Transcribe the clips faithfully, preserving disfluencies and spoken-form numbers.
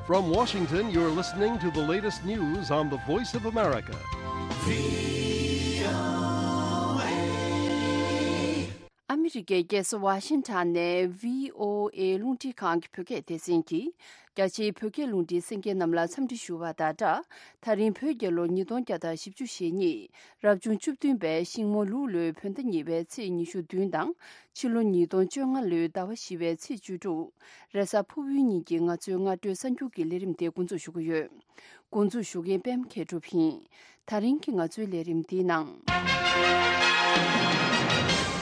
From Washington, you're listening to the latest news on the Voice of America. ཨ་མི་རི་ཀའི་རྒྱལ་ས་ཝ་ཤིང་ཊོན་ནས་བྷི་ཨོ་ཨེ་རླུང་འཕྲིན་ཁང་གི་བོད་སྐད་སྡེ་ཚན་གྱིས། རྒྱ་ཆེའི་བོད་སྐད་རླུང་འཕྲིན་གསན་མཁན་རྣམས་ལ་འཚམས་འདྲི་ཞུ་བ་དང་སྦྲགས། ད་རིང་བོད་རྒྱལ་ལོ་ཉིས་སྟོང་བརྒྱ་དང་བཞི་བཅུ་ཞེ་གཉིས། རབ་བྱུང་བཅུ་བདུན་པའི་ཤིང་མོ་ལུག་ལོའི་བོད་ཟླ་གཉིས་པའི་ཚེས་ཉི་ཤུ་བདུན་དང་། ཕྱི་ལོ་ཉིས་སྟོང་བཅོ་ལྔ་ལོའི་ཟླ་བ་བཞི་པའི་ཚེས་བཅུ་དྲུག་རེས་གཟའ་ཕུར་བུའི་ཉིན་གྱི་ང་ཚོའི་སྔ་དྲོའི་གསར་འགྱུར་གྱི་ལས་རིམ་དེ་འགོ་འཛུགས་ཞུ་གི་ཡོད། འགོ་འཛུགས་ཞུ་མཁན་པད་མ་མཁས་གྲུབ་ཡིན། ད་རིང་གི་ང་ཚོའི་ལས་རིམ་འདིའི་ནང་།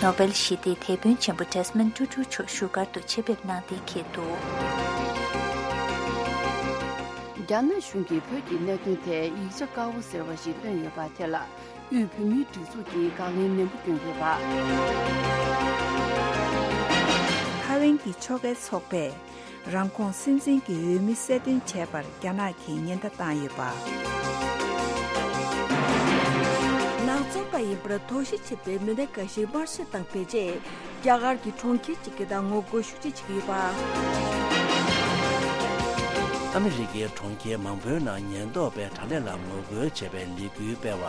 ནོ་བེལ་ཞི་བདེའི་དེད་དཔོན་ཆེན་པོ་ཌེ་སི་མོན་ཊུ་ཊུ་མཆོག་བཞུགས་སྒར་དུ་ཆེད་ཕེབས་གནང་གཏན་འཁེལ་འདུག་རྒྱ་ནག་གཞུང་གིས་བོད་ཀྱི་གནད་དོན་ཐད་ཡིག་ཆ་དཀར་པོ་ཟེར་བ་ཞིག་བཏོན་ཡོད་པ་དེ་ལ། དབུས་བོད་མིའི་སྒྲིག་འཛུགས་ཀྱིས་དགག་ལན་ནན་པོ་བསྐྱོན་ཡོད་པ། ཐའེ་ཝན་གྱི་ཕྱོགས་འགལ་ཚོགས་པས་རང་ཁོངས་སྲིད་འཛིན་གྱི་འོས་མི་གསལ་སྟོན་བྱས་པར་རྒྱ་ནག་གིས་ཉེན་བརྡ་བཏང་ཡོད་པ། ནག་ཚོང་པ་ཡིན་པར་དོགས་གཞི་ཆེ་བའི་མི་སྣ་འགའ་ཞིག་དམར་གསོད་དང་བེད་སྤྱད། རྒྱ་གར་གྱི་གྲོང་ཁྱེར་གཅིག་གི་ནང་ངོ་རྒོལ་ཤུགས་ཆེ་བྱེད་ཀྱི་ཡོད་པ། ཨ་མི་རི་ཀའི་གྲོང་ཁྱེར་མང་པོའི་ནང་ཉེན་རྟོག་པས་དྲག་ལས་ལ་ངོ་རྒོལ་བྱས་པའི་ལས་འགུལ་སྤེལ་བ།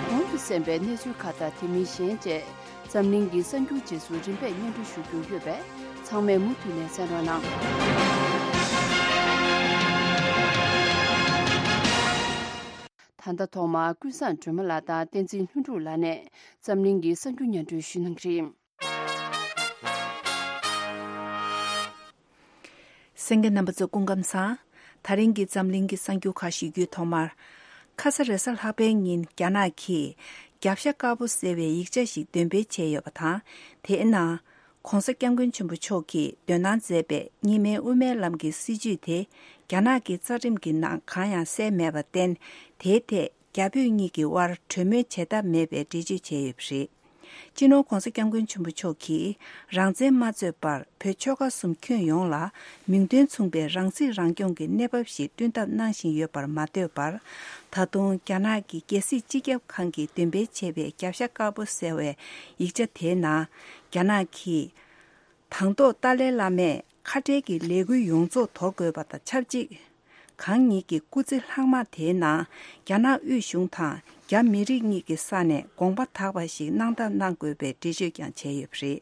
གོང་དུ་གསན་པའི་གནས་ཚུལ་ཁག་དང་དེ་མིན་གཞན་བཅས་འཛམ་གླིང་གི་གསར་འགྱུར་རྗེས་སུ་རིམ་པས་སྙན་སྒྲོན་ཞུ་རྒྱུ་ཡོད་པས་ཚང་མས་མུ་མཐུད་ནས་གསན་རོགས་གནང་། ད་ལྟ་ཐོག་མར་ཀུན་བཟང་སྒྲོལ་མ་ལགས་དང་བསྟན་འཛིན་ལྷུན་གྲུབ་ལགས་ནས་འཛམ་གླིང་གི་གསར་འགྱུར་སྙན་སྒྲོན་ཞུ་གནང་གི་རེད། གསན་མཁན་རྣམ་པ་ཚོ་སྐུ་ཁམས་བཟང་། ད་རིང་གི་འཛམ་གླིང་གི་གསར་འགྱུར་ཁག་ཞུ་རྒྱུའི་ཐོག་མར། ཁ་ས་རེས་གཟའ་ལྷག་པའི་ཉིན་རྒྱ་ནག་གིས་རྒྱབ་ཤ་དཀར་པོ་ཟེར་བའི་ཡིག་ཆ་ཞིག་འདོན་སྤེལ་བྱས་ཡོད་པ་དང་། དེའི་ནང་། ྋགོང་ས་ྋསྐྱབས་མགོན་ཆེན་པོ་མཆོག་གིས་འདོན་གནང་མཛད་པའི་གཉིས་སྨན་དབུ་མའི་ལམ་གྱི་སྲིད་བྱུས་དེ། རྒྱ་ནག་གི་རྩ་ཁྲིམས་ཀྱི་ནང་གང་ཡང་གསལ་མེད་པར་བརྟེན། དེའི་ཐད་རྒྱ་བོད་གཉིས་ཀྱི་དབར་གྲོས་མོལ་བྱེད་ཐབས་མེད་པའི་འགྲེལ་བརྗོད་བྱས་ཡོད་པ་རེད། སྤྱི་ནོར་ྋགོང་ས་ྋསྐྱབས་མགོན་ཆེན་པོ་མཆོག་གིས་རང་བཙན་མ་རྩོད་པར་བོད་ཆོལ་ཁ་གསུམ་ཁྱོན་ཡོངས་ལ་མིང་དོན་མཚུངས་པའི་རང་སྲིད་རང་སྐྱོང་གི་གནས་བབ་ཞིག་བསྐྲུན་ཐབས་གནང་བཞིན་ཡོད་པར་མ་ལྟོས་པར། ད་དུང་རྒྱ་ནག་གི་རྒྱལ་སྲིད་སྤྱི་ཁྱབ་ཁང་གིས་འདོན་སྤེལ་བྱས་པའི་རྒྱབ་ཤ་དཀར་པོ་ཟེར་བའི་ཡིག་ཆ་དེའི་ནང་། རྒྱ་ནག་གིས། དང་ཐོག་ཏཱ་ལའི་བླ་མས་ཁ་བྲལ་གྱི་ལས་འགུལ་ཡོངས་རྫོགས་དོར་དགོས་པ་དང་ཆབས་ཅིག་གང་ཉིད་ཀྱི་སྐུ་ཚེ་ལྷག་མ་དེའི་ནང་རྒྱ་ནག་དབུས་གཞུང་དང་རྒྱ་མི་རིགས་གཉིས་ཀྱི་ས་ནས་དགོངས་པ་དག་པ་ཞིག་གནང་ཐབས་གནང་དགོས་པའི་འགྲེལ་བརྗོད་ཀྱང་བྱས་ཡོད་པ་རེད།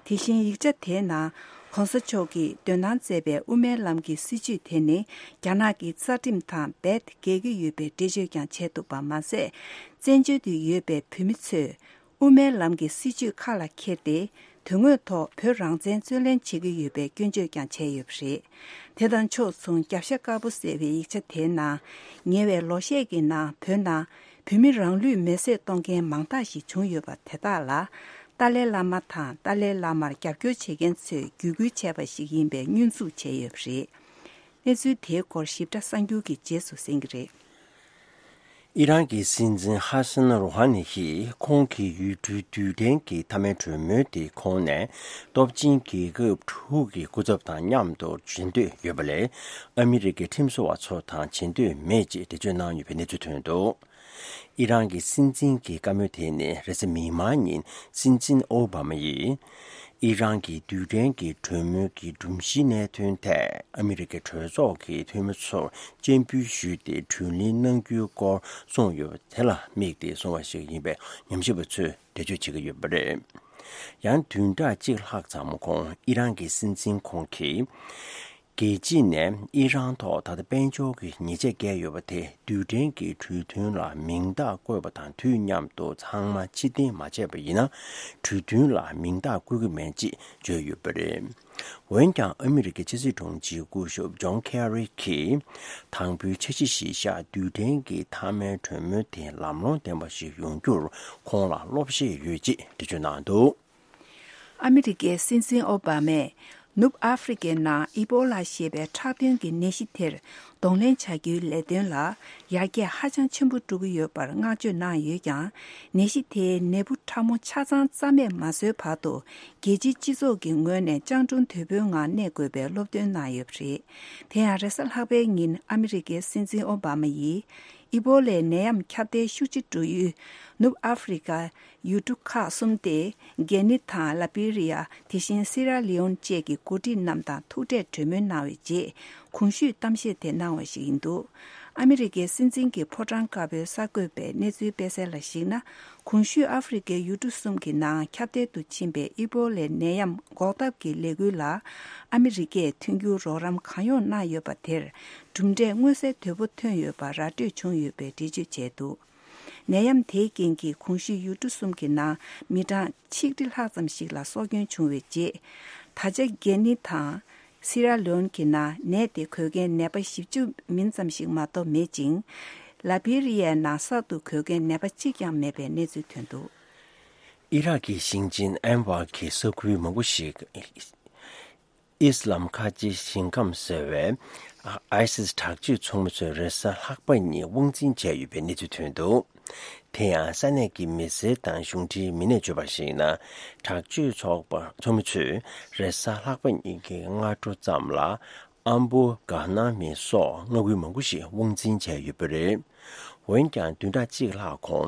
དེ་བཞིན་ཡིག་ཆ་དེའི་ནང་ྋགོང་ས་མཆོག་གིས་འདོན་གནང་མཛད་པའི་དབུ་མའི་ལམ་གྱི་སྲིད་བྱུས་དེ་ནི་རྒྱ་ནག་གི་རྩ་ཁྲིམས་དང་རྦད་འགལ་གྱི་ཡོད་པའི་འགྲེལ་བརྗོད་ཀྱང་བྱས་འདུག་པ་མ་ཟད། བཙན་བྱོལ་དུ་ཡོད་པའི་བོད་མི་ཚོས། དབུ་མའི་ལམ་གྱི་སྲིད་བྱུས་ཁ་ལ་འཁྱེར་ཏེ། དོན་དངོས་ཐོག་བོད་རང་བཙན་རྩོད་ལེན་བྱེད་ཀྱི་ཡོད་པའི་སྐྱོན་བརྗོད་ཀྱང་བྱས་ཡོད་པ་རེད། དེ་དང་ཕྱོགས་མཚུངས་རྒྱབ་ཤ་དཀར་པོ་ཟེར་བའི་ཡིག་ཆ་དེའི་ནང་། ཉེ་བའི་ལོ་ཤས་ཀྱི་ནང་བོད་ནང་བོད་མི་རང་ལུས་མེར་སྲེག་གཏོང་མཁན་མང་དག་ཞིག་བྱུང་ཡོད་པ་དེ་དག་ལ། ཏཱ་ལའི་བླ་མ་དང་ཏཱ་ལའི་བླ་མར་རྒྱབ་སྐྱོར་བྱེད་མཁན་ཚོས་བརྒྱུད་སྐུལ་བྱས་པ་ཞིག་ཡིན་པའི་བསྙོན་འཛུགས་བྱས་ཡོད་པ་རེད། གནས་ཚུལ་དེའི་སྐོར་ཞིབ་ཕྲ་གསར་འགྱུར་གྱི་རྗེས་སུ་གསན་གྱི་རེད། ཨི་རན་གྱི་སྲིད་འཛིན་ཧ་སན་རོ་ཧ་ནི་ཡིས་ཁོང་གི་ཡུལ་གྲུའི་རྡུལ་ཕྲན་གྱི་མཐའ་མའི་གྲོས་མོལ་དེ་ཁོང་ནས་སྟོབས་ཆེན་རྒྱལ་ཁབ་དྲུག་གི་སྐུ་ཚབ་དང་མཉམ་དུ་བྱེད་འདོད་ཡོད་པ་ལས། ཨ་མི་རི་ཀའི་ཁྲིམས་བཟོ་བ་ཚོ་དང་བྱེད་འདོད་མེད་ཅེས་འགྲེལ་བརྗོད་གནང་ཡོད་པའི་གནས་ཚུལ་ཐོན་འདུག་ཨི་རན་གྱི་སྲིད་འཛིན་གྱི་བཀའ་མོལ་དེ་ནི་རེས་གཟའ་མིག་དམར་ཉིན་སྲིད་འཛིན་ཨོ་བྷ་མ་ཡིས། ཨི་རན་གྱི་རྡུལ་ཕྲན་གྱི་གྲོས་མོལ་གྱི་སྒྲོམ་གཞིའི་གནད་དོན་ཐད་ཨ་མི་རི་ཀའི་གྲོས་ཚོགས་ཀྱི་འཐུས་མི་ཚོར་སྤྱན་འབུལ་ཞུས་ཏེ་གྲོས་གླེང་གནང་རྒྱུའི་སྐོར་གསུངས་ཡོད་པ་དེ་ལ་དམིགས་ཏེ་གསུངས་པ་ཞིག་ཡིན་པའི་ཉམས་ཞིབ་པ་ཚོས་འགྲེལ་བརྗོད་བྱེད་ཀྱི་ཡོད་པ་རེད། ཡང་བདུན་ཕྲག་གཅིག་ལྷག་ཙམ་གོང་ཨི་རན་གྱི་སྲིད་འཛིན་ཁོང་གིས། རྒྱལ་སྤྱི་ནས་ཨི་རན་ཐོག་ད་ལྟ་དཔལ་འབྱོར་གྱི་ཉེས་ཆད་བཀལ་ཡོད་པ་དེ་རྡུལ་ཕྲན་གྱི་གྲོས་མཐུན་ལ་མིང་རྟགས་བཀོད་པ་དང་དུས་མཉམ་དུ་ཚང་མ་ཕྱིར་འཐེན་མ་བྱས་པ་ཡིན་ན་གྲོས་མཐུན་ལ་མིང་རྟགས་བཀོད་ཀྱི་མེད་ཅེས་བརྗོད་ཡོད་པ་རེད། འོན་ཀྱང་ཨ་མི་རི་ཀའི་ཕྱི་སྲིད་དྲུང་ཆེའི་སྐུ་ཞབས་ཇོན་ཁེ་རི་གིས་དང་པོའི་འཆར་གཞི་གཞིར་བཞག་རྡུལ་ཕྲན་གྱི་མཐའ་མའི་གྲོས་མོལ་དེ་ལམ་ལྷོང་ལྡན་པ་ཞིག་ཡོང་རྒྱུར་ཁོང་ལ་སློབ་ཤེས་ཡོད་ཅེས་འགྲེལ་བརྗོད་གནང་འདུག་ཨ་མི་རི་ཀའི་སྲིད་འཛིན་ཨོ་བྷ་མས་ནུབ་ཨ་ཧྥེ་རི་ཀའི་ནང་ཨི་པོ་ལ་ཞེས་པའི་ཁྲག་དོན་གྱི་ནད་གཞི་དེར་གདོང་ལེན་བྱ་རྒྱུའི་ལས་དོན་ལ་ཡར་རྒྱས་ཧ་ཅང་ཆེན་པོ་འགྲོ་གི་ཡོད་པར་བསྔགས་བརྗོད་གནང་ཡོད་ཀྱང་། ནད་གཞི་དེའི་ནད་འབུ་ཕྲ་མོ་ཆ་ཚང་རྩ་མེད་མ་བཟོས་བར་དུ་རྒྱལ་སྤྱིའི་སྤྱི་ཚོགས་ཀྱི་ངོས་ནས་སྤྱང་གྲུང་དོད་པོའི་ངང་གནས་དགོས་པའི་སློབ་སྟོན་གནང་ཡོད་པ་རེད། དེ་ཡང་རེས་གཟའ་ལྷག་པའི་ཉིན་ཨ་མི་རི་ཀའི་སྲིད་འཛིན་ཨོ་བྷ་མ་ཡིས། ཨི་བོ་ལའི་ནད་ཡམས་ཁྱབ་གདལ་ཤུགས་ཆེ་འགྲོ་ཡུལ་ནུབ་ཨ་ཧྥེ་རི་ཀ་ཡུལ་གྲུ་ཁག་གསུམ་སྟེ། གྷི་ནི་དང་ལ་བྷི་རི་ཡ། དེ་བཞིན་སི་ར་ལི་ཡོན་བཅས་ཀྱི་འགོ་ཁྲིད་རྣམས་དང་ཐུག་འཕྲད་གྲོས་མོལ་གནང་བའི་རྗེས། གོང་ཞུས་གཏམ་བཤད་དེ་གནང་བ་ཞིག་ཡིན་འདུག་ཨ་མི་རི་ཀའི་སྲིད་འཛིན་གྱི་ཕོ་བྲང་དཀར་པོའི་གསར་འགོད་པས་གནས་ཚུལ་སྤེལ་གསལ་ལ་གཞིགས་ན། གོང་ཞུས་ཨ་ཧྥེ་རི་ཀའི་ཡུལ་གྲུ་གསུམ་གྱི་ནང་ཁྱབ་གདལ་དུ་ཕྱིན་པའི་ཨི་བོ་ལའི་ནད་ཡམས་འགོག་ཐབས་ཀྱི་ལས་འགུལ་ལ་ཨ་མི་རི་ཀས་མཐུན་འགྱུར་རོགས་རམ་གང་ཡོང་གནང་ཡོད་པ་དེར། གྲུབ་འབྲས་མངོན་གསལ་དོད་པོ་ཐོན་ཡོད་པ་ར་སྤྲོད་བྱུང་ཡོད་པའི་འགྲེལ་བརྗོད་བྱས་འདུག་ནད་ཡམས་དེའི་རྐྱེན་གྱིས་གོང་ཞུས་ཡུལ་གྲུ་གསུམ་གྱི་ནང་མི་གྲངས་ཆིག་ཁྲི་ལྷག་ཙམ་ཞིག་ལ་སྲོག་སྐྱོན་བྱུང་བའི་རྗེས། ད་ཆ་གྷི་ནི་དང་སི་ར་ལི་ཡོན་གྱི་ནང་ནད་དེ་འགོས་མཁན་ནད་པ་བཞི་བཅུ་མིན་ཙམ་ཞིག་མ་གཏོགས་མེད་ཅིང་། ལ་བྷི་རི་ཡའི་ནང་གསར་དུ་འགོས་མཁན་ནད་པ་གཅིག་ཀྱང་མེད་པའི་གནས་ཚུལ་ཐོན་འདུག་ཨི་རག་གི་ཞིང་ཆེན་ཨན་བར་གྱི་ས་ཁུལ་མང་པོ་ཞིག་ཨིས་ལམ་ཁ་ཆེ་ཞིང་ཁམས་ཟེར་བའི་ཨའི་སིས་དྲག་སྤྱོད་ཚོགས་མི་ཚོས་རེས་གཟའ་ལྷག་པ་ཉིན་དབང་འཛིན་བྱས་ཡོད་པའི་གནས་ཚུལ་ཐོན་འདུག་དེ་ཡང་ས་གནས་ཀྱི་མི་སེར་དང་གཞུང་འབྲེལ་མི་སྣས་བརྗོད་པར་གཞིགས་ན། དྲག་སྤྱོད་ཚོགས་པ་ཚོགས་མི་ཚོས་རེས་གཟའ་ལྷག་པ་ཉིན་གྱི་སྔ་དྲོ་ཙམ་ལ་ཨམ་བུ་གྷ་ན་མི་སོགས་མངའ་ཁུལ་མང་པོ་ཞིག་དབང་འཛིན་བྱས་ཡོད་པ་རེད། འོན་ཀྱང་བདུན་ཕྲག་གཅིག་ལྷག་གོང་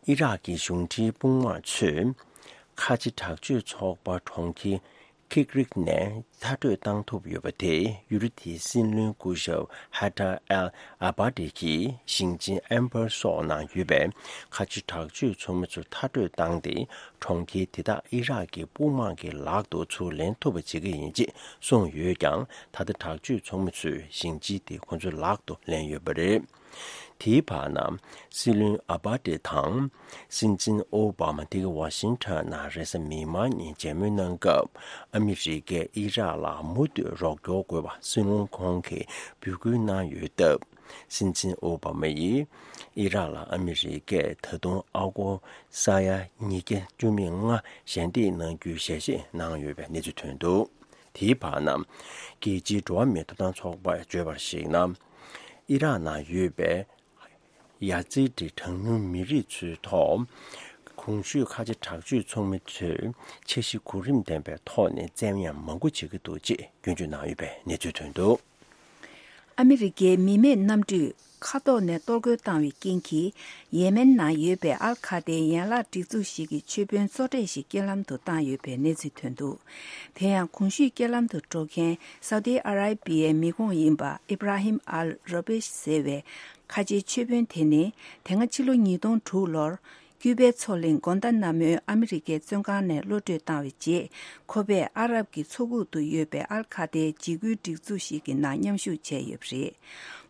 ཨི་རག་གི་གཞུང་འབྲེལ་དཔུང་དམག་ཚོས་ཁ་ཆེ་དྲག་སྤྱོད་ཚོགས་པ་གྲོང་ཁྱེར་ཁིག་རིག་ནས་མཐར་སྐྲོད་བཏང་ཐུབ་ཡོད་པ་དེ་ཡུལ་གྲུ་དེའི་སྲིད་བློན་སྐུ་ཞབས་ཧ་ཏར་ཨལ་ཨ་བྷ་ཏི་གིས་ཞིང་ཆེན་ཨན་བར་སོགས་ནང་ཡོད་པའི་ཁ་ཆེ་དྲག་སྤྱོད་ཚོགས་མི་ཚོ་མཐར་སྐྲོད་བཏང་སྟེ། གྲོང་ཁྱེར་དེ་དག་ཨི་རག་གི་དཔུང་དམག་གི་ལག་ཏུ་ཚུར་ལེན་ཐུབ་པ་བྱེད་ཀྱི་ཡིན་ཅེས་གསུངས་ཡོད་ཀྱང་། ད་ལྟ་དྲག་སྤྱོད་ཚོགས་མི་ཚོས་ཞིང་ཆེན་དེ་ཁོ་ཚོའི་ལག་ཏུ་ལེན་ཡོད་པ་རེད། དེའི་བར་ན། སྲིད་བློན་ཨ་བྷ་ཏི་དང་། སྲིད་འཛིན་ཨོ་བྷ་མ་དེ་ག་ཝ་ཤིང་ཊོན་ནང་རེས་གཟའ་མིག་དམར་ཉིན་མཇལ་མོལ་གནང་སྐབས། ཨ་མི་རི་ཀས་ཨི་རག་ལ་མུ་མཐུད་རོགས་སྐྱོར་དགོས་པ་སྲིད་བློན་ཁོང་གིས་འབོད་སྐུལ་གནང་ཡོད་སྟབས། སྲིད་འཛིན་ཨོ་བྷ་མ་ཡིས་ཨི་རག་ལ་ཨ་མི་རི་ཀས་ད་དུང་ཨ་སྒོར་ས་ཡ་ཉིས་བརྒྱ་བཅུ་མེད་ལྔ་ཞལ་འདེབས་གནང་རྒྱུའི་ཞལ་བཞེས་གནང་ཡོད་པའི་གནས་ཚུལ་ཐོན་འདུག་དེའི་བར་ན། རྒྱལ་སྤྱིའི་འགྲོ་བ་མིའི་ཐོབ་ཐང་ཚོགས་པས་བརྗོད་པར་གཞིགས་ན། ཨི་རག་ནང་ཡོད་པའི་ཡ་ཛི་ཏི་གྲངས་ཉུང་མི་རིགས་ཚོའི་ཐོག་གོང་ཞུས་ཁ་ཆེ་དྲག་སྤྱོད་ཚོགས་མི་ཚོས་འཆར་གཞི་གོ་རིམ་ལྡན་པའི་ཐོག་ནས་བཙན་ཉར་མང་པོ་བྱེད་ཀྱི་འདུག་ཅེས་སྐྱོན་བརྗོད་གནང་ཡོད་པའི་གནས་ཚུལ་ཐོན་འདུག་ཨ་མི་རི་ཀའི་མི་མེད་གནམ་གྲུས་མཁའ་ཐོག་ནས་གཏོར་རྒོལ་བཏང་བའི་རྐྱེན་གྱིས། ཡེ་མེན་ནང་ཡོད་པའི་ཨལ་ཁ་ཏའི་ཡན་ལག་སྒྲིག་འཛུགས་ཤིག་གི་ཆོས་དཔོན་གཙོ་གྲས་ཤིག་རྐྱེན་ལམ་དུ་བཏང་ཡོད་པའི་གནས་ཚུལ་ཐོན་འདུག་དེ་ཡང་གོང་ཞུས་རྐྱེན་ལམ་དུ་འགྲོ་མཁན་སའུ་ཏི་ཨ་ར་པི་ཡའི་མི་ཁོངས་ཡིན་པ་ཨི་བྷ་ར་ཧིམ་ཨལ་རོ་བེཤ་ཟེར་བའི་ཁ་ཆེའི་ཆོས་དཔོན་དེ་ནི། དེ་སྔ་ཕྱི་ལོ་ཉིས་སྟོང་དྲུག་ལོར། ཀྱུ་པའི་མཚོ་གླིང་གོན་ཏ་ན་མོའི་ཨ་མི་རི་ཀའི་བཙོན་ཁང་ནས་གློད་བཀྲོལ་བཏང་བའི་རྗེས། ཁོ་པས་ཨ་རབ་ཀྱི་མཚོ་ཁུག་ཏུ་ཡོད་པའི་ཨལ་ཁ་ཏའི་འཇིགས་སྐུལ་སྒྲིག་འཛུགས་ཤིག་གི་ནང་མཉམ་ཞུགས་བྱས་ཡོད་པ་རེད།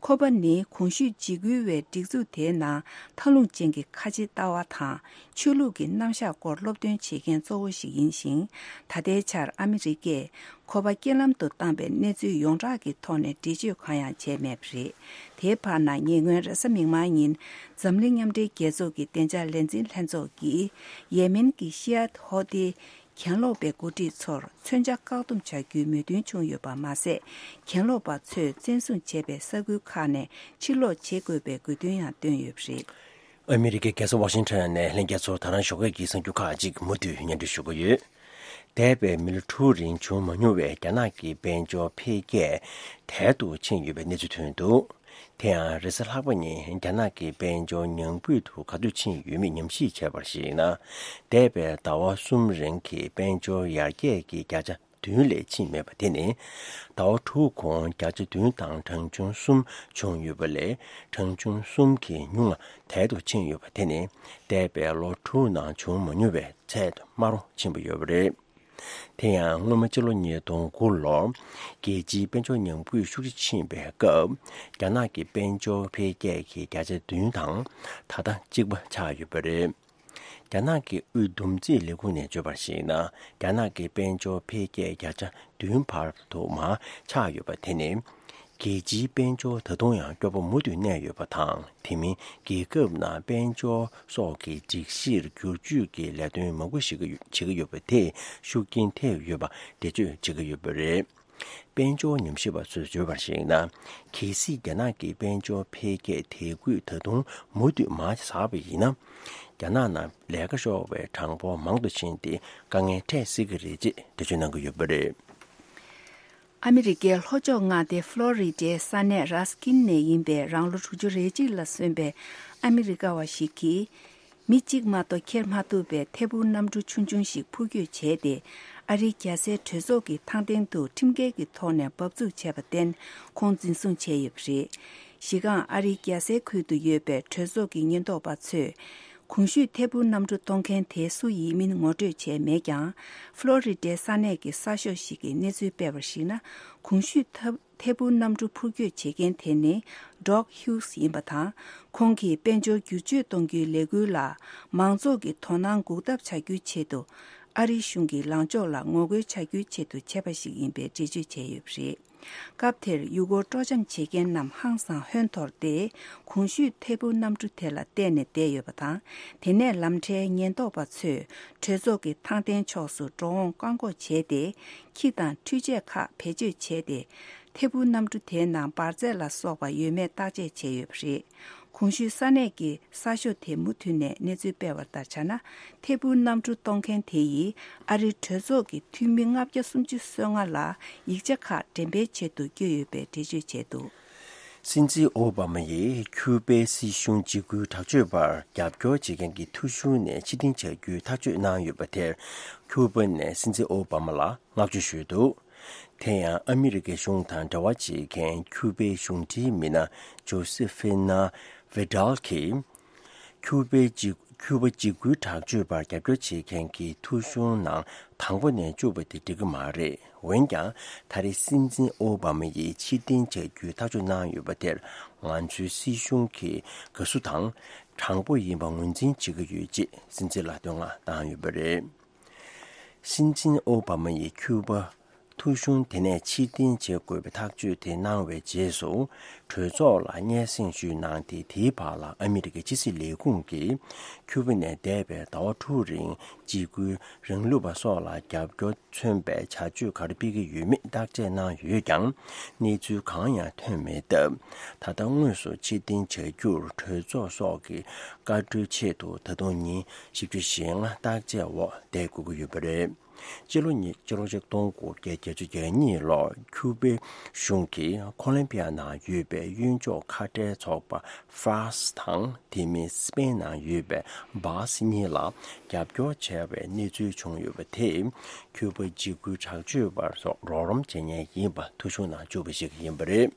ཁོ་པ་ནི་གོང་ཞུས་འཇིགས་སྐུལ་བའི་སྒྲིག་འཛུགས་དེའི་ནང་ཐབས་ལུང་ཅན་གྱི་ཁ་ཆེ་ལྟ་བ་དང་ཆོས་ལུགས་ཀྱི་རྣམ་གཞག་སྐོར་སློབ་སྟོན་བྱེད་མཁན་གཙོ་བོ་ཞིག་ཡིན་ཞིང་། ད་ལྟའི་ཆར་ཨ་མི་རི་ཀས། ཁོ་པ་རྐྱེན་ལམ་དུ་བཏང་པའི་གནས་ཚུལ་ཡོངས་གྲགས་ཀྱི་ཐོག་ནས་འགྲེལ་བརྗོད་གང་ཡང་བྱས་མེད་པ་རེད། དེའི་བར་ན་ཉེ་སྔོན་རེས་གཟའ་མིག་དམར་ཉིན་འཛམ་གླིང་མཉམ་འབྲེལ་རྒྱལ་ཚོགས་ཀྱི་བདེ་འཇགས་ལས་འཛིན་ལྷན་ཚོགས་ཀྱིས་ཡེ་མེན་གྱི་ཤི་ཡ་ཧོ་ཏི་གྱེན་ལོག་པའི་འགོ་ཁྲིད་ཚོར་མཚོན་ཆ་བཀག་སྡོམ་བྱ་རྒྱུའི་མོས་མཐུན་བྱུང་ཡོད་པ་མ་ཟད། གྱེན་ལོག་པ་ཚོས་བཙན་བཟུང་བྱས་པའི་ས་ཁུལ་ཁག་ནས་ཕྱིར་ལོག་བྱེད་དགོས་པའི་དགོས་འདུན་ཡང་བཏོན་ཡོད་པ་རེད། ཨ་མི་རི་ཀའི་རྒྱལ་ས་ཝ་ཤིང་ཊོན་ནས་ལྷན་རྒྱས་ཚོར་ད་རང་ཞོགས་ཀས་ཀྱི་གསར་འགྱུར་ཁག་ཅིག་མུ་མཐུད་སྙན་སྒྲོན་ཞུ་གི་ཡོད། འདས་པའི་མི་ལོ་དྲུག་རིང་བྱུང་མ་མྱོང་བའི་རྒྱ་ནག་གི་དཔལ་འབྱོར་འཕེལ་རྒྱས་དལ་དུ་ཕྱིན་ཡོད་པའི་གནས་ཚུལ་ཐོན་འདུག་དེ་ཡང་རེས་གཟའ་ལྷག་པ་ཉིན་རྒྱ་ནག་གི་དཔལ་འབྱོར་ཉམས་རྒུད་དུ་ག་དུས་ཕྱིན་ཡོད་མེད་ཉམས་ཞིབ་བྱས་པར་གཞིགས་ན། འདས་པའི་ཟླ་བ་གསུམ་རིང་གི་དཔལ་འབྱོར་ཡར་རྒྱས་ཀྱི་བརྒྱ་ཆ་བདུན་ལས་ཕྱིན་མེད་པ་དེ་ནི། ཟླ་བ་དྲུག་གོང་བརྒྱ་ཆ་བདུན་དང་གྲངས་ཆུང་གསུམ་བྱུང་ཡོད་པ་ལས། གྲངས་ཆུང་གསུམ་གྱིས་ཉུང་ང་དལ་དུ་ཕྱིན་ཡོད་པ་དེ་ནི། འདས་པའི་ལོ་དྲུག་ནང་བྱུང་མ་མྱོང་བའི་ཚད་དུ་དམའ་རུ་ཕྱིན་པ་ཡོད་པ་རེད། དེ་ཡང་སྔོན་མ་ཕྱི་ལོ་ཉིས་སྟོང་དགུ་ལོར་རྒྱལ་སྤྱིའི་དཔལ་འབྱོར་ཉམས་རྒུད་ཤུགས་ཆེ་ཕྱིན་པའི་སྐབས། རྒྱ་ནག་གི་དཔལ་འབྱོར་འཕེལ་རྒྱས་ཀྱི་བརྒྱ་ཆ་བདུན་དང་ད་ལྟ་གཅིག་པ་ཆགས་ཡོད་པ་རེད། རྒྱ་ནག་གི་དབུས་བསྡོམས་རྩིས་ལས་ཁུངས་ནས་བརྗོད་པར་གཞིགས་ན། རྒྱ་ནག་གི་དཔལ་འབྱོར་འཕེལ་རྒྱས་བརྒྱ་ཆ་བདུན་བར་དུ་མར་ཆག་ཡོད་པ་དེ་ནི། རྒྱལ་སྤྱིའི་དཔལ་འབྱོར་ད་དུང་ཡང་སྐྱོ་པོ་མུ་མཐུད་གནས་ཡོད་པ་དང་། དེ་མིན་རྒྱལ་ཁབ་ནང་དཔལ་འབྱོར་སོགས་ཀྱི་སྒྲིག་གཞིར་བསྒྱུར་བཅོས་ཀྱི་ལས་དོན་མང་པོ་ཞིག་བྱེད་ཀྱི་ཡོད་པ་དེས་ཤུགས་རྐྱེན་ཐེབས་ཡོད་པ་འགྲེལ་བརྗོད་བྱེད་ཀྱི་ཡོད་པ་རེད། དཔལ་འབྱོར་ཉམས་ཞིབ་པ་ཚོས་བརྗོད་པར་གཞིགས་ན། གལ་སྲིད་རྒྱ་ནག་གི་དཔལ་འབྱོར་འཕེལ་རྒྱས་དེ་ཁུལ་ད་དུང་མུ་མཐུད་མར་ཟགས་པ་ཡིན་ན། རྒྱ་ནག་ནང་ལས་ཀ་ཤོར་བའི་གྲངས་འབོར་མང་དུ་ཕྱིན་ཏེ་དཀའ་ངལ་འཕྲད་སྲིད་ཀྱི་རེད་ཅེས་འགྲེལ་བརྗོད་གནང་གི་ཡོད་པ་རེད། ཨ་མི་རི་ཀའི་ལྷོ་ཕྱོགས་མངའ་སྡེ་ཕློ་རི་ཌའི་ས་གནས་རཱས་ཀིན་ནས་ཡིན་པའི་རང་ལོ་དྲུག་ཅུ་རེ་གཅིག་ལ་སོན་པའི་ཨ་མི་རི་ཀ་བ་ཞིག་གིས། མི་གཅིག་མ་གཏོགས་འཁྱེར་མ་ཐུབ་པའི་ཐད་འཕུར་གནམ་གྲུ་ཆུང་ཆུང་ཞིག་འཕུར་སྐྱོད་བྱས་ཏེ། ཨ་རིའི་རྒྱལ་སའི་གྲོས་ཚོགས་ཀྱི་ཐང་སྟེང་དུ་ཁྲིམས་འགལ་གྱི་ཐོག་ནས་འབབ་ཚུགས་བྱས་པར་བརྟེན། ཁོང་འཛིན་བཟུང་བྱས་ཡོད་པ་རེད། གཞི་རྐང་ཨ་རིའི་རྒྱལ་སའི་ཁུལ་དུ་ཡོད་པའི་གྲོས་ཚོགས་ཀྱི་ཉེན་རྟོག་པ་ཚོས། གོང་ཞུས་ཐད་འཕུར་གནམ་གྲུ་གཏོང་མཁན་དེ་སུ་ཡིན་མིན་ངོ་སྤྲོད་བྱས་མེད་ཀྱང་། ཕློ་རི་ཌའི་ས་གནས་ཀྱི་གསར་ཤོག་ཞིག་གིས་གནས་ཚུལ་སྤེལ་བར་གཞིགས་ན། གོང་ཞུས་ཐད་འཕུར་གནམ་གྲུ་འཕུར་སྐྱོད་བྱེད་མཁན་དེ་ནི་ཌོག་ཧིའུ་སི་ཡིན་པ་དང་། ཁོང་གིས་དཔལ་འབྱོར་བསྒྱུར་བཅོས་གཏོང་རྒྱུའི་ལས་འགུལ་ལ་མང་ཚོགས་ཀྱི་དོ་སྣང་འགུག་ཐབས་བྱ་རྒྱུའི་ཆེད་དུ། ཨ་རིའི་གཞུང་གི་ལངས་ཕྱོགས་ལ་ངོ་རྒོལ་བྱ་རྒྱུའི་ཆེད་དུ་བྱས་པ་ཞིག་ཡིན་པའི་འགྲེལ་བརྗོད་བྱས་ཡོད་པ་རེད། སྐབས་དེར་ཡུལ་སྐོར་སྤྲོ་འཆམ་བྱེད་མཁན་རྣམས་ཧང་སང་ཧོན་འཐོར་ཏེ། གོང་ཞུས་ཐད་འཕུར་གནམ་གྲུ་དེ་ལ་བལྟས་ནས་བསྡད་ཡོད་པ་དང་། དེ་ནས་ལམ་ཁྲལ་ཉེན་རྟོག་པ་ཚོས་གྲོས་ཚོགས་ཀྱི་ཐང་སྟེང་ཕྱོགས་སུ་འགྲོ་འོང་བཀག་འགོག་བྱས་ཏེ། ཁྱི་དང་འཕྲུལ་ཆས་ཁག་བེད་སྤྱོད་བྱས་ཏེ། ཐད་འཕུར་གནམ་གྲུ་དེའི་ནང་འབར་རྫས་ལ་སོགས་པ་ཡོད་མེད་བརྟག་དཔྱད་བྱས་ཡོད་པ་རེད། གོང་ཞུས་ས་གནས་ཀྱི་གསར་ཤོག་དེ་མུ་མཐུད་ནས་གནས་ཚུལ་སྤེལ་བ་ལྟར་ཆ་ན། ཐད་འཕུར་གནམ་གྲུ་གཏོང་མཁན་དེ་ཡིས་ཨ་རིའི་གྲོས་ཚོགས་ཀྱི་འཐུས་མི་ལྔ་བརྒྱ་སུམ་ཅུ་སོ་ལྔ་ལ་ཡིག་ཆ་ཁག་འགྲེམས་སྤེལ་ཆེད་དུ་བསྐྱོད་ཡོད་པའི་འགྲེལ་བརྗོད་བྱས་འདུག། སྲིད་འཛིན་ཨོ་བྷ་མ་ཡིས་ཁྱུ་པའི་སྲིད་གཞུང་འཇིགས་སྐུལ་དྲག་སྤྱོད་པར་རྒྱབ་སྐྱོར་བྱེད་མཁན་གྱི་ཐོ་གཞུང་ནས་ཕྱིར་འཐེན་བྱ་རྒྱུའི་ཐག་གཅོད་གནང་ཡོད་པ་དེར། ཁྱུ་པ་ནས་སྲིད་འཛིན་ཨོ་བྷ་མ་ལ་བསྔགས་བརྗོད་ཞུས་འདུག། དེ་ཡང་ཨ་མི་རི་ཀའི་གཞུང་དང་འབྲེལ་བ་བྱེད་མཁན་ཁྱུ་པའི་གཞུང་འབྲེལ་མི་སྣ་ཇོ་སི་ཧྥི་ན་ཝི་ཌལ་གྱིས། ཁྱུ་པའི་འཇིགས། ཁྱུ་པ་འཇིགས་སྐུལ་དྲག་སྤྱོད་པར་རྒྱབ་སྐྱོར་བྱེད་མཁན་གྱི་ཐོ་གཞུང་ནང་དང་པོ་ནས་བཅུག་པ་དེ་འགྲིག་གི་མ་རེད། འོན་ཀྱང་། ད་རེས་སྲིད་འཛིན་ཨོ་བྷ་མ་ཡིས་ཕྱིར་འཐེན་བྱ་རྒྱུའི་ཐག་གཅོད་གནང་ཡོད་པ་དེར། ང་ཚོའི་སྲིད་གཞུང་གི་དགའ་བསུ་དང་། དྲང་པོ་ཡིན་པ་ངོས་འཛིན་བྱེད་ཀྱི་ཡོད་ཅེས་སྲིད་འཛིན་ལ་བསྟོད་བསྔགས་བཏང་ཡོད་པ་རེད། སྲིད་འཛིན་ཨོ་བྷ་མ་ཡིས་ཁྱུ་པ་ཐོ་གཞུང་དེ་ནས་ཕྱིར་འཐེན་བྱེད་དགོས་པའི་ཐག་གཅོད་དེ་གནང་བའི་རྗེས་སུ། གྲོས་ཚོགས་ལ་སྙན་སེང་ཞུས་གནང་སྟེ། དེའི་བར་ལ་ཨ་མི་རི་ཀའི་ཕྱི་སྲིད་ལས་ཁུངས་ཀྱིས་ཁྱུ་པ་ནས་འདས་པའི་ཟླ་བ་དྲུག་རིང་འཇིགས་སྐུལ་རིང་ལུགས་པ་སོགས་ལ་རྒྱབ་སྐྱོར་མཚོན་པའི་བྱ་སྤྱོད་ག་རེ་སྤེལ་གྱི་ཡོད་མེད་བརྟག་དཔྱད་གནང་ཡོད་ཀྱང་། གནས་ཚུལ་གང་ཡང་ཐོན་མེད་སྟབས། ད་ལྟ་དངོས་སུ་ཕྱིར་འཐེན་བྱ་རྒྱུར་གྲོས་ཚོགས་སོགས་ཀྱི་བཀའ་འཁྲོལ་ཆེད་དུ། ད་དུང་ཉིན་བཞི་བཅུ་ཞེ་ལྔ་བརྟག་དཔྱད་འོག་བསྡད་དགོས་ཀྱི་ཡོད་པ་རེད། སྤྱི་ལོ་ཉིས། སྤྱི་ལོ་ཆིག་སྟོང་དགུ་བརྒྱ་བརྒྱད་ཅུ་གྱ་གཉིས་ལོར་ཁྱུ་པའི་གཞུང་གིས་ཁོ་ལོམ་བི་ཡ་ནང་ཡོད་པའི་གཡོན་ཕྱོགས་ཁ་བྲལ་ཚོགས་པ་ཧྥ་རཱས་དང་། དེ་མིན་སི་པེན་ནང་ཡོད་པའི་བཱ་སི་གཉིས་ལ་རྒྱབ་སྐྱོར་བྱས་པའི་གནས་ཚུལ་བྱུང་ཡོད་པ་དེས། ཁྱུ་པ་འཇིགས་སྐུལ་དྲག་སྤྱོད་པ་སོགས་རོགས་རམ་བྱེད་མཁན་ཡིན་པ་ཐོ་གཞུང་ནང་བཅུག་པ་ཞིག་ཡིན་པ་རེད།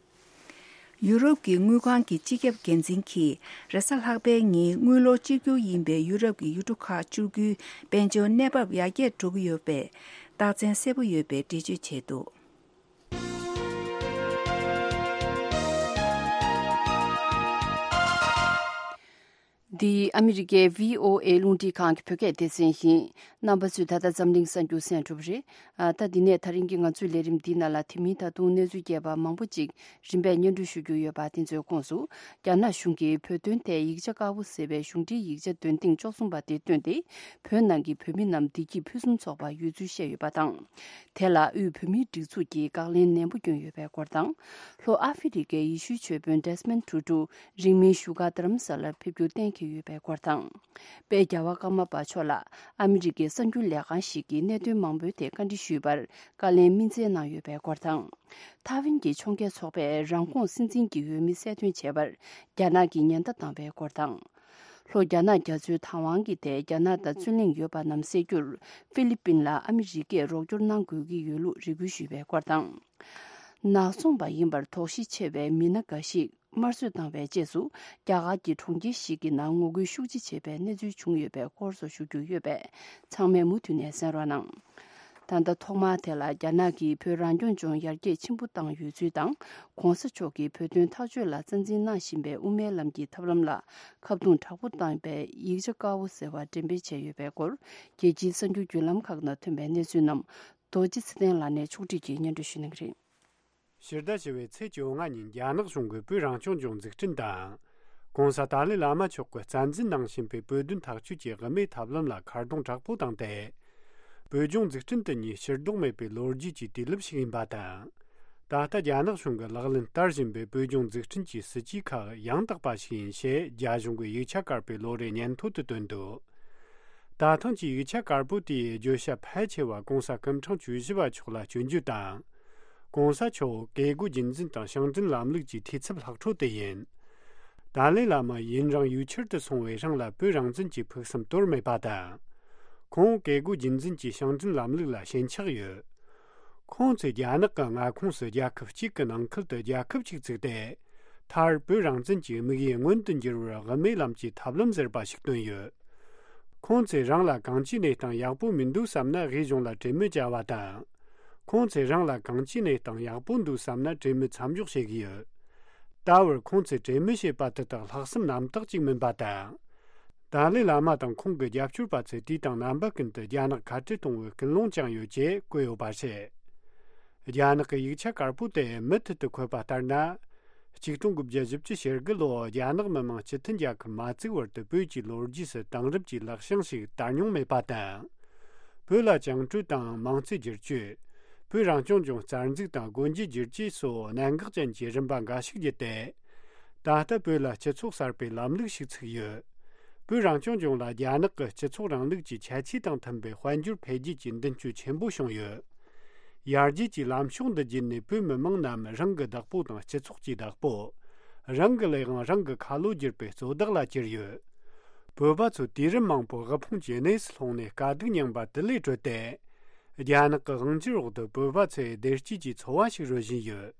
ཡུ་རོབ་ཀྱི་དངུལ་ཁང་གི་སྤྱི་ཁྱབ་འགན་འཛིན་གྱིས། རེས་གཟའ་ལྷག་པའི་ཉིན་དངུལ་ལོར་གཅིག་གྱུར་ཡིན་པའི་ཡུ་རོབ་ཀྱི་ཡུལ་གྲུ་ཁག་བཅུ་དགུའི་དཔལ་འབྱོར་གནས་བབ་ཡར་རྒྱས་འགྲོ་གི་ཡོད་པའི་རྟགས་མཚན་གསལ་པོ་ཡོད་པའི་འགྲེལ་བརྗོད་བྱས་འདུག། འདི་ཨ་མི་རི་ཀའི་བྷི་ཨོ་ཨེ་རླུང་འཕྲིན་ཁང་གི་བོད་སྐད་སྡེ་ཚན་ཡིན། རྣམ་པ་ཚོས་ད་ལྟ་འཛམ་གླིང་གསར་འགྱུར་གསན་གྲུབ་རེད། ཨ། ད་འདི་ནས་ད་རིང་གི་ང་ཚོའི་ལས་རིམ་འདིའི་ནང་ལ། དེ་མིན་ད་དུང་གནས་ཚུལ་རྒྱས་པ་མང་པོ་ཅིག་རིམ་པས་སྙན་སྒྲོན་ཞུ་རྒྱུ་ཡོད་པ། དེ་ཚོའི་ཁོངས་སུ། རྒྱ་ནག་གཞུང་གིས་བོད་དོན་ཐད་ཡིག་ཆ་དཀར་པོ་ཟེར་བའི་གཞུང་འབྲེལ་ཡིག་ཆ་འདོན་ཐེངས་བཅུ་གསུམ་པ་དེ་བཏོན་ཏེ། བོད་ནང་གི་བོད་མི་རྣམས་བདེ་སྐྱིད་ཕུན་སུམ་ཚོགས་པ་ཡོད་ཚུལ་བཤད་ཡོད་པ་དང་། དེ་ལ་དབུས་བོད་མིའི་སྒྲིག་འཛུགས་ཀྱིས་དཀའ་ལས་ནན་པོ་བསྐྱོན་ཡོད་པའི་སྐོར་དང་། ལྷོ་ཨ་ཧྥེ་རི་ཀའི་ཡེ་ཤུའི་ཆོས་དཔོན་ཌེ་སི་མོན་ཊུ་ཊུ་རིང་མིན་བཞུགས་སྒར་རྡ་རམ་ས་ལར་ཕེབས་རྒྱུ་གཏན་འཁེལ་ཡོད་པའི་སྐོར་དང་། དཔལ་རྒྱལ་བ་ཀརྨ་པ་མཆོག་ལ་ཨ་མི་རི་ཀའི་གསར་འགྱུར་ལས་ཁང་ཞིག་གིས་གནད་དོན་མང་པོའི་ཐད་བཀའ་འདྲི་ཞུས་པར་བཀའ་ལན་སྨིན་བསྩལ་གནང་ཡོད་པའི་སྐོར་དང་། ཐའེ་ཝན་གྱི་ཕྱོགས་འགལ་ཚོགས་པས་རང་ཁོངས་སྲིད་འཛིན་གྱི་འོས་མི་གསལ་སྟོན་བྱས་པར་རྒྱ་ནག་གིས་ཉེན་བརྡ་བཏང་བའི་སྐོར་དང་། ལྷོ་རྒྱ་ནག་རྒྱ་མཚོའི་བདག་དབང་གི་ཐད་རྒྱ་ནག་དང་རྩོད་གླེང་ཡོད་པ་རྣམས་སེལ་རྒྱུར་ཧྥི་ལི་པིན་ལ་ཨ་མི་རི་ཀས་རོགས་སྐྱོར་གནང་དགོས་ཀྱི་ཡོད་ལུགས་རེ་སྐུལ་ཞུས་པའི་སྐོར་དང་། ནག་ཚོང་པ་ཡིན་པར་དོགས་གཞི་ཆེ་བའི་མི་སྣ་འགའ་ཞིག་དམར་གསོད་བཏང་བའི་རྗེས་སུ། རྒྱ་གར་གྱི་གྲོང་ཁྱེར་ཞིག་གི་ནང་ངོ་རྒོལ་ཤུགས་ཆེ་བྱས་པའི་གནས་ཚུལ་བྱུང་ཡོད་པའི་སྐོར་སོགས་ཞུ་རྒྱུ་ཡོད་པས། ཚང་མས་མུ་མཐུད་ནས་གསན་རོགས་གནང་། ད་ལྟ་ཐོག་མར་དེ་ལ་རྒྱ་ནག་གིས་བོད་རང་སྐྱོང་ལྗོངས་ཡར་རྒྱས་ཆེན་པོ་བཏང་ཡོད་ཚུལ་དང་། ྋགོང་ས་མཆོག་གིས་བོད་དོན་ཐག་གཅོད་ལ་རྩ་འཛིན་གནང་བཞིན་པའི་དབུ་མའི་ལམ་གྱི་ཐབས་ལམ་ལ་ཁ་རྡུང་དྲག་པོ་བཏང་བའི་ཡིག་ཆ་དཀར་པོ་ཟེར་བ་འགྲེམས་སྤེལ་བྱས་ཡོད་པའི་སྐོར། རྒྱལ་སྤྱིའི་གསར་འགྱུར་བརྒྱུད་ལམ་ཁག་ནང་ཐོན་པའི་གནས་ཚུལ་རྣམས། རྡོ་རྗེ་ཚེ་བརྟན་ལགས་ནས་ཕྱོགས་སྒྲིག་གིས་སྙན་སྒྲོན་ཞུ་གནང་གི་རེད། ཕྱི་ཟླ་བཞི་པའི་ཚེས་བཅོ་ལྔ་ཉིན་རྒྱ་ནག་གཞུང་གིས་བོད་རང་སྐྱོང་ལྗོངས་འཛུགས་སྐྲུན་དང་། ྋགོང་ས་ཏཱ་ལའི་བླ་མ་མཆོག་གིས་རྩ་འཛིན་གནང་བཞིན་པའི་བོད་དོན་ཐག་གཅོད་ཀྱི་དབུ་མའི་ཐབས་ལམ་ལ་ཁ་རྡུང་དྲག་པོ་བཏང་སྟེ། བོད་ལྗོངས་འཛུགས་སྐྲུན་དེ་ཉིད་ཕྱིར་ལྡོག་མེད་པའི་ལོ་རྒྱུས་ཀྱི་དུས་རླབས་ཤིག་ཡིན་པ་དང་། ད་ལྟ་རྒྱ་ནག་གཞུང་གིས་ལག་ལེན་བསྟར་བཞིན་པའི་བོད་ལྗོངས་འཛུགས་སྐྲུན་གྱི་སྲིད་ཇུས་ཁག་ཡང་དག་པ་ཞིག་ཡིན་ཞེས་རྒྱ་གཞུང་གི་ཡིག་ཆ་དཀར་པོའི་ལོ་རེའི་སྙན་ཐོ་དུ་བཏོན་འདུག། ད་ཐེངས་ཀྱི་ཡིག་ཆ་དཀར་པོ་དེའི་བརྗོད་བྱ་ཕལ་ཆེ་བ་ྋགོང་ས་སྐུ་ཕྲེང་བཅུ་བཞི་པ་མཆོག་ལ་སྐྱོན་བརྗོད་དང་། གོང་ས་མཆོག་བཀས་བཀོད་རྒྱུད་འཛིན་དང་ཞིང་བྲན་ལམ་ལུགས་ཀྱི་འཐུས་ཚབ་ལྷག་འཕྲོ་དེ་ཡིན། ཏཱ་ལའི་བླ་མ་ཡུན་རིང་ཡུལ་ཕྱིར་དུ་སོང་བའི་རིང་ལ་བོད་རང་བཙན་གྱི་ཕུགས་བསམ་དོར་མེད་པ་དང་། ཁོང་བཀས་བཀོད་རྒྱུད་འཛིན་གྱི་ཞིང་བྲན་ལམ་ལུགས་ལ་ཞེན་ཆགས་ཡོད། ཁོང་ཚོས་རྒྱ་ནག་གི་མངའ་ཁོངས་སུ་རྒྱལ་ཁབ་གཅིག་གི་ནང་ཁུལ་དུ་རྒྱལ་ཁབ་ཅིག་བཙུགས་ཏེ། མཐར་བོད་རང་བཙན་གྱི་དམིགས་ཡུལ་མངོན་དུ་འགྱུར་བར་དབུ་མའི་ལམ་གྱི་ཐབས་ལམ་ཟེར་བ་ཞིག་བཏོན་ཡོད། ཁོང་ཚོས་རང་ལ་གང་ཅིའི་གནས་སྟངས་ཡག་པོ་མི་འདུག་བསམ་ན་དབུས་གཞུང་ལ་གྲོས་མོལ་བྱ་བ་དང་། ཁོང་ཚོས་རང་ལ་གང་ཅིའི་གནས་སྟངས་ཡག་པོ་འདུག་བསམ་ན་གྲོས་མོལ་མཚམས་འཇོག་བྱེད་ཀྱི་ཡོད། ད་བར་ཁོང་ཚོས་གྲོས་མོལ་བྱས་པ་དེ་དག་ལྷག་བསམ་རྣམ་དག་ཅིག་མིན་པ་དང་། ཏཱ་ལའི་བླ་མ་དང་ཁོང་གི་རྒྱབ་སྐྱོར་པ་ཚོས་དུས་དང་རྣམ་པ་ཀུན་ཏུ་རྒྱ་ནག་ཁ་བྲལ་གཏོང་བའི་ཀུན་སློང་བཅངས་ཡོད་ཅེས་བཀོད་ཡོད་པ་རེད། རྒྱ་ནག་གི་ཡིག་ཆ་དཀར་པོ་དེ་མུ་མཐུད་དུ་འཁོད་པ་ལྟར་ན། ཆིག་སྟོང་དགུ་བརྒྱ་བཞི་བཅུ་ཞེ་དགུ་ལོར་རྒྱ་ནག་མི་དམངས་སྤྱི་མཐུན་རྒྱལ་ཁབ་མ་བཙུགས་བར་དུ་བོད་ཀྱི་ལོ་རྒྱུས་སུ་དེང་རབས་ཀྱི་ལེགས་བྱང་ཞིག་དར་མྱོང་མེད་པ་དང་། བོད་ལ་བཅིངས་འགྲོལ་དང་མང་གཙོའི་བསྒྱུར་བཅོས། བོད་རང་སྐྱོང་ལྗོངས་རྩ་འཛུགས་དང་སྒོ་འབྱེད་བསྒྱུར་བཅོས་སོགས་གནད་འགག་ཅན་གྱི་རིམ་པ་འགའ་ཞིག་བརྒྱུད་དེ། ད་ལྟ་བོད་ལ་སྤྱི་ཚོགས་གསར་པའི་ལམ་ལུགས་ཤིག་ཚུགས་ཡོད། བོད་རང་སྐྱོང་ལྗོངས་ལ་རྒྱ་ནག་གི་སྤྱི་ཚོགས་རིང་ལུགས་ཀྱི་ཁྱད་ཆོས་དང་མཐུན་པའི་དཔལ་འབྱོར་འཕེལ་རྒྱས་ཀྱི་མདུན་སྐྱོད་ཆེན་པོ་བྱུང་ཡོད། ཡར་རྒྱས་ཀྱི་ལམ་ཕྱོགས་འདི་བརྒྱུད་ནས་བོད་མི་མང་རྣམས་རང་གི་བདག་པོ་དང་སྤྱི་ཚོགས་ཀྱི་བདག་པོ། རང་གི་ལས་དབང་རང་གི་ཁ་ལོ་བསྒྱུར་བའི་གཙོ་བདག་ལ་གྱུར་ཡོད། བོད་པ་ཚོ་དུས་རིམ་མང་པོ་དབུལ་ཕོངས་ཀྱི་གནས་སུ་ལྷུང་ནས་དཀའ་སྡུག་མྱངས་པ་དེ་ལས་གྲོལ་ཏེ། རྒྱ་ནག་གི་དབང་སྒྱུར་འོག་ཏུ་བོད་པ་ཚོས་བདེ་སྐྱིད་ཀྱི་འཚོ་བ་ཞིག་རོལ་བཞིན་ཡོད།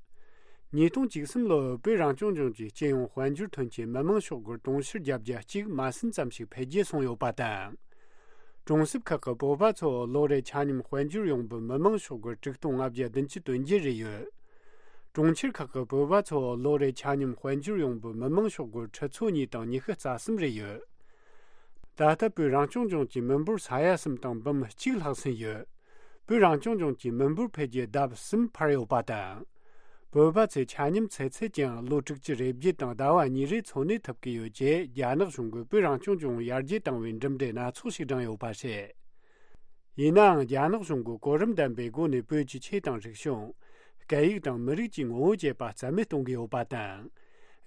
ཉིས་སྟོང་བཅུ་གསུམ་ལོར་བོད་རང་སྐྱོང་ལྗོངས་ཀྱི་སྤྱི་ཡོངས་དཔལ་འབྱོར་ཐོན་སྐྱེད་མི་དམངས་ཤོག་སྒོར་དུང་ཕྱུར་བརྒྱད་བརྒྱ་གཅིག་མ་ཟིན་ཙམ་ཞིག་འཕེལ་རྒྱས་སོང་ཡོད་པ་དང་། གྲོང་གསེབ་ཁག་གི་བོད་པ་ཚོ་ལོ་རེར་ཆ་སྙོམས་དཔལ་འབྱོར་ཡོང་འབབ་མི་དམངས་ཤོག་སྒོར་དྲུག་སྟོང་ལྔ་བརྒྱ་བདུན་ཅུ་དོན་བརྒྱད་རེ་ཡོད། གྲོང་ཁྱེར་ཁག་གི་བོད་པ་ཚོ་ལོ་རེར་ཆ་སྙོམས་དཔལ་འབྱོར་ཡོང་འབབ་མི་དམངས་ཤོག་སྒོར་ཁྲི་ཚོ་གཉིས་དང་ཉི་ཤུ་རྩ་གསུམ་རེ་ཡོད། ད་ལྟ་བོད་རང་སྐྱོང་ལྗོངས་ཀྱི་མི་འབོར་ས་ཡ་གསུམ་དང་འབུམ་གཅིག་ལྷག་ཟིན་ཡོད། བོད་རང་སྐྱོང་ལྗོངས་ཀྱི་མི་འབོར་འཕེལ་རྒྱས་ལྡབ་གསུམ་འཕར་ཡོད་པ་དང་། བོད་པ་ཚོས་ཆ་སྙོམས་ཚེ་ཚད་ཀྱང་ལོ་དྲུག་ཅུ་རེ་བརྒྱད་དང་ཟླ་བ་གཉིས་རེ་འཚོ་གནས་ཐུབ་ཀྱི་ཡོད་ཅེས་རྒྱ་ནག་གཞུང་གིས་བོད་རང་སྐྱོང་ལྗོངས་ཡར་རྒྱས་བཏང་བའི་གྲུབ་འབྲས་སྣ་ཚོགས་ཤིག་བགྲངས་ཡོད་པ་རེད། ཡིན་ནའང་རྒྱ་ནག་གཞུང་གིས་གོ་རིམ་ལྡན་པའི་སྒོ་ནས་བོད་ཀྱི་ཆོས་དང་རིག་གཞུང་། སྐད་ཡིག་དང་མི་རིགས་ཀྱི་ངོ་བོ་བཅས་པ་རྩ་མེད་གཏོང་གི་ཡོད་པ་དང་།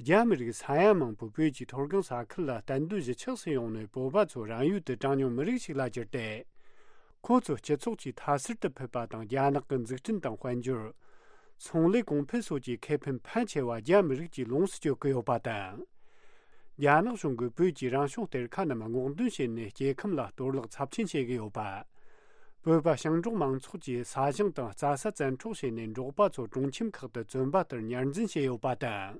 རྒྱ་མི་རིགས་ས་ཡ་མང་པོས་བོད་ཀྱི་མཐོ་སྒང་ས་ཁུལ་ལ་གཏན་སྡོད་གཞིས་ཆགས་སུ་ཡོང་ནས་བོད་པ་ཚོ་རང་ཡུལ་དུ་གྲངས་ཉུང་མི་རིགས་ཤིག་ལ་གྱུར་ཏེ། ཁོ་ཚོ་སྤྱི་ཚོགས་ཀྱི་མཐའ་གསར་དུ་ཕུད་པ་དང་རྒྱ་ནག་གི་འཛུགས་སྐྲུན་དང་དཔལ་འབྱོར། ཚོང་ལས་གོང་འཕེལ་སོགས་ཀྱི་ཁེ་ཕན་ཕལ་ཆེ་བ་རྒྱ་མི་རིགས་ཀྱིས་ལོངས་སུ་སྤྱོད་ཀྱི་ཡོད་པ་དང་། རྒྱ་ནག་གཞུང་གིས་བོད་ཀྱི་རང་བྱུང་གཏེར་ཁ་རྣམས་སྔོག་འདོན་བྱས་ནས་སྐྱེ་ཁམས་ལ་གཏོར་བརླག་ཚབས་ཆེན་བྱེད་ཀྱི་ཡོད་པ། བོད་པ་ཞིང་འབྲོག་མང་ཚོགས་ཀྱིས་ས་ཞིང་དང་རྩྭ་ས་བཙན་འཕྲོག་བྱས་ནས་འབྲོག་པ་ཚོ་སྒྲུང་ཁྱིམ་ཁག་ཏུ་བཙོན་པ་ལྟར་ཉར་འཛིན་བྱས་ཡོད་པ་དང་།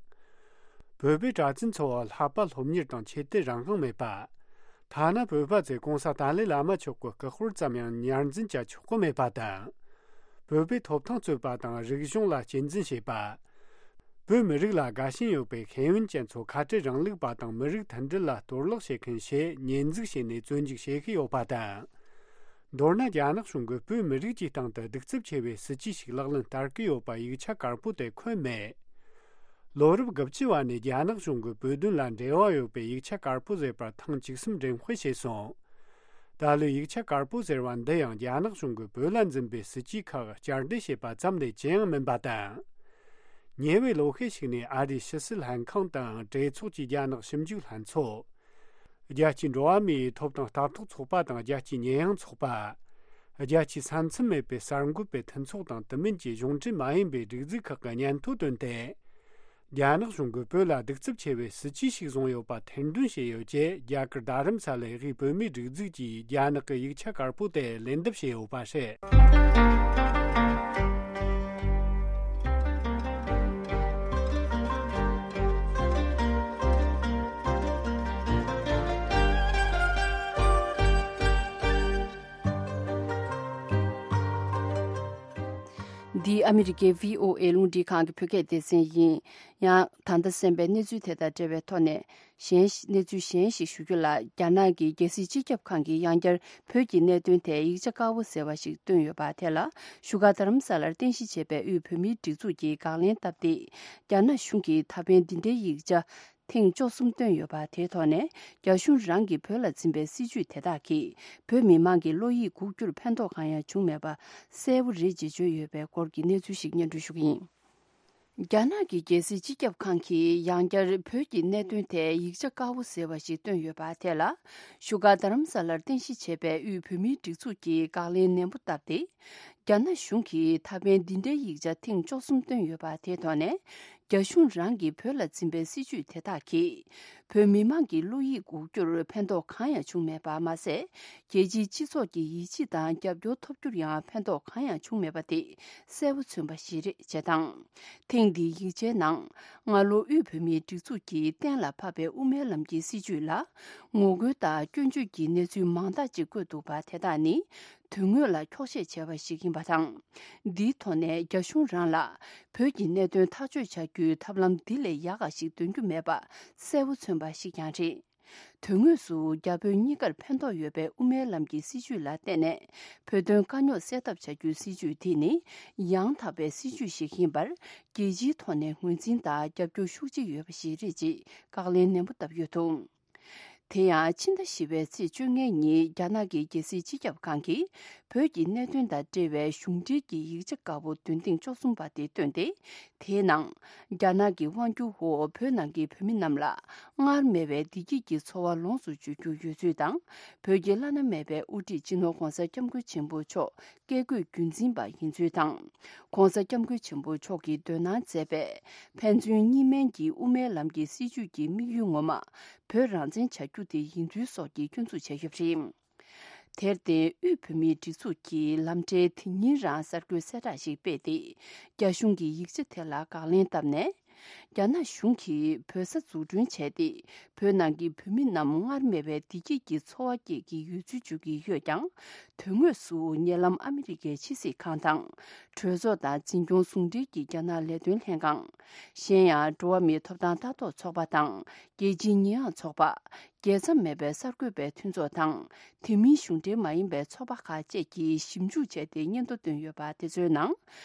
བོད་པའི་གྲྭ་བཙུན་ཚོ་ལྷག་པ་སློབ་གཉེར་དང་ཆོས་དད་རང་དབང་མེད་པ། ཐ་ན་བོད་པ་ཚོས་གོང་ས་ཏཱ་ལའི་བླ་མ་མཆོག་གི་སྐུ་དཔེར་ཙམ་ཡང་ཉར་འཛིན་བྱ་ཆོག་གི་མེད་པ་དང་། བོད་པའི་ཐོབ་ཐང་རྩོད་པ་དང་རིག་གཞུང་ལ་གཅེས་འཛིན་བྱེད་པ། བོད་མི་རིགས་ལ་དགའ་ཞེན་ཡོད་པའི་ཤེས་ཡོན་ཅན་ཚོ་ཁ་བྲལ་རིང་ལུགས་པ་དང་མི་རིགས་མཐུན་སྒྲིལ་ལ་གཏོར་བརླག་བྱེད་མཁན་ཞེས་ཉེས་འཛུགས་བྱས་ནས་བཙོན་འཇུག་བྱེད་ཀྱི་ཡོད་པ་དང་། མདོར་ན་རྒྱ་ནག་གཞུང་གིས་བོད་མི་རིགས་ཀྱི་སྟེང་དུ་གདུག་རྩུབ་ཆེ་བའི་སྲིད་ཇུས་ཤིག་ལག་ལེན་བསྟར་གྱི་ཡོད་པ་ཡིག་ཆ་དཀར་པོ་དེ་འཁོད་མེད། ལོ་རབས་དགུ་བཅུ་བ་ནས་རྒྱ་ནག་གཞུང་གིས་བོད་དོན་ལ་འབྲེལ་བ་ཡོད་པའི་ཡིག་ཆ་དཀར་པོ་ཟེར་བར་ཐེངས་བཅུ་གསུམ་འགྲེམས་སྤེལ་བྱས་སོང་། ད་ལོའི་ཡིག་ཆ་དཀར་པོ་ཟེར་བ་འདི་ཡང་རྒྱ་ནག་གཞུང་གིས་བོད་ལ་འཛིན་པའི་སྲིད་ཇུས་ཁག་བསྐྱར་ཟློས་བྱས་པ་ཙམ་ལས་ཅི་ཡང་མིན་པ་དང་། ཉེ་བའི་ལོ་ཤས་ཤིག་ནས་ཨ་རིའི་ཕྱི་སྲིད་ལྷན་ཁང་དང་གྲོས་ཚོགས་ཀྱི་རྒྱ་ནག་ཞིབ་འཇུག་ལྷན་ཚོགས། རྒྱལ་སྤྱིའི་འགྲོ་བ་མིའི་ཐོབ་ཐང་ལྟ་རྟོག་ཚོགས་པ་དང་རྒྱལ་སྤྱིའི་ཉེས་ཡངས་ཚོགས་པ། རྒྱལ་སྤྱིའི་ས་མཚམས་མེད་པའི་གསར་འགོད་པའི་མཐུན་ཚོགས་དང་དེ་མིན་གྱི་གཞུང་འབྲེལ་མ་ཡིན་པའི་སྒྲིག་འཛུགས་ཁག་གི་སྙན་ཐོ་བཏོན་ཏེ། རྒྱ་ནག་གཞུང་གིས་བོད་ལ་གདུག་རྩུབ་ཆེ་བའི་སྲིད་ཇུས་ཤིག་བཟུང་ཡོད་པ་ཐེར་འདོན་བྱས་ཡོད་ཅེས་རྒྱ་གར་རྡ་རམ་ས་ལའི་དབུས་བོད་མིའི་སྒྲིག་འཛུགས་ཀྱིས་རྒྱ་ནག་གི་ཡིག་ཆ་དཀར་པོ་དེར་ལན་འདེབས་བྱས་ཡོད་པ་རེད། འདི་ཨ་མི་རི་ཀའི་བྷི་ཨོ་ཨེ་རླུང་འཕྲིན་ཁང་གི་བོད་སྐད་སྡེ་ཚན་ཡིན། ཡང་ད་ལྟ་གསན་པའི་གནས་ཚུལ་དེ་དང་འབྲེལ་བའི་ཐོག་ནས། གཞན་གནས་ཚུལ་གཞན་ཞིག་ཞུ་རྒྱུ་ལ། རྒྱ་ནག་གི་རྒྱལ་སྲིད་སྤྱི་ཁྱབ་ཁང་གིས་ཡང་བསྐྱར་བོད་ཀྱི་གནད་དོན་ཐད་ཡིག་ཆ་དཀར་པོ་ཟེར་བ་ཞིག་བཏོན་ཡོད་པ་དེ་ལ། བཞུགས་སྒར་རྡ་རམ་ས་ལར་རྟེན་གཞི་བྱས་པའི་དབུས་བོད་མིའི་སྒྲིག་འཛུགས་ཀྱིས་དགག་ལན་བཏབ་སྟེ། རྒྱ་ནག་གཞུང་གིས་ད་ཕན་འདི་འདྲའི་ཡིག་ཆ་ཐེངས་བཅུ་གསུམ་བཏོན་ཡོད་པ་དེའི་ཐོག་ནས། རྒྱ་གཞུང་རང་གིས་བོད་ལ་འཛིན་པའི་སྲིད་བྱུས་དེ་དག་གིས་བོད་མི་མང་གི་བློ་ཡིད་འགུག་རྒྱུར་ཕན་ཐོགས་གང་ཡང་བྱུང་མེད་པ་གསལ་པོ་རེད་ཅེས་བརྗོད་ཡོད་པའི་སྐོར་གྱི་གནས་ཚུལ་ཞིག་སྙན་སྒྲོན་ཞུ་གི་ཡིན། རྒྱ་ནག་གི་རྒྱལ་སྲིད་སྤྱི་ཁྱབ་ཁང་གིས་ཡང་བསྐྱར་བོད་ཀྱི་གནད་དོན་ཐད་ཡིག་ཆ་དཀར་པོ་ཟེར་བ་ཞིག་བཏོན་ཡོད་པ་དེ་ལ། བཞུགས་སྒར་རྡ་རམ་ས་ལར་རྟེན་གཞི་བྱས་པའི་དབུས་བོད་མིའི་སྒྲིག་འཛུགས་ཀྱིས་དགག་ལན་ནན་པོ་བཏབ་སྟེ། རྒྱ་ནག་གཞུང་གིས་ད་ཕན་འདི་འདྲའི་ཡིག་ཆ་ཐེངས་བཅུ་གསུམ་བཏོན་ཡོད་པ་དེའི་ཐོག་ནས། རྒྱ་གཞུང་རང་གིས་བོད་ལ་འཛིན་པའི་སྲིད་བྱུས་དེ་དག་གིས། བོད་མི་མང་གི་བློ་ཡིད་འགུག་རྒྱུར་ཕན་ཐོགས་གང་ཡང་བྱུང་མེད་པ་མ་ཟད། རྒྱལ་སྤྱིའི་སྤྱི་ཚོགས་ཀྱི་ཡིད་ཆེས་དང་རྒྱབ་སྐྱོར་ཐོབ་རྒྱུར་ཡང་ཕན་ཐོགས་གང་ཡང་བྱུང་མེད་པ་དེ་གསལ་པོ་མཚོན་པ་ཞིག་རེད་ཅེས་དང་། ཐེངས་འདིའི་ཡིག་ཆའི་ནང་། སྔ་ལོ་དབུས་བོད་མིའི་སྒྲིག་འཛུགས་ཀྱིས་གཏན་ལ་ཕབ་པའི་དབུ་མའི་ལམ་གྱི་སྲིད་བྱུས་ལ། ངོ་རྒོལ་དང་སྐྱོན་བརྗོད་ཀྱི་གནས་ཚུལ་མང་དག་ཅིག་བཀོད་འདུག་པ་དེ་དག་ནི། དོན་དངོས་ལ་འཁྱོག་བཤད་བྱས་པ་ཞིག་ཡིན་པ་དང་། འདིའི་ཐོག་ནས་རྒྱ་གཞུང་རང་ལ་བོད་ཀྱི་གནད་དོན་ཐག་གཅོད་བྱ་རྒྱུའི་ཐབས་ལམ་འདི་ལས་ཡག་ག་ཞིག་འདོན་རྒྱུ་མེད་པ་གསལ་པོ་མཚོན་པ་ཞིག་ཀྱང་རེད། དོན་དངོས་སུ་རྒྱ་བོད་གཉིས་ཀར་ཕན་ཐོགས་ཡོད་པའི་དབུ་མའི་ལམ་གྱི་སྲིད་བྱུས་ལ་བརྟེན་ནས་བོད་དོན་དཀའ་རྙོག་སེལ་ཐབས་བྱ་རྒྱུའི་སྲིད་བྱུས་འདི་ནི་ཡང་དག་པའི་སྲིད་བྱུས་ཤིག་ཡིན་པར་རྒྱལ་སྤྱིའི་ཐོག་ནས་ངོས་འཛིན་དང་རྒྱབ་སྐྱོར་ཤུགས་ཆེ་ཡོད་པ་ཞིག་རེད་ཅེས་བཀའ་ལན་ནན་པོ་བཏབ་ཡོད་འདུག་དེ་ཡང་ཕྱི་ཟླ་བཞི་པའི་ཚེས་བཅོ་ལྔ་ཉིན་རྒྱ་ནག་གི་རྒྱལ་སྲིད་སྤྱི་ཁྱབ་ཁང་གིས་བོད་ཀྱི་གནད་དོན་དང་འབྲེལ་བའི་གཞུང་འབྲེལ་གྱི་ཡིག་ཆ་དཀར་པོ་འདོན་ཐེངས་བཅུ་གསུམ་པ་དེ་བཏོན་ཏེ། དེའི་ནང་། རྒྱ་ནག་གི་དབང་སྒྱུར་འོག་བོད་ནང་གི་བོད་མི་རྣམས་ལ་སྔར་མེད་པའི་བདེ་སྐྱིད་ཀྱི་འཚོ་བ་ལོངས་སུ་སྤྱོད་རྒྱུ་ཡོད་ཚུལ་དང་། བོད་ཀྱི་བླ་ན་མེད་པའི་དབུ་ཁྲིད་སྤྱི་ནོར་༧གོང་ས་༧སྐྱབས་མགོན་ཆེན་པོ་མཆོག་བཀས་བཀོད་རྒྱུད་འཛིན་པ་ཡིན་ཚུལ་དང་། ༧གོང་ས་༧སྐྱབས་མགོན་ཆེན་པོ་མཆོག་གིས་འདོན་གནང་མཛད་པའི་ཕན་ཚུན་གཉིས་སྨན་གྱི་དབུ་མའི་ལམ་གྱི་སྲིད་བྱུས་ཀྱི་དམིགས་ཡུལ་ངོ་མ་བོད་རང་བཙན་བྱ་རྒྱུ་དེ་ཡིན་ཚུལ་སོགས་ཀྱི་སྐྱོན་འཛུགས་བྱས་ཡོད་པ་རེད། དེར་བརྟེན་དབུས་བོད་མིའི་སྒྲིག་འཛུགས་ཀྱིས་ལམ་ཕྲན་དེ་ཉིན་རང་གསར་འགོད་གསལ་བསྒྲགས་ཤིག་སྤེལ་ཏེ། རྒྱ་གཞུང་གི་ཡིག་ཆ་དེ་ལ་དགག་ལན་བཏབ་ནས། རྒྱ་ནག་གཞུང་གིས་བོད་ས་འཛུགས་སྐྲུན་བྱས་ཏེ། བོད་ནང་གི་བོད་མི་རྣམས་སྔར་མེད་པའི་བདེ་སྐྱིད་ཀྱི་འཚོ་བ་སྐྱེལ་གྱི་ཡོད་ཚུལ་བརྗོད་ཀྱི་ཡོད་ཀྱང་། དོན་དངོས་སུ་ཉེ་ལམ་ཨ་མི་རི་ཀའི་ཕྱི་སྲིད་ཁང་དང་། གྲོས་ཚོགས་དང་འཛིན་སྐྱོང་ཟུང་འབྲེལ་གྱི་རྒྱ་ནག་ལས་དོན་ལྷན་ཁང་། གཞན་ཡང་འགྲོ་བ་མིའི་ཐོབ་ཐང་ལྟ་རྟོག་ཚོགས་པ་དང་། རྒྱལ་སྤྱིའི་ཉེས་ཡངས་ཚོགས་པ། རྒྱལ་མཚམས་མེད་པའི་གསར་འགོད་པའི་མཐུན་ཚོགས་དང་། དེ་མིན་གཞུང་འབྲེལ་མ་ཡིན་པའི་ཚོགས་པ་ཁག་བཅས་ཀྱིས་ཞིབ་འཇུག་བྱས་ཏེ་སྙན་ཐོ་བཏོན་ཡོད་པ་དེ་ཚོའི་ནང་།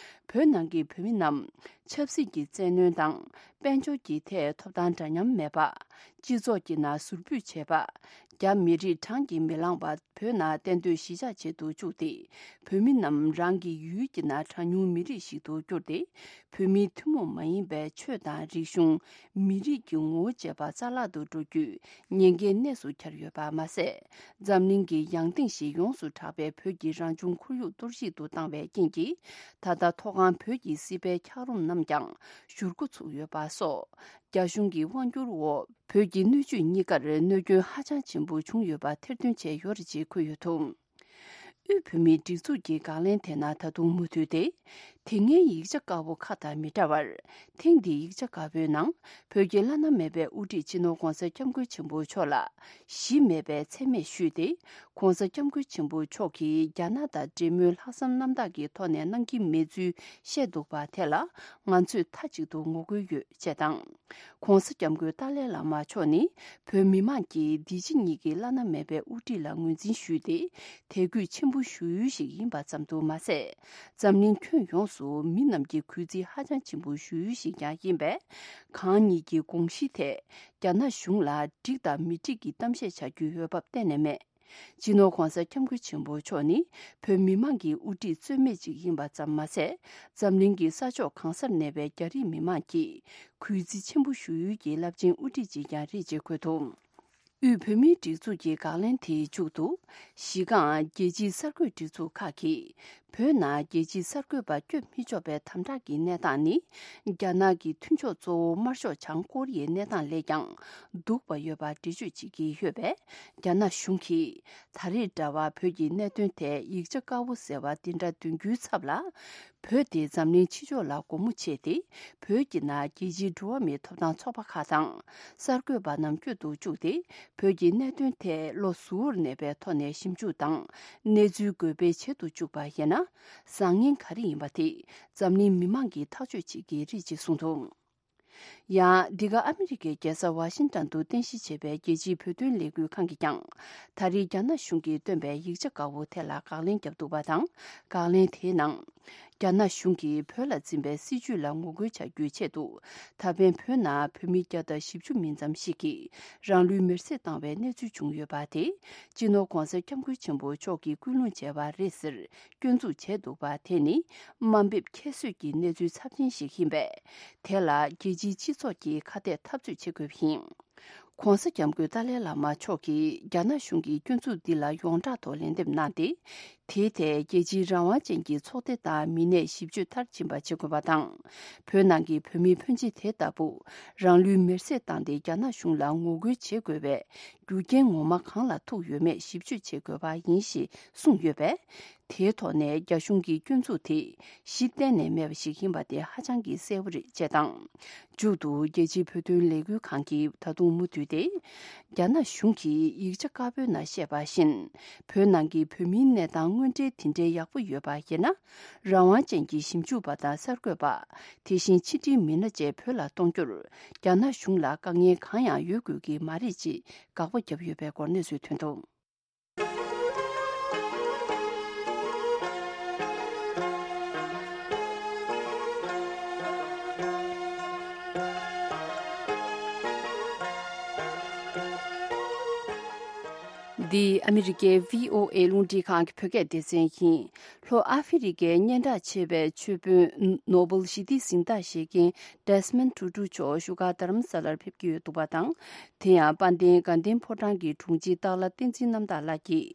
བོད་ནང་གི་བོད་མི་རྣམས་ཆབ་སྲིད་ཀྱི་བཙན་གནོན་དང་། དཔལ་འབྱོར་གྱི་ཐད་ཐོབ་ཐང་འདྲ་མཉམ་མེད་པ། སྤྱི་ཚོགས་ཀྱི་ནང་ཟུར་ཕུད་བྱེད་པ། རྒྱ་མི་རིགས་གྲངས་ཀྱིས་མི་ལངས་པ་བོད་ནང་གཏན་སྡོད་གཞིས་ཆགས་བྱེད་དུ་བཅུག་སྟེ། བོད་མི་རྣམས་རང་གི་ཡུལ་གྱི་ནང་གྲངས་ཉུང་མི་རིགས་ཤིག་ཏུ་བསྒྱུར་ཏེ། བོད་མིའི་ཐུན་མོང་མ་ཡིན་པའི་ཆོས་དང་རིག་གཞུང་། མི་རིགས་ཀྱི་ངོ་བོ་བཅས་པ་རྩ་བརླག་ཏུ་འགྲོ་རྒྱུའི་ཉེན་ཁའི་གནས་སུ་གྱར་ཡོད་པ་མ་ཟད། འཛམ་གླིང་གི་ཡང་སྟེང་ཞིག་ཡོངས་སུ་གྲགས་པའི་བོད་ཀྱི་རང་བྱུང་ཁོར་ཡུག་གཏོར་བཤིག་ཏུ་བཏང་བའི་རྐྱེན་གྱིས། ད་ལྟ་མཐོ་སྒང་བོད་ཀྱི་སྲིད་པའི་འཁྱགས་རོམ་རྣམས་ཀྱང་བཞུར་འགོ་ཚུགས་ཡོད་པ་སོགས། རྒྱ་གཞུང་གི་དབང་བསྒྱུར་འོག་བོད་ཀྱི་སྣོད་བཅུད་གཉིས་ཀར་གནོད་སྐྱོན་ཧ་ཅང་ཆེན་པོ་བྱུང་ཡོད་པ་ཐེར་འདོན་བྱས་ཡོད་རེད་ཅེས་འཁོད་ཡོད་འདུག་དབུས་བོད་མིའི་སྒྲིག་འཛུགས་ཀྱི་དགག་ལན་དེ་ནང་ད་དུང་མུ་མཐུད་དེ། དེ་སྔའི་ཡིག་ཆ་དཀར་པོ་ཁག་དང་མི་འདྲ་བར། ཐེངས་འདིའི་ཡིག་ཆ་དཀར་པོའི་ནང་། བོད་ཀྱི་བླ་ན་མེད་པའི་དབུ་ཁྲིད་སྤྱི་ནོར་༧གོང་ས་༧སྐྱབས་མགོན་ཆེན་པོ་མཆོག་ལ་གཞི་མེད་པའི་མཚན་སྨད་ཞུས་ཏེ། ༧གོང་ས་༧སྐྱབས་མགོན་ཆེན་པོ་མཆོག་གིས་རྒྱ་ནག་དང་འབྲེལ་མོལ་ལྷག་བསམ་རྣམ་དག་གི་ཐོག་ནས་གནང་གི་མེད་ཚུལ་བཤད་འདུག་པ་དེ་ལ་ང་ཚོས་མཐའ་གཅིག་ཏུ་ངོ་རྒོལ་ཡོད་ཅེས་དང་། ྋགོང་ས་ྋསྐྱབས་མགོན་ཏཱ་ལའི་བླ་མ་མཆོག་ནི་བོད་མི་མང་གིས་འདི་ཕྱི་གཉིས་ཀྱི་བླ་ན་མེད་པའི་དབུ་ཁྲིད་ལ་ངོས་འཛིན་ཞུས་ཏེ། དད་གུས་ཆེན་པོ་ཞུ་ཡུལ་ཞིག་ཡིན་པ་ཙམ་དུ་མ་ཟད། འཛམ་གླིང་ཁྱོན་ཡོངས་སུ་མི་རྣམས་ཀྱི་གུས་བརྩི་ཧ་ཅང་ཆེན་པོ་ཞུ་ཡུལ་ཞིག་ཀྱང་ཡིན་པས། གང་ཉིད་ཀྱི་དགོངས་གཞི་ཐད་རྒྱ་ནག་གཞུང་ལ་འགྲིག་དང་མི་འགྲིག་གི་གཏམ་བཤད་བྱ་རྒྱུའི་འོས་བབ་གཏན་ནས་མེད། སྤྱི་ནོར་༧གོང་ས་༧སྐྱབས་མགོན་ཆེན་པོ་མཆོག་ནི་བོད་མི་མང་གི་དབུ་ཁྲིད་རྩོད་མེད་ཅིག་ཡིན་པ་ཙམ་མ་ཟད། འཛམ་གླིང་གི་ས་ཕྱོགས་གང་སར་གནས་པའི་རྒྱ་རིགས་མི་མང་གིས་གུས་བརྩི་ཆེན་པོ་ཞུ་ཡུལ་གྱི་རླབས་ཆེན་དབུ་ཁྲིད་ཅིག་ཀྱང་རེད་ཅེས་འཁོད་འདུག་དབུས་བོད་མིའི་སྒྲིག་འཛུགས་ཀྱི་དགག་ལན་དེའི་མཇུག་ཏུ། གཞི་རྐང་རྒྱལ་སྤྱིའི་གསར་འགོད་སྒྲིག་འཛུགས་ཁག་གིས། བོད་ནང་རྒྱལ་སྤྱིའི་གསར་འགོད་པ་བསྐྱོད་མི་ཆོག་པའི་དམ་དྲག་གི་གནས་སྟངས་ནི། རྒྱ་ནག་གི་མཐུན་ཕྱོགས་གཙོ་བོ་དམར་ཤོག་བྱང་ཀོ་རི་ཡའི་གནས་སྟངས་ལས་ཀྱང་སྡུག་པ་ཡོད་པར་འགྲེལ་བརྗོད་བྱེད་ཀྱི་ཡོད་པས། རྒྱ་ནག་གཞུང་གིས་ད་རེས་འདྲ་བར་བོད་ཀྱི་གནད་དོན་ཐད་ཡིག་ཆ་དཀར་པོ་ཟེར་བ་འདི་འདྲ་འདོན་རྒྱུའི་ཚབ་ལ། བོད་དེ་འཛམ་གླིང་ཕྱི་ཕྱོགས་ལ་སྒོ་མོ་ཕྱེ་སྟེ། བོད་ཀྱི་ནང་རྒྱལ་སྤྱིའི་འགྲོ་བ་མིའི་ཐོབ་ཐང་ཚོགས་པ་ཁག་དང་། གསར་འགོད་པ་རྣམས་བསྐྱོད་དུ་བཅུག་སྟེ། བོད་ཀྱི་གནད་དོན་ཐད་བློ་གཟུ་བོར་གནས་པའི་ཐོག་ནས་ཞིབ་འཇུག་དང་། གནས་ཚུལ་འགོད་སྤེལ་བྱེད་དུ་བཅུག་པ་ཡིན་ན། བཟང་ངན་ག་རེ་ཡིན་པ་དེ་འཛམ་གླིང་མི་མང་གིས་ཐག་གཅོད་བྱེད་ཀྱི་རེད་ཅེས་གསུངས་འདུག་ཡང་། འདི་ག་ཨ་མི་རི་ཀའི་རྒྱལ་ས་ཝ་ཤིང་ཏོན་དུ་རྟེན་གཞི་བྱས་པའི་རྒྱལ་སྤྱིའི་བོད་དོན་ལས་འགུལ་ཁང་གིས་ཀྱང་། ད་རེས་རྒྱ་ནག་གཞུང་གིས་བཏོན་པའི་ཡིག་ཆ་དཀར་པོ་དེ་ལ་དགག་ལན་བརྒྱབ་འདུག་པ་དང་། དགག་ལན་དེའི་ནང་། རྒྱ་ནག་གཞུང་གིས་བོད་ལ་འཛིན་པའི་སྲིད་བྱུས་ལ་ངོ་རྒོལ་བྱ་རྒྱུའི་ཆེད་དུ། ད་ཕན་བོད་ནང་བོད་མི་བརྒྱ་དང་བཞི་བཅུ་མིན་ཙམ་ཞིག་གིས་རང་ལུས་མེར་སྲེག་བཏང་བའི་གནས་ཚུལ་བྱུང་ཡོད་པ་དེ། སྤྱི་ནོར་༧གོང་ས་༧སྐྱབས་མགོན་ཆེན་པོ་མཆོག་གིས་སྐུལ་སློང་བྱས་པ་རེད་ཟེར། སྐྱོན་འཛུགས་བྱས་འདུག་པ་དེ་ནི་དམའ་འབེབས་ཁྱད་གསོད་ཀྱི་གནས་ཚུལ་ཚབས་ཆེན་ཞིག་ཡིན་པས། དེ་ལ་རྒྱལ་སྤྱིའི་སྤྱི་ཚོགས་ཀྱིས་ཁ་གཏད་འཐབ་རྩོད་བྱེད་དགོས་པ་ཡིན། ༧གོང་ས་༧སྐྱབས་མགོན་ཏཱ་ལའི་བླ་མ་མཆོག་གིས་རྒྱ་ནག་གཞུང་གི་སྐྱོན་འཛུགས་འདི་ལ་ཡོངས་གྲགས་ཐོག་ལན་འདེབས་གནང་སྟེ། དེའི་ཐད་རྒྱལ་སྤྱིའི་རང་དབང་ཅན་གྱི་ཚོགས་སྡེ་དང་མི་སྣས་ཞིབ་དཔྱོད་མཐར་ཕྱིན་པ་བྱེད་དགོས་པ་དང་། བོད་ནང་གི་བོད་མི་ཕོན་ཆེ་དེ་ལྟ་བུ་རང་ལུས་མེར་སྲེག་བཏང་སྟེ་རྒྱ་ནག་གཞུང་ལ་ངོ་རྒོལ་བྱེད་དགོས་པའི་རྒྱུ་རྐྱེན་ངོ་མ་གང་ལ་ཐུག་ཡོད་མེད་ཞིབ་དཔྱོད་བྱེད་དགོས་པ་ཡིན་ཞེས་གསུངས་ཡོད་པས། དེའི་ཐོག་ནས་རྒྱ་གཞུང་གི་སྐྱོན་འཛུགས་དེ་གཞི་གཏན་ནས་མེད་པ་ཞིག་ཡིན་པ་དེ་ཧ་ཅང་གི་གསལ་པོ་རེད་ཅེས་དང་། མཇུག་ཏུ་རྒྱལ་སྤྱིའི་བོད་དོན་ལས་འགུལ་ཁང་གིས་ད་དུང་མུ་མཐུད་དེ། རྒྱ་ནག་གཞུང་གིས་ཡིག་ཆ་དཀར་པོའི་ནང་བཤད་པ་བཞིན། བོད་ནང་གི་བོད་མིའི་གནས་སྟངས་དངོས་འབྲེལ་དེ་འདྲའི་ཡག་པོ་ཡོད་པ་ཡིན་ན། རང་དབང་ཅན་གྱི་ཞིབ་འཇུག་པ་དང་གསར་འགོད་པ། དེ་བཞིན་ཕྱི་འབྲེལ་མི་སྣ་བཅས་བོད་ལ་གཏོང་རྒྱུར། རྒྱ་ནག་གཞུང་ལ་དཀའ་ངལ་གང་ཡང་ཡོད་དགོས་ཀྱི་མ་རེད་ཅེས་དགག་པ་བརྒྱབ་ཡོད་པའི་སྐོར་གནས་ཚུལ་ཐོན་འདུག་འདི་ཨ་མི་རི་ཀའི་བྷི་ཨོ་ཨེ་རླུང་འཕྲིན་ཁང་གི་བོད་སྐད་སྡེ་ཚན་ཡིན། ལྷོ་ཨ་ཧྥེ་རི་ཀའི་སྙན་གྲགས་ཆེ་བའི་ཆོས་དཔོན་ནོ་སྦེལ་ཞི་བདེའི་གཟེངས་རྟགས་བཞེས་མཁན་ཌེ་སི་མོན་ཊུ་ཊུ་མཆོག་བཞུགས་སྒར་རྡ་རམ་ས་ལར་ཕེབས་ཀྱི་ཡོད་འདུག་པ་དང་། དེ་ཡང་དཔལ་ལྡན་དགའ་ལྡན་ཕོ་བྲང་གི་དྲུང་ཆེ་སྟག་ལྷ་བསྟན་འཛིན་རྣམ་དག་ལགས་ཀྱིས།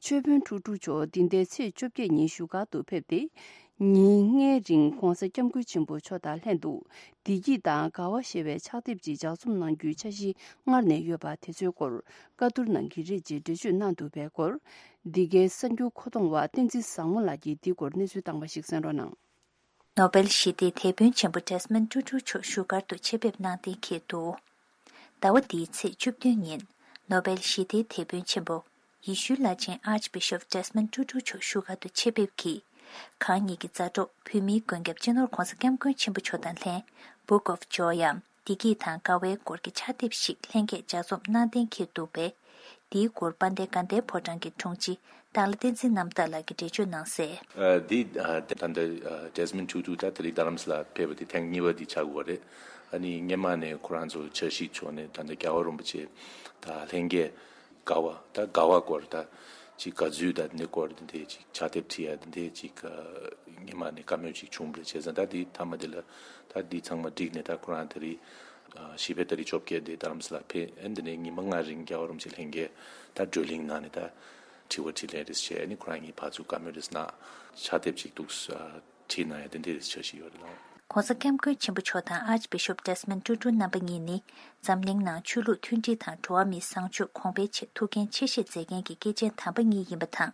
ཆོས་དཔོན་ཊུ་ཊུ་མཆོག་འདི་ཟླའི་ཚེས་བཅོ་བརྒྱད་ཉིན་བཞུགས་སྒར་དུ་ཕེབས་ཏེ། ཉིན་ལྔའི་རིང་༧གོང་ས་༧སྐྱབས་མགོན་ཆེན་པོ་མཆོག་དང་ལྷན་དུ། བདེ་སྐྱིད་དང་དགའ་བ་ཞེས་པའི་ཕྱག་དེབ་ཅིག་ལྗགས་རྩོམ་གནང་རྒྱུའི་འཆར་གཞི་སྔར་ནས་ཡོད་པ་དེ་ཚོའི་སྐོར་བཀའ་བསྡུར་གནང་གི་རེད་ཅེས་འགྲེལ་བརྗོད་གནང་འདུག་པའི་སྐོར། འདི་གའི་གསར་འགྱུར་མཁོ་གཏོང་བ་བསྟན་འཛིན་བཟང་མོ་ལགས་ཀྱིས་འདིའི་སྐོར་གནས་ཚུལ་བཏང་བ་ཞིག་གསན་རོགས་གནང་། ནོ་སྦེལ་ཞི་བདེའི་དེད་དཔོན་ཆེན་པོ་ཌེ་སི་མོན་ཊུ་ཊུ་མཆོག་བཞུགས་སྒར་དུ་ཆེད་ཕེབས་གནང་གཏན་འཁེལ་འདུག་ཟླ་བ་འདིའི་ཚེས་བཅུ་བདུན་ཉིན། ནོ་སྦེལ་ཞི་བདེའི་དེད་དཔོན་ཆེན་པོ། ཡེ་ཤུའི་བླ་ཆེན་ཨར་ཅི་བི་ཤོབ་ཌེ་སི་མོན་ཊུ་ཊུ་མཆོག་བཞུགས་སྒར་དུ་ཆེད་ཕེབས་ཀྱིས། གང་ཉིད་ཀྱི་མཛའ་གྲོགས་བོད་མིའི་མགོན་སྐྱབས་སྤྱི་ནོར་༧གོང་ས་༧སྐྱབས་མགོན་ཆེན་པོ་མཆོག་དང་ལྷན། Book of Joy ཡམ། བདེ་སྐྱིད་དང་དགའ་བའི་སྐོར་གྱི་ཕྱག་དེབ་ཞིག་ལྷན་རྒྱས་ལྗགས་རྩོམ་གནང་གཏན་འཁེལ་འདུག་པས། འདིའི་སྐོར་དཔལ་ལྡན་དགའ་ལྡན་ཕོ་བྲང་གི་དྲུང་ཆེ་སྟག་ལྷ་བསྟན་འཛིན་རྣམ་དག་ལགས་ཀྱིས་འགྲེལ་བརྗོད་གནང་གསལ། ཨ་འདི་ཨ་ད་ལྟ་ཨ་ཌེ་སི་མོན་ཊུ་ཊུ་ད་དེ་རིང་རྡ་རམ་ས་ལ་ཕེབས་པ་དེ་ཐེངས་གཉིས་པ་དེ་ཆགས་ཀྱི་ཡོད་རེད། ཨ་ནི་སྔོན་མ་ནས་ཁོ་རང་ཚོ་འཆར་གཞི་བྱུང་ནས་ད་ལྟ་རྒྱལ་བ་རིན་པོ་ཆེ་དང་ལྷན་རྒྱས། དགའ་བ་ད་དགའ་བ་སྐོར་ད་ཅིག་དགའ་ཚུལ་ད་འདི་སྐོར་འདི་འདྲས་ཅིག་ཕྱག་དེབ་བྲིས་ཡ་འདི་འདྲས་ཅིག་ཉི་མ་ནས་བཀའ་མོལ་ཅིག་བྱུང་བ་རེད། བྱས་ཙང་ད་འདི་མཐའ་མ་འདི་ལ་ད་འདི་ཚང་མ་བསྒྲིགས་ནས་ད་ཁོ་རང་ད་རེས་ཞི་བའི་ད་རེས་བཅོ་བརྒྱད་དེ་རྡ་རམ་ས་ལ་ཕེབས་ཨེ་འདི་ནས་ཉི་མ་ལྔ་རིང་རྒྱལ་བ་རིན་པོ་ཆེ་ལྷན་རྒྱས་ད་བགྲོ་གླེང་གནང་ནས་ད་དྲི་བ་དྲིས་ལན་རེས་བྱས་ཨ་ནི་ཁོ་རང་གཉིས་ཕར་ཚུར་བཀའ་མོལ་རེས་གནང་ཕྱག་དེབ་ཅིག་འདུག་བྲིས་གནང་ཡ་དེ་འདྲའི་རེ་ཞུ་ཞིག་ཡོད་རེད་ལགས། ༸གོང་ས་༸སྐྱབས་མགོན་ཆེན་པོ་མཆོག་དང་ཨར་ཅི་བི་ཤོབ་ཌེ་སི་མོན་ཊུ་ཊུ་རྣམ་པ་གཉིས་ནི་འཛམ་གླིང་ནང་ཆོས་ལུགས་མཐུན་སྒྲིལ་དང་འགྲོ་བ་མིའི་བཟང་སྤྱོད་གོང་འཕེལ་ཆེད་ཐུགས་འགན་ཆེ་བཞེས་མཛད་མཁན་གྱི་སྐྱེས་ཆེན་དམ་པ་གཉིས་ཡིན་པ་དང་།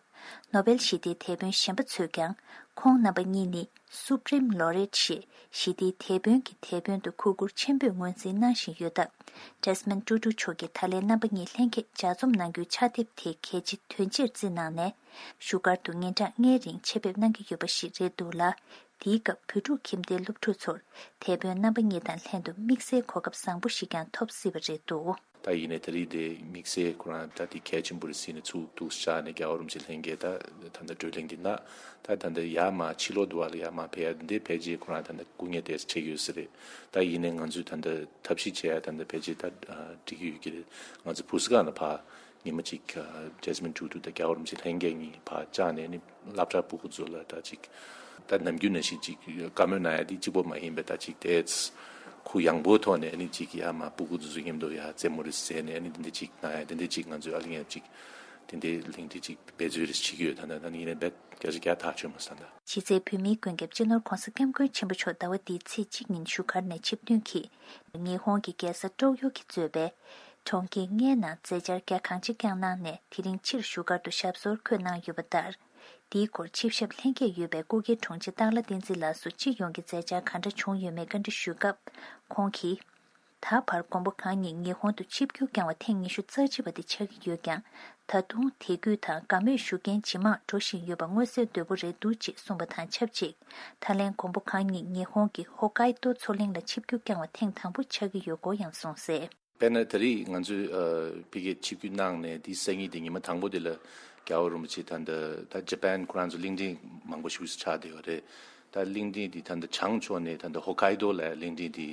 ནོ་བེལ་ཞི་བདེའི་དེད་དཔོན་གཞན་པ་ཚོས་ཀྱང་ཁོང་རྣམ་པ་གཉིས་ནི་སུ་པྲིམ་ལོ་རེཊ་ཞེས་ཞི་བདེའི་དེད་དཔོན་གྱི་དེད་དཔོན་དུ་གུས་བཀུར་ཆེན་པོས་ངོས་འཛིན་གནང་བཞིན་ཡོད་སྟབས། ཌེ་སི་མོན་ཊུ་ཊུ་མཆོག་གིས་ད་ལན་རྣམ་པ་གཉིས་ལྷན་རྒྱས་ལྗགས་རྩོམ་གནང་རྒྱུའི་ཕྱག་དེབ་དེ་གལ་ཆེ་དོན་ཆེར་བརྩིས་གནང་ནས། བཞུགས་སྒར་དུ་ཉིན་གྲངས་ལྔའི་རིང་ཆེད་ཕེབས་གནང་གི་ཡོད་པ་ཞིག་རེད་འདུག་ལ། དེའི་སྐབས་བོད་ཕྲུག་ཁྱིམ་སྡེའི་སློབ་ཕྲུག་ཚོར་དེད་དཔོན་རྣམ་པ་གཉིས་དང་ལྷན་དུ་དམིགས་བསལ་གོ་སྐབས་བཟང་པོ་ཞིག་ཀྱང་ཐོབ་སྲིད་པ་རེད་འདུག་ད་ཡིན་ནའི་ད་རེས་དེ་དམིགས་བསལ་ཁོ་རང་ད་དེ་གལ་ཆེན་པོ་རེད་ཟེར་ནས་ཚུར་འདུག་བཞག་ནས་རྒྱལ་བ་རིན་པོ་ཆེ་ལྷན་རྒྱས་ད་ད་ལྟ་བགྲོ་གླེང་འདི་ན་ད་ད་ལྟ་ཡར་མར་ཕྱི་ལོགས་འདུག་བ་ལ་ཡར་མར་ཕེབས་ཡ་འདི་ཕལ་ཆེར་ཁོ་རང་ད་ལྟ་སྐུ་ངལ་དེ་འཕྲད་ཀྱི་ཡོད་ས་རེད། ད་ཡིན་ནའི་ང་ཚོས་ད་ལྟ་ཐབས་ཤེས་བྱེད་ཡ་ད་ལྟ་ཕལ་ཆེར་ད་འགྲིག་གི་ཡོད་ཀྱི་རེད། ང་ཚོ་བུ་སི་ཀ་ན་ཕར། ཉི་མ་གཅིག་ཌེ་སི་མོན་ཊུ་ཊུ་དང་རྒྱལ་བ་རིན་པོ་ཆེ་ལྷན་རྒྱས་གཉིས་ཕར་བཅར་ནས་ནི་སློབ་གྲྭ་ཕྲུ་གུ་ཚོ་ལ་ད་ཅིག་ད་ནམ་རྒྱུན་ནང་བཞིན་ཅིག་བཀའ་མོལ་གནང་ཡ་དེ་གཅིག་པོ་མ་ཡིན་པའི་ད་ཅིག་དེ་གུ་ཡངས་པོའི་ཐོག་ནས་ནི་ཅིག་ཡར་མར་ཕྲུ་གུ་ཚོ་ཚོ་མཉམ་དུ་ཡར་རྩེད་མོ་རེ་རྩེས་ནས་ནི་དེ་འདྲ་ཅིག་གནང་ཡ་དེ་འདྲ་ཅིག་ང་ཚོས་ཨ་ལི་ཡང་ཅིག་དེ་འདྲའི་གླེང་སྟེགས་ཅིག་འབད་རྩོལ་རེ་བྱེད་ཀྱི་ཡོད། ད་ནི་ད་ནི་ཡིན་ནའི་རྦད་སྐད་ཆ་རྒྱག་ཐག་ཆོད་མ་སོང་ད། ཕྱི་ཚེས་བོད་མིའི་མགོན་སྐྱབས་སྤྱི་ནོར་༸གོང་ས་༸སྐྱབས་མགོན་ཆེན་པོ་མཆོག་ཟླ་བ་འདིའི་ཚེས་གཅིག་ཉིན་བཞུགས་སྒར་ནས་ཆིབས་ཐོན་གྱིས། ཉི་ཧོང་གི་རྒྱལ་ས་ཀྲོག་ཡོ་གིས་གཙོས་པའི་གྲོང་ཁྱེར་ལྔའི་ནང་མཛད་འཆར་རྒྱ་གང་ཆེ་བསྐྱངས་གནང་ནས་དེ་རིང་ཕྱིར་བཞུགས་སྒར་དུ་ཞབས་སོར་འཁོད་གནང་ཡོད་པ་ལྟར། འདིའི་སྐོར་ཆིབས་ཞབས་ལྷན་རྒྱས་ཡོད་པའི་སྐུ་སྒེར་དྲུང་ཆེ་སྟག་ལྷ་བསྟན་འཛིན་ལགས་སུ་སྤྱི་ཡོངས་ཀྱི་མཛད་འཆར་ག་འདྲ་བྱུང་ཡོད་མེད་བཀའ་འདྲི་ཞུས་སྐབས། ཁོང་གིས། ད་བར་མགོན་པོ་གང་ཉིད་ཉི་ཧོང་དུ་ཆིབས་བསྒྱུར་བསྐྱངས་བ་ཐེངས་ཉི་ཤུ་རྩ་གཅིག་པ་དེ་ཆགས་ཀྱི་ཡོད་ཀྱང་། ད་དུང་དད་གུས་དང་དགའ་མོས་ཞུ་མཁན་ཇེ་མང་འགྲོ་བཞིན་ཡོད་པ་མངོན་གསལ་དོད་པོ་རེད་འདུག་ཅེས་གསུངས་པ་དང་ཆབས་ཅིག་ད་ལན་མགོན་པོ་གང་ཉིད་ཉི་ཧོང་གི་ཧོ་ཀའི་ཏོ་མཚོ་གླིང་ལ་ཆིབས་བསྒྱུར་བསྐྱངས་བ་ཐེངས་དང་པོ་ཆགས་ཀྱི་ཡོད་སྐོར་ཡང་གསུངས་གསལ། དཔེར་ན་ད་རེས་ང་ཚོས་ཨ་ཕ་གིར་ཆིབས་བསྒྱུར་གནང་ནས་དེའི་སང་ཉིན་དེ་ཉི་མ་དང་པོ་དེ་ལ་རྒྱལ་བ་རིན་པོ་ཆེ་ད་ལྟ་ད་ཇ་པན་ཁོ་རང་ཚོ་གླིང་ཕྲན་མང་པོ་ཞིག་ཆགས་བསྡད་ཡོད་རེད། ད་གླིང་ཕྲན་དེ་ད་ལྟ་བྱང་ཕྱོགས་ནས་ད་ལྟ་ཧོ་ཀའི་ཏོ་ལ་གླིང་ཕྲན་དེ་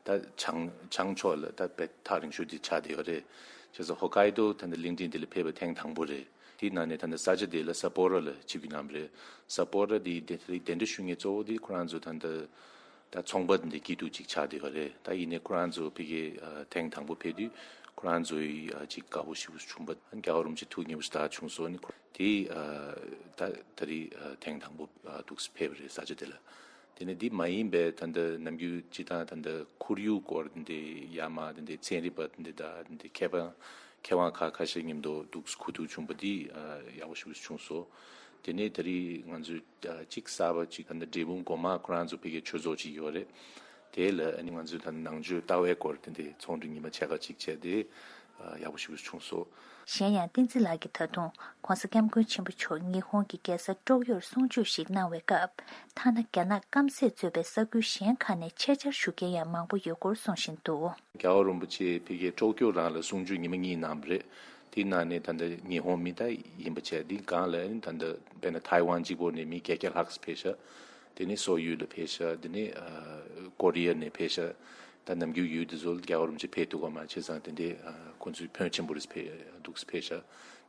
ད་བྱང་བྱང་ཕྱོགས་ལ་ད་དཔེ་ཐག་རིང་ཤོས་དེ་ཆགས་བསྡད་ཡོད་རེད། བྱས་ཙང་ཧོ་ཀའི་ཏོ་ད་ལྟ་གླིང་ཕྲན་དེ་ལ་ཕེབས་པ་ཐེངས་དང་པོ་རེད། དེའི་ནང་ནས་ད་ལྟ་ས་ཆ་དེ་ལ་སཱ་པོ་རོ་ལ་ཆིབས་བསྒྱུར་གནང་བ་རེད། སཱ་པོ་རོ་དེ་དེ་དེ་གདན་འདྲེན་ཞུ་མཁན་གཙོ་བོ་དེ་ཁོ་རང་ཚོ་ད་ལྟ་ད་ཚོང་པ་འདི་སྐྱིད་སྡུག་ཅིག་ཆགས་བསྡད་ཡོད་རེད། ད་ཡིན་ནའི་ཁོ་རང་ཚོ་ཕ་གིར་ཨ་ཐེངས་དང་པོ་ཕེབས་དུས་ ཁོ་རང་ཚོའི་ཨ་ཅིག་དགའ་པོ་ཞེ་པོ་བྱུང་པ། རྒྱལ་བ་རིན་པོ་ཆེ་ཐུགས་མཉེས་པོ་ཞེ་དྲག་བྱུང་སོང་ནི། ཁོ་དེ་ཨ་ད་ད་རེས་ཨ་ཐེངས་དང་པོ་ཨ་འདུག་སེ་ཕེབས་པ་རེད། ས་ཆ་དེ་ལ། དེ་ནས་འདི་མ་ཡིན་པའི་ད་ལྟ་ནམ་རྒྱུན་སྤྱི་བཏང་ད་ལྟ་ཁོར་ཡུག་སྐོར་འདི་ཡ་མ་འདི་ཚན་རིག་པ་འདི་དང་འདི་མཁས་པ་མཁས་དབང་ཁག་ཁ་ཤས་མཉམ་དུ་འདུག་སེ་གོ་བསྡུར་བྱུང་པ་འདི་ཨ་ཡག་པོ་ཞེ་པོ་བྱུང་སོང་། དེ་ནས་ད་རེས་ང་ཚོས་ཨ་གཅིག་གསར་པ་གཅིག་ད་ལྟ་འབྲས་སྤུངས་སྒོ་མང་ཁོ་རང་ཚོ་ཕ་གིའི་ཆོས་ཚོགས་གཅིག་ཡོད་རེད། དེ་ལ་ཨ་ནི་ང་ཚོས་ད་ནང་ཆོས་ལྟ་བའི་སྐོར་དེ་འདྲའི་ཚོགས་འདུ་ཉི་མ་ཕྱེད་ཀ་ཅིག་བྱས་ཏེ་ཡག་པོ་ཞེ་པོ་བྱུང་སོང་། གཞན་ཡང་བསྟན་འཛིན་ལགས་ཀྱིས་ད་དུང་༸གོང་ས་༸སྐྱབས་མགོན་ཆེན་པོ་མཆོག་ཉི་ཧོང་གི་རྒྱལ་ས་ཀྲོག་ཡོར་གསུང་ཆོས་ཤིག་གནང་བའི་སྐབས། ཐ་ན་རྒྱ་ནག་སྐམ་སས་གཙོས་པའི་ས་ཁུལ་གཞན་ཁག་ནས་ཆེད་བཅར་ཞུ་མཁན་ཡང་མང་པོ་ཡོད་སྐོར་གསུང་བཞིན་འདུག། རྒྱལ་བ་རིན་པོ་ཆེ་ཕ་གིའི་ཀྲོག་ཀྱོ་རང་ལ་གསུང་ཆོས་ཉི་མ་གཉིས་གནང་བ་རེད། དེའི་ནང་ནས་ད་ལྟ་ཉི་ཧོང་མི་ད་ཡིན་པ་བྱས། འདི་སྒང་ལ་ཨ་ནི་ད་ལྟ་དཔེར་ན་ཐའེ་ཝན་གཅིག་པོ་ནས་མི་བརྒྱད་བརྒྱ་ལྷག་ཙམ་ཕེབས་ཤག། དེ་ནས་སོག་ཡུལ་ལ་ཕེབས་ཤག། དེ་ནས་ཨ་ཀོ་རི་ཡ་ནས་ཕེབས་ཤག། ད་ནམ་རྒྱུན་ཡུལ་དེ་ཚོ་ལ་རྒྱལ་བ་རིན་པོ་ཆེ་ཕེབས་ཐུབ་ཀྱི་མ་རེད། བྱས་ཙང་དེ་འདྲའི་ཨ་ཁོང་ཚོའི་ཕོན་ཆེན་པོ་རེད། ཕེབས་འདུག་སེ་ཕེབས་ཤག།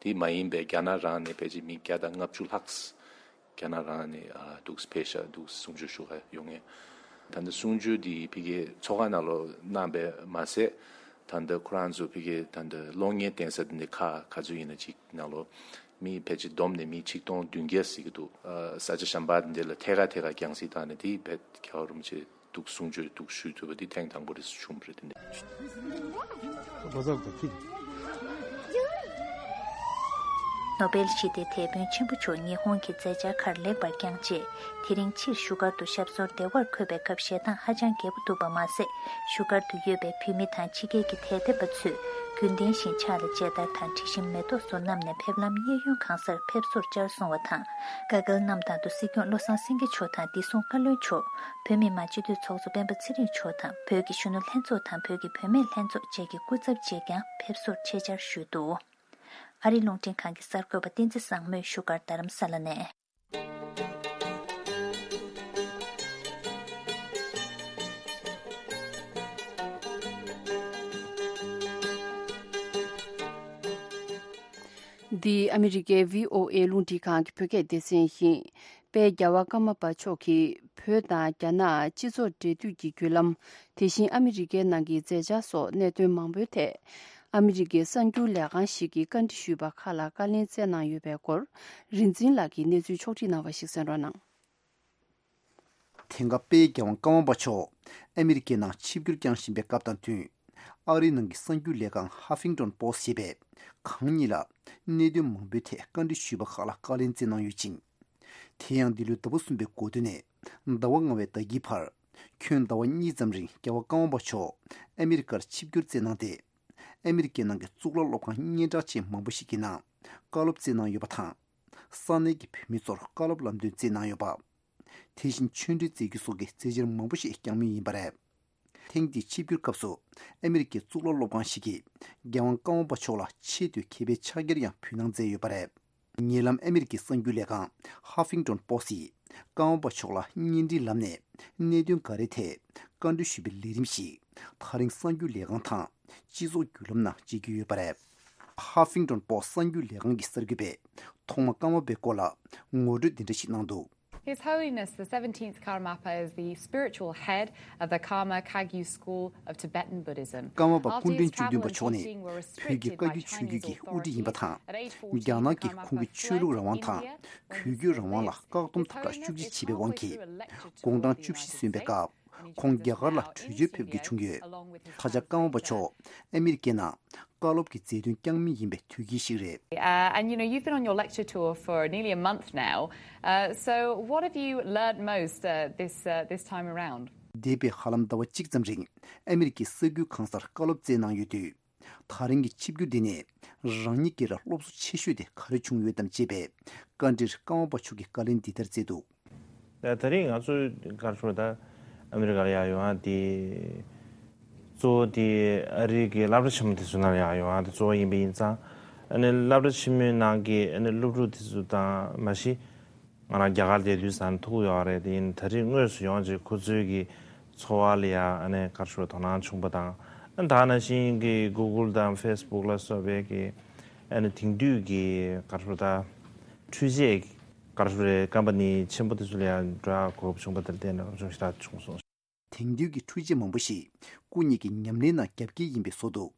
དེ་མ་ཡིན་པའི་རྒྱ་ནག་རང་ནས་ཕལ་ཆེར་མི་བརྒྱ་དང་ལྔ་བཅུ་ལྷག་ཙམ་རྒྱ་ནག་རང་ནས་ཨ་འདུག་སེ་ཕེབས་ཤག། འདུག་སེ་གསུང་ཆོས་ཞུ་ག་ཡོང་མཁན། ད་ལྟ་གསུང་ཆོས་འདི་ཕ་གིའི་ཚོགས་ཁང་ནང་ལོགས་གནང་བས་མ་ཟད། ད་ལྟ་ཁོ་རང་ཚོ་ཕ་གིའི་ད་ལྟ་གློག་བརྙན་བསྟན་ས་འདི་འདྲའི་ཁག་ག་ཚོད་ཡིན་ན་ཅིག་ནང་ལོགས་མི་ཕལ་ཆེར་བསྡོམས་ནས་མི་ཆིག་སྟོང་བདུན་བརྒྱ་ཟིན་གྱི་འདུག། ཨ་ས་ཆ་གཞན་པ་འདི་འདྲ་ལ་ཐད་ཀར་ཐད་ཀར་རྒྱང་སྲིང་བཏང་ནས། དེ་བས་རྒྱལ་བ་རིན་པོ་ཆེ་འདུག་གསུང་ཆོས་འདུག་ཞུ་ཐུབ་པ་འདི་ཐེངས་དང་པོ་རེད་བྱུང་བ་རེད། དེ་འདྲ། ནོ་བེལ་ཞི་བདེའི་དེད་དཔོན་ཆེན་པོ་མཆོག་ཉི་ཧོང་གི་མཛད་འཆར་ཁག་ལེགས་པར་བསྐྱངས་རྗེས། དེ་རིང་ཕྱིར་བཞུགས་སྒར་དུ་ཞབས་སོར་བདེ་བར་འཁོད་པའི་སྐབས་ཞེ་སྡང་ཧ་ཅང་རྒྱས་པོ་འདུག་པ་མ་ཟད། བཞུགས་སྒར་དུ་ཡོད་པའི་བོད་མི་དང་ཕྱི་རྒྱལ་གྱི་དད་ལྡན་པ་ཚོས་རྒྱུན་ལྡན་བཞིན་ཕྱག་ལ་མཇལ་དར་དང་དྲི་ཞིམ་མེ་ཏོག་སོགས་བསྣམས་ནས་ཕེབས་ལམ་གཡས་གཡོན་གང་སར་ཕེབས་བསུར་བཅར་སོང་བ་དང་། དཀའ་སྐལ་གནམ་ཐང་དུ་སྲིད་སྐྱོང་བློ་བཟང་སེང་གེ་མཆོག་དང་བདེ་སྲུང་བཀའ་བློན་མཆོག། བོད་མི་མང་སྤྱི་འཐུས་ཚོགས་གཙོ་སྤེན་པ་ཚེ་རིང་མཆོག་དང་། བོད་ཀྱི་གཞོན་ནུ་ལྷན་ཚོགས་དང་བོད་ཀྱི་བུད་མེད་ལྷན་ཚོགས་བཅས་ཀྱི་སྐུ་ཚབ་བཅས་ཀྱང་ཕེབས་བསུར་ཆེད་བཅར་ཞུས་འདུག། ཨ་རིའི་རླུང་འཕྲིན་ཁང་གི་གསར་འགོད་པ་བསྟན་འཛིན་བཟང་མོས་བཞུགས་སྒར་རྡ་རམ་ས་ལ་ནས། འདི་ཨ་མི་རི་ཀའི་བྷི་ཨོ་ཨེ་རླུང་འཕྲིན་ཁང་གི་བོད་སྐད་སྡེ་ཚན་ཡིན། དཔལ་རྒྱལ་བ་ཀརྨ་པ་མཆོག་གིས་བོད་དང་རྒྱ་ནག་སྤྱི་ཚོགས་འབྲེལ་མཐུད་ཀྱི་བརྒྱུད་ལམ། དེ་བཞིན་ཨ་མི་རི་ཀའི་ནང་གི་མཛད་འཆར་སོགས་གནད་དོན་མང་པོའི་ཐད། ཨ་མི་རི་ཀའི་གསར་འགྱུར་ལས་ཁང་ཞིག་གིས་བཀའ་འདྲི་ཞུས་པ་ཁག་ལ་བཀའ་ལན་སྩལ་གནང་ཡོད་པའི་སྐོར། རིག་འཛིན་ལགས་ཀྱིས་གནས་ཚུལ་ཕྱོགས་སྒྲིག་གནང་བ་ཞིག་གསན་རོགས་གནང་། དེང་སྐབས་དཔལ་རྒྱལ་བ་ཀརྨ་པ་མཆོག་ཨ་མི་རི་ཀའི་ནང་ཆིབས་བསྒྱུར་བསྐྱངས་བཞིན་པའི་སྐབས་དང་བསྟུན། ཨ་རིའི་ནང་གི་གསར་འགྱུར་ལས་ཁང་ཧ་ཕིང་ཏོན་པོ་སི་ཞེས་པས་གང་ཉིད་ལ་གནད་དོན་མང་པོའི་ཐད་བཀའ་འདྲི་ཞུས་པ་ཁག་ལ་བཀའ་ལན་སྩལ་གནང་ཡོད་ཅིང་། དེ་ཡང་འདི་ལོའི་ཟླ་བ་གསུམ་པའི་འགོ་སྟོད་ནས་ཟླ་བ་ལྔ་པའི་ཟླ་དཀྱིལ་བར། ཁྱོན་ཟླ་བ་གཉིས་ཙམ་རིང་རྒྱལ་བ་ཀརྨ་པ་མཆོག་ཨ་མི་རི་ཀར་ཆིབས་བསྒྱུར་མཛད་གནང་སྟེ། ཨ་མི་རི་ཀའི་ནང་གི་གཙུག་ལག་སློབ་ཁང་སྙན་གྲགས་ཅན་མང་པོ་ཞིག་གི་ནང་བཀའ་སློབ་སྩལ་གནང་ཡོད་པ་དང་། ས་གནས་ཀྱི་བོད་མི་ཚོར་བཀའ་སློབ་ལམ་སྟོན་སྩལ་གནང་ཡོད་པ། དེ་བཞིན་ཆོས་འབྲེལ་མཛད་རྒྱུ་སོགས་ཀྱི་མཛད་འཆར་མང་པོ་ཞིག་བསྐྱངས་མུས་ཡིན་པ་རེད། ཐེངས་འདིའི་ཆིབས་བསྒྱུར་སྐབས་སུ་ཨ་མི་རི་ཀའི་གཙུག་ལག་སློབ་ཁང་ཞིག་གིས་རྒྱལ་དབང་ཀརྨ་པ་མཆོག་ལ་ཆེད་དུ་མཁས་པའི་ཕྱག་འཁྱེར་ཡང་ཕུལ་གནང་མཛད་ཡོད་པ་རེད། ཉེ་ལམ་ཨ་མི་རི་ཀའི་གསར་འགྱུར་ལས་ཁང་ཧ་ཕིང་ཏོན་པོ་སི་ཡིས་ཀརྨ་པ་མཆོག་ལ་བརྙན་འཕྲིན་ལམ་ནས་གནད་དོན་འགའ་རེའི་ཐད་བཀའ་འདྲི་ཞུས་པའི་ལས་རིམ་ཞིག་ད་རིང་གསར་འགྱུར་ལས་ཁང་དང་སྤྱི་ཚོགས་བརྒྱུད་ལམ་ནང་མཇལ་རྒྱུ་ཡོད་པ་རེད། ཧ་ཕིང་ཏོན་པོ་སི་གསར་འགྱུར་ལས་ཁང་གི་གསར་འགོད་པས་ཐོག་མར་ཀརྨ་པའི་སྐོར་ལ་ངོ་སྤྲོད་འདི་འདྲ་ཞིག་གནང་འདུག། His Holiness the seventeenth Karmapa is the spiritual head of the Karma Kagyu School of Tibetan Buddhism. ཀརྨ་པ་སྐུ་ཕྲེང་བཅུ་བདུན་པ་མཆོག་ནི་བོད་ཀྱི་བཀའ་བརྒྱུད་ཆོས་བརྒྱུད་ཀྱི་དབུ་ཁྲིད་ཡིན་པ་དང་། རྒྱ་ནག་གིས་ཁོང་གི་ཆོས་ལུགས་རང་དབང་དང་གུས་གུས་རང་དབང་ལ་བཀག་སྡོམ་དམ་དྲག་ཤུགས་ཆེ་བྱས་པའི་དབང་གིས། དགུང་གྲངས་བཅུ་བཞི་སོན་པའི་སྐབས། ཁོང་རྒྱ་གར་ལ་བྲོས་བྱོལ་ཕེབས་དགོས་བྱུང་ཡོད། ད་ཆ་ཀརྨ་པ་མཆོག་ཨ་མི་རི་ཀའི་ནང་བཀའ་སློབ་ཀྱི་མཛད་དོན་བསྐྱངས་མུས་ཡིན་པའི་དུས་དཀྱིལ་ཞིག་རེད། Uh, and you know, you've been on your lecture tour for nearly a month now. Uh, so, what have you learned most uh, this uh, this time around? འདས་པའི་ཧ་ལམ་ཟླ་བ་གཅིག་ཙམ་རིང་ཨ་མི་རི་ཀའི་ས་ཁུལ་གང་སར་བཀའ་སློབ་སྩལ་གནང་ཡོད་དུས། ད་རིང་གི་ཆིབས་བསྒྱུར་འདི་ནས་རང་ཉིད་ཀྱི་ར་སློབ་གསོ་ཆེ་ཤོས་དེ་ག་རེ་བྱུང་ཡོད་དམ་ཅེས་པའི་བཀའ་འདྲིར་ཀརྨ་པ་མཆོག་གིས་བཀའ་ལན་འདི་ལྟར་སྩལ་འདུག། ད་ད་རེས་ང་ཚོས་ག་རེ་ཞུ་དགོས། ད་ཨ་མི་རི་ཀ་ལ་ཡར་ཡོང་ཡ་དེ་གཙོ་བོ་དེ་ཨ་རི་གི་སློབ་གྲྭ་ཆེན་མོ་དེ་ཚོའི་ནང་ལ་ཡར་ཡོང་ཡ་དེ་གཙོ་བོ་ཡིན་པ་ཡིན་ཙང་། ཨ་ནི་སློབ་གྲྭ་ཆེན་མོའི་ནང་གི་ཨ་ནི་སློབ་ཕྲུག་དེ་ཚོ་དང་མ་གཞི་ང་རང་རྒྱ་གར་བསྡད་དུས་ཙང་ཐུག་ཡོད་རེད། དེ་ཡིན་ད་རེས་དངོས་སུ་ཡོང་བྱས་ཁོ་ཚོའི་གི་འཚོ་བ་ལ་ཡ་ཨ་ནི་ག་རེ་ཞུ་དགོས། དོ་སྣང་བྱུང་པ་དང་། ཨ་ནི་ད་ནང་བཞིན་གི་གུ་གུལ་དང་ཕེ་སི་བུག་ལ་སོགས་པའི་གི་ཨ་ནི་དེང་དུས་གི་ག་རེ་ཞུ་དགོས། ད་འཕྲུལ་ཆས་ག་རེ་ཞུ་དགོས་རེད། ཀམ་པ་ནི་ཆེན་པོ་དེ་ཚོ་ལ་ཡང་འགྲོ་ཡག་གོ་སྐབས་བྱུང་པ་དེར་བརྟེན་ནས་སློབ་སྦྱོང་ཞེ་དྲག་བྱུང་སོང་། དེང་དུས་ཀྱི་འཕྲུལ་ཆས་མང་པོ་ཞིག་སྐུ་ཉིད་ཀྱི་ཉམས་ལེན་ནང་རྒྱབ་འགལ་ཡིན་པའི་བཟོ་འདུག།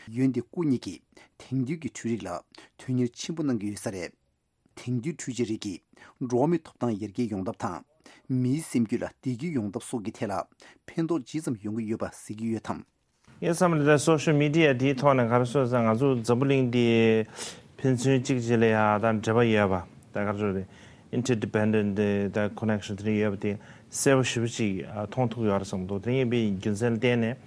འོན་ཏེ་སྐུ་ཉིད་ཀྱིས་དེང་དུས་ཀྱི་འཕྲུལ་རིག་ལ་དོན་གཉེར་ཆེན་པོ་གནང་གི་ཡོད་ས་རེད། དེང་དུས་འཕྲུལ་ཆས་རིགས་ཀྱིས་འགྲོ་བ་མིའི་ཐོབ་ཐང་ཡར་རྒྱས་ཡོང་ཐབས་དང་། མིའི་སེམས་རྒྱུད་ལ་བདེ་སྐྱིད་ཡོང་ཐབས་སོགས་ཀྱི་ཐད་ལ་ཕན་ཐོགས་ཇི་ཙམ་ཡོང་གི་ཡོད་པ་གཟིགས་ཀྱི་ཡོད་དམ། ངའི་བསམ་པ་ལ་སོ་ཤལ་མི་ཌི་ཡ་དེའི་ཐོག་ནས་ག་རེ་ཟེར་ཟེར་ན། ང་ཚོ་འཛམ་བུ་གླིང་འདི་ཕན་ཚུན་གཅིག་གཅིག་ལ་ཡ་ད་འབྲེལ་བ་ཡོད་པ། ད་ག་རེ་ཟེར་རེད། ཨིན་ཊར་ཌི་པེན་ཌེན་ཊི་ད་ཀོ་ནེག་ཤན་དེ་འདྲ་ཡོད་པ་དེ་གསལ་པོ་ཞེ་པོ་ཅིག་མཐོང་ཐུབ་ཡོད་རེད་བསམ་འདུག་དེ་ཡིན་པའི་རྒྱུ་མཚན་ལ་བརྟེན་ནས།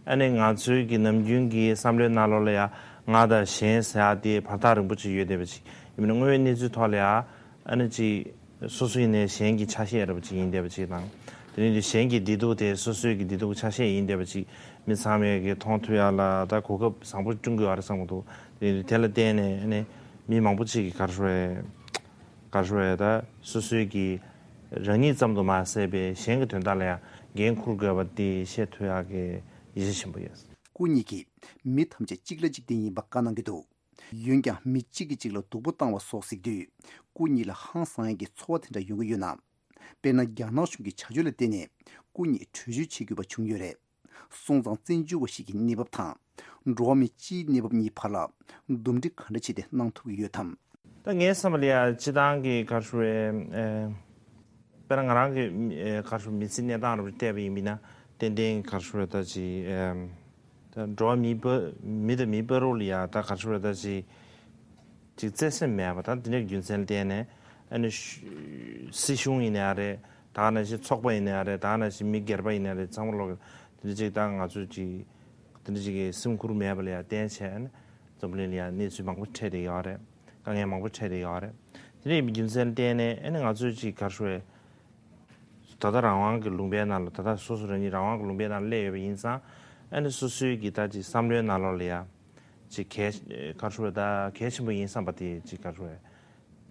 ཨ་ནི་ང་ཚོའི་གི་ནམ་རྒྱུན་གྱི་བསམ་བློའི་ནང་ལོགས་ལ་ཡ་ང་དང་གཞན་ཟེར་ཡ་དེ་བར་ཐག་རིང་པོ་ཅིག་ཡོད་བསྡད་པ་ཅིག་ཡིན་ན། དངོས་ཡོད་གནས་ཚུལ་ཐོག་ལ་ཡ་ཨ་ནི་ཅིག་སོ་སོ་ཡིན་ནའི་གཞན་གྱི་ཆ་ཤས་འདྲ་པོ་ཅིག་ཡིན་བསྡད་པ་ཅིག་དང་། དེ་ནས་གཞན་གྱི་བདེ་སྡུག་དེ་སོ་སོའི་གི་བདེ་སྡུག་ཆ་ཤས་ཡིན་བསྡད་པ་ཅིག་མི་ཚང་མས་གི་མཐོང་ཐུབ་ཡ་ལ་ད་གོ་སྐབས་བཟང་པོ་བསྐྲུན་དགོས་པ་རེད་བསམ་གི་འདུག་དེ་ནས་དེ་ལ་བརྟེན་ནས་ཨ་ནི་མི་མང་པོ་ཅིག་གིས་ག་རེ་ཟེར་རེད། ག་རེ་ཟེར་རེད། ད་སོ་སོའི་གི་རང་ཉིད་ཙམ་དུ་མ་ཟད་པའི་གཞན་གྱི་དོན་དག་ལ་ཡང་འགན་འཁུར་དགོས་པ་དེ་ཤེས་ཐུབ་ཡ་གི་ཡིད་ཆེས་ཆེན་པོ་ཡོད། སྐུ་ཉིད་ཀྱིས་མི་ཐམས་ཅད་གཅིག་ལ་གཅིག་བརྟེན་ཡིན་པ་བཀའ་གནང་གི་འདུག་འོན་ཀྱང་མི་གཅིག་གིས་གཅིག་ལ་སྡུག་པོ་བཏང་བ་སོགས་གཟིགས་དུས། སྐུ་ཉིད་ལ་ཧང་སང་ཡག་གི་ཚོར་བ་དེ་འདྲ་ཡོང་གི་ཡོད་ན། དཔེར་ན། རྒྱ་ནག་གཞུང་གི་བྱ་སྤྱོད་ལ་བརྟེན་ནས་སྐུ་ཉིད་བྲོས་བྱོལ་བྱེད་དགོས་པ་བྱུང་ཡོད་རེད། སོང་ཙང་བཙན་བྱོལ་བ་ཞིག་གི་གནས་བབ་དང་། འགྲོ་བ་མི་སྤྱིའི་གནས་བབ་གཉིས་བར་ལ་འདུམ་འགྲིག་ག་འདྲ་བྱས་ཏེ་གནང་ཐུབ་ཀྱི་ཡོད་དམ། ད་ངའི་བསམ་པ་ལ་ཡ་སྤྱིར་བཏང་གི་ག་རེ་ཟེར་རེད། ཨེ། དཔེར་ན་ང་རང་གི་ཨེ་ག་རེ་ཟེར། མི་ཚེའི་གནས་སྟངས་རུ་བལྟས་པ་ཡིན་པ་ན། ཏན་ཏན་ག་རེ་ཟེར་རེད། ད་ཅིག་ཨེམ། ད་འགྲོ་བ་མི་བར་མི་དང་མི་བར་ལ་ཡ་ད་ག་རེ་ཟེར་རེད། ད་ཅིག་ཅིག་བརྩེ་སེམས་མེད་པ་དང་། དེ་འདྲའི་རྒྱུ་མཚན་ལ་བརྟེན་ནས་ཨ་ནི་ཤུ་སྲིད་གཞུང་ཡིན་ན་ཡང་རེད། ད་ག་ནང་བཞིན་ཚོགས་པ་ཡིན་ན་ཡང་རེད། ད་ག་ནང་བཞིན་མི་སྒེར་པ་ཡིན་ན་རེད། ཚང་མ་ལོག་དེ་འདྲ་ཅིག་ད་ང་ཚོས་ཅིག་དེ་འདྲ་ཅིག་གི་སེམས་ཁུར་མེད་པ་ལ་ཡང་བརྟེན་བྱས་ཨ་ནི་འཛམ་བུ་གླིང་ལ་ཡང་གནས་ཚུལ་མང་པོ་འཕྲད་བསྡད་ཡོད་རེད། དཀའ་ངལ་མང་པོ་འཕྲད་བསྡད་ཡོད་རེད། དེ་འདྲ་ཡིན་པའི་རྒྱུ་མཚན་ལ་བརྟེན་ནས་ཨ་ནི་ང་ཚོས་ཅིག་ག་རེ་ཟེར་རེད། ད་ལྟ་རང་དབང་གི་ལུང་པའི་ནང་ལ། ད་ལྟ་སོ་སོ་རང་ཉིད་རང་དབང་གི་ལུང་པའི་ནང་སླེབས་ཡོད་པ་ཡིན་ཙང་། ཨ་ནི་སོ་སོའི་གི་ད་ཅིག་བསམ་བློའི་ནང་ལོགས་ལ་ཡ་ཅིག་གལ་ག་རེ་ཟེར་རེད། ད་གལ་ཆེན་པོ་ཡིན་བསམ་པ་དེ་ཅིག་ག་རེ་ཟེར་རེད།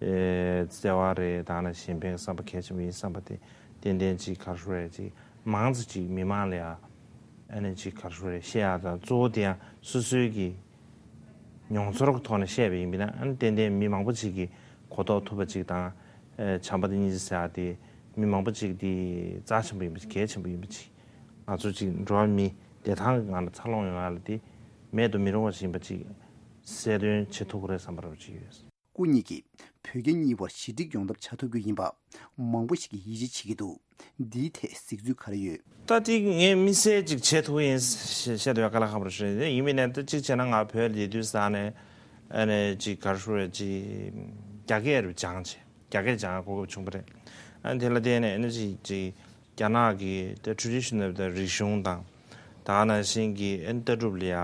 ཨེ། བརྩེ་བ་རེད། ད་ནང་བཞིན་གཞན་ཕན་གྱི་བསམ་པ་གལ་ཆེན་པོ་ཡིན་བསམ་པ་དེ་ཏན་ཏན་ཅིག་ག་རེ་ཟེར་རེད། ཅིག་མང་ཙམ་ཅིག་མི་མང་ལ་ཡ་ཨ་ནི་ཅིག་ག་རེ་ཟེར་རེད། བཤད་ཡ་དང་། གཙོ་བོ་དེ་ཡང་སོ་སོའི་གི་མྱོང་ཚོར་གྱི་ཐོག་ནས་བཤད་པ་ཡིན་པ་ན། ཨ་ནི་ཏན་ཏན་མི་མང་པོ་ཅིག་གིས་གོ་རྟོགས་ཐུབ་པ་ཅིག་དང་། ཨེ། བྱམས་པ་དང་སྙིང་རྗེ་ཟེར་ཡ་དེ་མི་མང་པོ་ཅིག་དེ་རྩ་ཆེན་པོ་ཡིན་པ་ཅིག་གལ་ཆེན་པོ་ཡིན་པ་ཅིག་ང་ཚོ་ཅིག་འགྲོ་བ་མི་བདེ་ཐང་གི་ངང་ལ་འཚར་ལོངས་ཡོང་ཡ་ལ་དེ་མེད་དུ་མི་རུང་བ་ཞིག་ཡིན་པ་ཅིག་གསལ་སྟོན་བྱེད་ཐུབ་ཀྱི་རེད་བསམ་པ་འདྲ་པོ་ཅིག་ཡོད། སྐུ་ཉིད་ཀྱིས་བོད་རྒྱ་གཉིས་བར་ཞི་འགྲིག་ཡོང་ཐབས་བྱ་ཐུབ་རྒྱུ་ཡིན་པ་མང་པོ་ཞིག་གིས་ཡིད་ཆེས་བྱེད་ཀྱི་འདུག་འདིའི་ཐད་གཟིགས་ཚུལ་ག་རེ་ཡོད། ད་དེ་ངས་དམིགས་བསལ་ཅིག་བྱེད་ཐུབ་ཀྱི་ཡིན་ཞེས་བཤད་དུས་དཀའ་ལས་ཁག་པོ་རེད། ཡིན་མིན་ནས་ད་གཅིག་བྱས་ན་ང་བོད་ལ་ཡོད་དུས་ཙང་ནས་ཨ་ནི་ཅིག་ག་རེ་ཟེར་རེད། ཅིག་རྒྱ་སྐད་རུ་སྦྱངས་བྱས། རྒྱ་སྐད་སྦྱང་གོ་སྐབས་བྱུང་བ་རེད། ཨ་ནི་དེ་ལ་བརྟེན་ནས་ཨ་ནི་ཅིག་ཅིག་རྒྱ་ནག་གི་ད་ཊེ་རེ་ཌི་ཤི་ནལ་ད་རིག་གཞུང་དང་། ད་ག་ནང་བཞིན་གྱི་ཨ་ནི་ལྟ་གྲུབ་ལ་ཡ་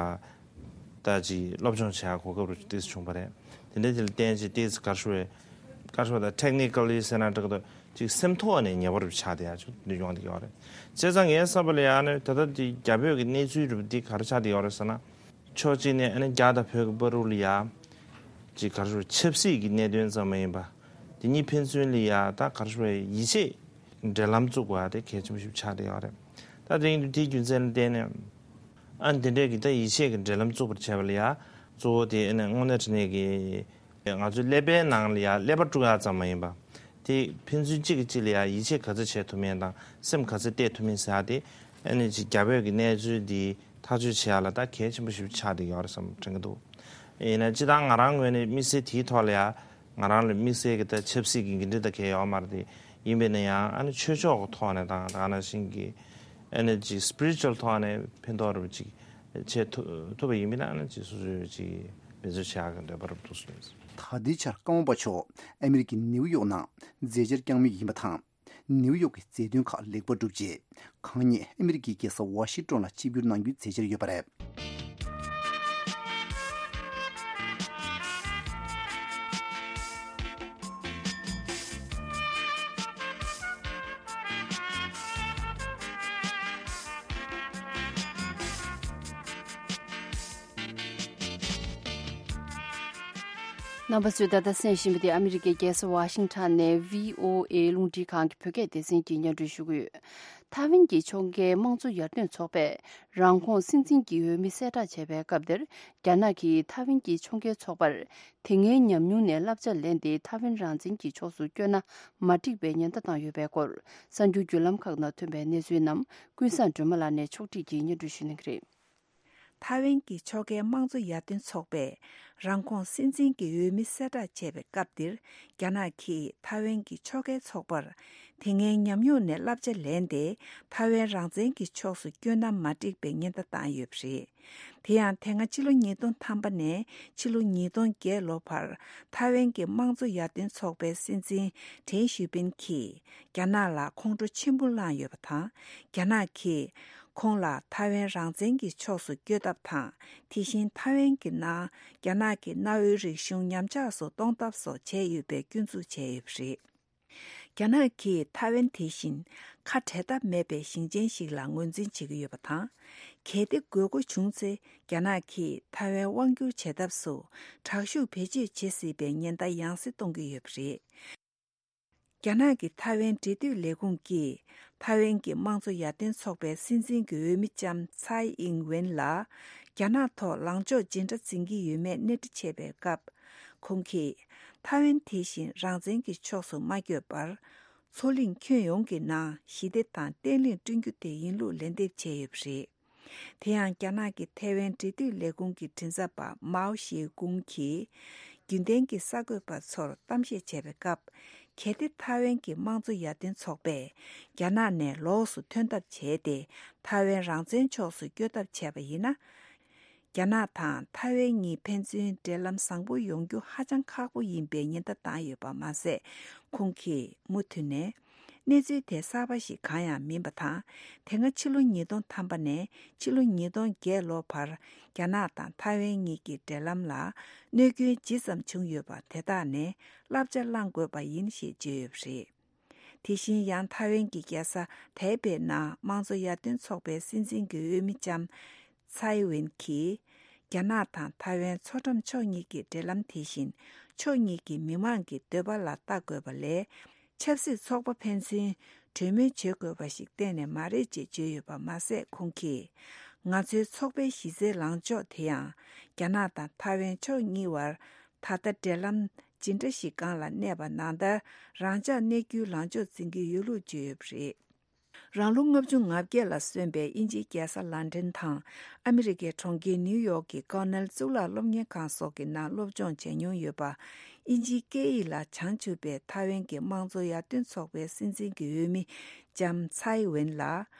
ད་ཅིག་སློབ་སྦྱོང་བྱེད་ཡ་གོ་སྐབས་རུ་ཏོག་ཙམ་བྱུང་བ་རེད། དེ་འདྲ་དེ་ལ་བརྟེན་ཅིག་ཏོག་ཙམ་ག་རེ་ཟེར་རེད། ག་རེ་ཟེར་བ་ད་ཊེག་ནི་ཀལ་ལི་ཟེར་ན་འགྲིག་གི་འདུག་ཅིག་སེམས་ཐོག་ནས་ཉེ་བར་ཆགས་བསྡད་ཡ་ཅིག་འདི་ཡོང་བསྡད་ཡོད་རེད། བྱས་ཙང་ངའི་བསམ་པ་ལ་ཡ་ཨ་ནི་ད་ལྟ་འདི་རྒྱ་བོད་ཀྱི་གནས་ཚུལ་རུ་འདི་ག་རེ་ཆགས་བསྡད་ཡོད་རེད་ཟེར་ན། ཕྱོགས་གཅིག་ནས་ཨ་ནི་རྒྱ་དང་བོད་ཀྱི་བར་དུ་ལ་ཡ་ཅིག་ག་རེ་ཟེར་རེད། ཆབ་སྲིད་ཀྱི་གནད་དོན་ཙམ་མ་ཡིན་པ། དེ་གཉིས་ཕན་ཚུན་ལ་ཡ་ད་ག་རེ་ཟེར་རེད། ཡིད་ཆེས་འབྲེལ་ལམ་བཙུགས་པ་དེ་གལ་ཆེན་པོ་ཞིག་ཆགས་བསྡད་ཡོད་རེད། ད་དེ་ཡིན་དུས་དེའི་རྒྱུ་མཚན་ལ་བརྟེན་ནས་ཨ་ནི་དེ་འདྲས་ཀྱི་ད་ཡིད་ཆེས་ཀྱི་འབྲེལ་ལམ་བཙུགས་པར་བྱས་པ་ལ་ཡ་གཙོ་བོ་དེ་ཨ་ནི་དངོས་གནས་དྲང་གནས་ཀྱི་ང་ཚོའི་ཀླད་པའི་ནང་ལ་ཡ་ཀླད་པ་དཀྲུག་ཡག་ཙམ་མ་ཡིན་པ། དེ་ཕན་ཚུན་གཅིག་གིས་གཅིག་ལ་ཡ་ཡིད་ཆེས་ག་ཚོད་བྱེད་ཐུབ་མིན་དང་སེམས་ག་ཚོད་གཏད་ཐུབ་མིན་ཟེར་ཡ་དེ་ཨ་ནི་ཅིག་རྒྱ་བོད་ཀྱི་གནས་ཚུལ་འདི་ཐག་གཅོད་བྱེད་ཡ་ལ་ད་གལ་ཆེན་པོ་ཞིག་ཆགས་བསྡད་ཡོད་རེད་བསམ་དྲན་གྱི་འདུག་ཡིན་ན་སྤྱིར་བཏང་ང་རང་ངོས་ནས་དམིགས་བསལ་དེའི་ཐོག་ལ་ཡ་ང་རང་ལ་དམིགས་བསལ་གྱི་ད་ཆབ་སྲིད་ཀྱི་འགན་འཁྲི་ད་གང་ཡང་ཡོད་མ་རེད་དེ། ཡིན་པས་ན་ཡང་ཨ་ནི་ཆོས་ཕྱོགས་ཀྱི་ཐོག་ནས་དང་། ད་ག་ནང་བཞིན་གྱི་ཨ་ནི་ཅིག་སི་པི་རི་ཅུ་ཨལ་ཐོག་ནས་ཕན་ཐོགས་རེ་བ་ཅིག་བྱེད་ཐུབ་ཐུབ་པ་ཡིན་པས་ན་ཨ་ནི་ཅིག་སོ་སོས་ཅིག་འབད་བརྩོན་བྱེད་ཡག་གི་འདོད་པ་རེ་བ་འདུག་གསུངས་ཡོད། ད་ལྟའི་ཆར་ཀརྨ་པ་མཆོག་ཨ་མི་རི་ཀའི་ནིའུ་ཡོག་ནང་མཛད་འཆར་བསྐྱངས་མུས་ཡིན་པ་དང་། ནིའུ་ཡོག་གི་མཛད་དོན་ཁག་ལེགས་པར་གྲུབ་རྗེས། གང་ཉིད་ཨ་མི་རི་ཀའི་རྒྱལ་ས་ཝ་ཤིང་ཏོན་ལ་ཆིབས་བསྒྱུར་གནང་རྒྱུའི་མཛད་འཆར་ཡོད་པ་རེད། རྣམ་པ་ཚོས་ད་ལྟ་གསན་བཞིན་པ་དེ་ཨ་མི་རི་ཀའི་རྒྱལ་ས་ཝ་ཤིང་ཊོན་ནས་བྷི་ཨོ་ཨེ་རླུང་འཕྲིན་ཁང་གི་བོད་སྐད་སྡེ་ཚན་གྱིས་སྙན་སྒྲོན་ཞུ་གི་ཡོད། ཐའེ་ཝན་གྱི་ཕྱོགས་འགལ་དམངས་གཙོ་ཡར་ཐོན་ཚོགས་པས་རང་ཁོངས་སྲིད་འཛིན་གྱི་འོས་མི་གསལ་བསྒྲགས་བྱས་པའི་སྐབས་དེར། རྒྱ་ནག་གིས་ཐའེ་ཝན་གྱི་ཕྱོགས་འགལ་ཚོགས་པར་དེ་སྔའི་ཉམས་མྱོང་ནས་བསླབ་བྱ་ལེན་ཏེ། ཐའེ་ཝན་རང་བཙན་གྱི་ཕྱོགས་སུ་བསྐྱོད་ན་མ་འགྲིག་པའི་ཉེན་བརྡ་བཏང་ཡོད་པའི་སྐོར། གསར་འགྱུར་བརྒྱུད་ལམ་ཁག་ནང་ཐོན་པའི་གནས་ཚུལ་རྣམས་ཀུན་བཟང་སྒྲོལ་མ་ལགས་ནས་ཕྱོགས་སྒྲིག་གིས་སྙན་སྒྲོན་ཞུ་གནང་གི་རེད། ཐའེ་ཝན་གྱི་ཕྱོགས་འགལ་དམངས་གཙོ་ཡར་ཐོན་ཚོགས་པས་རང་ཁོངས་སྲིད་འཛིན་གྱི་འོས་མི་གསལ་བསྒྲགས་བྱས་པའི་སྐབས་འདིར། རྒྱ་ནག་གིས་ཐའེ་ཝན་གྱི་ཕྱོགས་འགལ་ཚོགས་པར་དེ་སྔའི་ཉམས་མྱོང་ནས་བསླབ་བྱ་ལེན་ཏེ། ཐའེ་ཝན་རང་བཙན་གྱི་ཕྱོགས་སུ་བསྐྱོད་ན་མ་འགྲིག་པའི་ཉེན་བརྡ་བཏང་ཡོད་པ་རེད། དེ་ཡང་། དེ་སྔ་ཕྱི་ལོ་ཉིས་སྟོང་ཐམ་པ་ནས་ཕྱི་ལོ་ཉིས་སྟོང་བརྒྱད་ལོ་བར། ཐའེ་ཝན་གྱི་དམངས་གཙོ་ཡར་ཐོན་ཚོགས་པའི་སྲིད་འཛིན་ཁྲེན་ཞུས་པིན་གྱིས། རྒྱ་ནག་ལ་ཁོང་ཁྲོ་ཆེན་པོ་བསླངས་ཡོད་པ་དང་། རྒྱ་ནག་གིས་ཁོང་ལ་ཐའེ་ཝན་རང་བཙན་གྱི་ཕྱོགས་སུ་བསྐྱོད་ཐབས་དང་། དེ་བཞིན་ཐའེ་ཝན་གྱི་ནང་རྒྱ་ནག་གི་གནའ་བོའི་རིག་གཞུང་ཉམས་ཆག་སུ་གཏོང་ཐབས་སོགས་བྱས་ཡོད་པའི་སྐྱོན་འཛུགས་བྱས་ཡོད་པ་རེད། རྒྱ་ནག་གིས་ཐའེ་ཝན་དེ་བཞིན་ཁ་བྲལ་ཐབས་མེད་པའི་ཞིང་ཆེན་ཞིག་ལ་ངོས་འཛིན་བྱེད་ཀྱི་ཡོད་པ་དང་། གལ་ཏེ་དགོས་མཁོ་བྱུང་ཚེ། རྒྱ་ནག་གིས་ཐའེ་ཝན་དབང་བསྒྱུར་བྱེད་ཐབས་སུ་དྲག་ཤུགས་བེད་སྤྱོད་བྱེད་སྲིད་པའི་ཉེན་བརྡ་ཡང་སེ་གཏོང་གི་ཡོད་པ་རེད། རྒྱ་ནག་གི་ཐའེ་ཝན་འབྲེལ་མཐུད་ལས་ཁུངས་ཀྱིས། ཐའེ་ཝན་གྱི་དམངས་གཙོ་ཡར་ཐོན་ཚོགས་པའི་སྲིད་འཛིན་གྱི་འོས་མི་ལྕམ་ཚའེ་ཨིང་ཝེན་ལ། རྒྱ་ནག་ཐོག་ལངས་ཕྱོགས་ཇི་འདྲ་འཛིན་གྱི་ཡོད་མེད་སྣེ་ཁྲིད་བྱས་པའི་སྐབས། ཁོང་གིས། ཐའེ་ཝན་དེ་བཞིན་རང་བཙན་གྱི་ཕྱོགས་སུ་མ་བསྐྱོད་པར། མཚོ་གླིང་ཁྱོན་ཡོངས་ཀྱི་ནང་ཞི་བདེ་དང་བརྟན་ལྷིང་བསྐྲུན་རྒྱུ་དེ་ཡིན་ལུགས་ལན་འདེབས་བྱས་ཡོད་པ་རེད། དེ་ཡང་། རྒྱ་ནག་གི་ཐའེ་ཝན་འབྲེལ་མཐུད་ལས་ཁུངས་ཀྱི་མགྲིན་ཚབ་པ་མའོ་ཞེ་ཀུང་གིས། རྒྱུན་ལྡན་གྱི་གསར་འགོད་པ་ཚོར་གཏམ་བཤད་བྱས་པའི་སྐབས། གལ་ཏེ་ཐའེ་ཝན་གྱི་དམངས་གཙོ་ཡར་ཐོན་ཚོགས་པས་རྒྱ་ནག་ནས་ལོགས་སུ་ཐོན་ཐབས་བྱས་ཏེ། ཐའེ་ཝན་རང་བཙན་ཕྱོགས་སུ་བསྐྱོད་ཐབས་བྱས་པ་ཡིན་ན། རྒྱ་ནག་དང་ཐའེ་ཝན་གཉིས་ཕན་ཚུན་འབྲེལ་ལམ་བཟང་པོ་ཡོང་རྒྱུ་ཧ་ཅང་ཁག་པོ་ཡིན་པའི་ཉེན་བརྡ་བཏང་ཡོད་པ་མ་ཟད། ཁོང་གིས་མུ་མཐུད་ནས། གནས་ཚུལ་དེ་གསར་པ་ཞིག་གང་ཡང་མིན་པ་དང་། དེ་སྔ་ཕྱི་ལོ་ཉིས་སྟོང་ཐམ་པ་ནས་ཕྱི་ལོ་ཉིས་སྟོང་བརྒྱད་ལོ་བར། རྒྱ་ནག་དང་ཐའེ་ཝན་གཉིས་ཀྱི་འབྲེལ་ལམ་ལ་གནོད་སྐྱོན་ཇི་ཙམ་བྱུང་ཡོད་པ་དེ་དག་ནས་བསླབ་བྱ་བླང་དགོས་པ་ཡིན་ཞེས་བརྗོད་ཡོད་པ་རེད། དེ་བཞིན་ཡང་། ཐའེ་ཝན་གྱི་རྒྱལ་ས་ཐའེ་པེ་ནང་དམངས་གཙོ་ཡར་ཐོན་ཚོགས་པའི་སྲིད་འཛིན་གྱི་འོས་མི་ལྕམ་ཚའེ་ཝེན་གྱིས། རྒྱ་ནག་དང་ཐའེ་ཝན་མཚོ་འགྲམ་ཕྱོགས་གཉིས་ཀྱི་འབྲེལ་ལམ་དེ་བཞིན་ཕྱོགས་གཉིས་ཀྱི་མི་དམངས་ཀྱི་འདོད་པ་ལ་ལྟ་དགོས་པ་ལས། ཆབ་སྲིད་ཚོགས་པ་ཕན་ཚུན་གྲོས་མོལ་བྱེད་དགོས་པ་ཞིག་གཏན་ནས་མ་རེད་ཅེས་བརྗོད་ཡོད་པ་མ་ཟད། ཁོང་གིས། ང་ཚོའི་ཚོགས་པའི་གཞི་རྩའི་ལངས་ཕྱོགས་དེ་ཡང་། རྒྱ་ནག་དང་ཐའེ་ཝན་ཕྱོགས་གཉིས་བར་ད་ལྟ་འབྲེལ་ལམ་ཇི་འདྲ་ཞིག་སྒང་ལ་གནས་པ་ནང་ལྟར་རང་འཇགས་གནས་རྒྱུའི་ལངས་ཕྱོགས་འཛིན་གྱི་ཡོད་ལུགས་བརྗོད་ཡོད་པ་རེད། རང་ལོ་ལྔ་བཅུ་ང་བརྒྱད་ལ་སོན་པའི་དབྱིན་ཇིའི་རྒྱལ་ས་ལན་ཀྲན་དང་ཨ་མི་རི་ཀའི་གྲོང་ཁྱེར་ནིའུ་ཡོག་གི་ཀོ་ནེལ་གཙུག་ལག་སློབ་གཉེར་ཁང་སོགས་ཀྱི་ནང་སློབ་སྦྱོང་བྱས་མྱོང་ཡོད་པ། དབྱིན་ཇིའི་སྐད་ཡིག་ལ་བྱང་ཆུབ་པའི་ཐའེ་ཝན་གྱི་དམངས་གཙོ་ཡར་ཐོན་ཚོགས་པའི་སྲིད་འཛིན་གྱི་འོས་མི་ལྕམ་ཚའེ་ཝེན་ལ།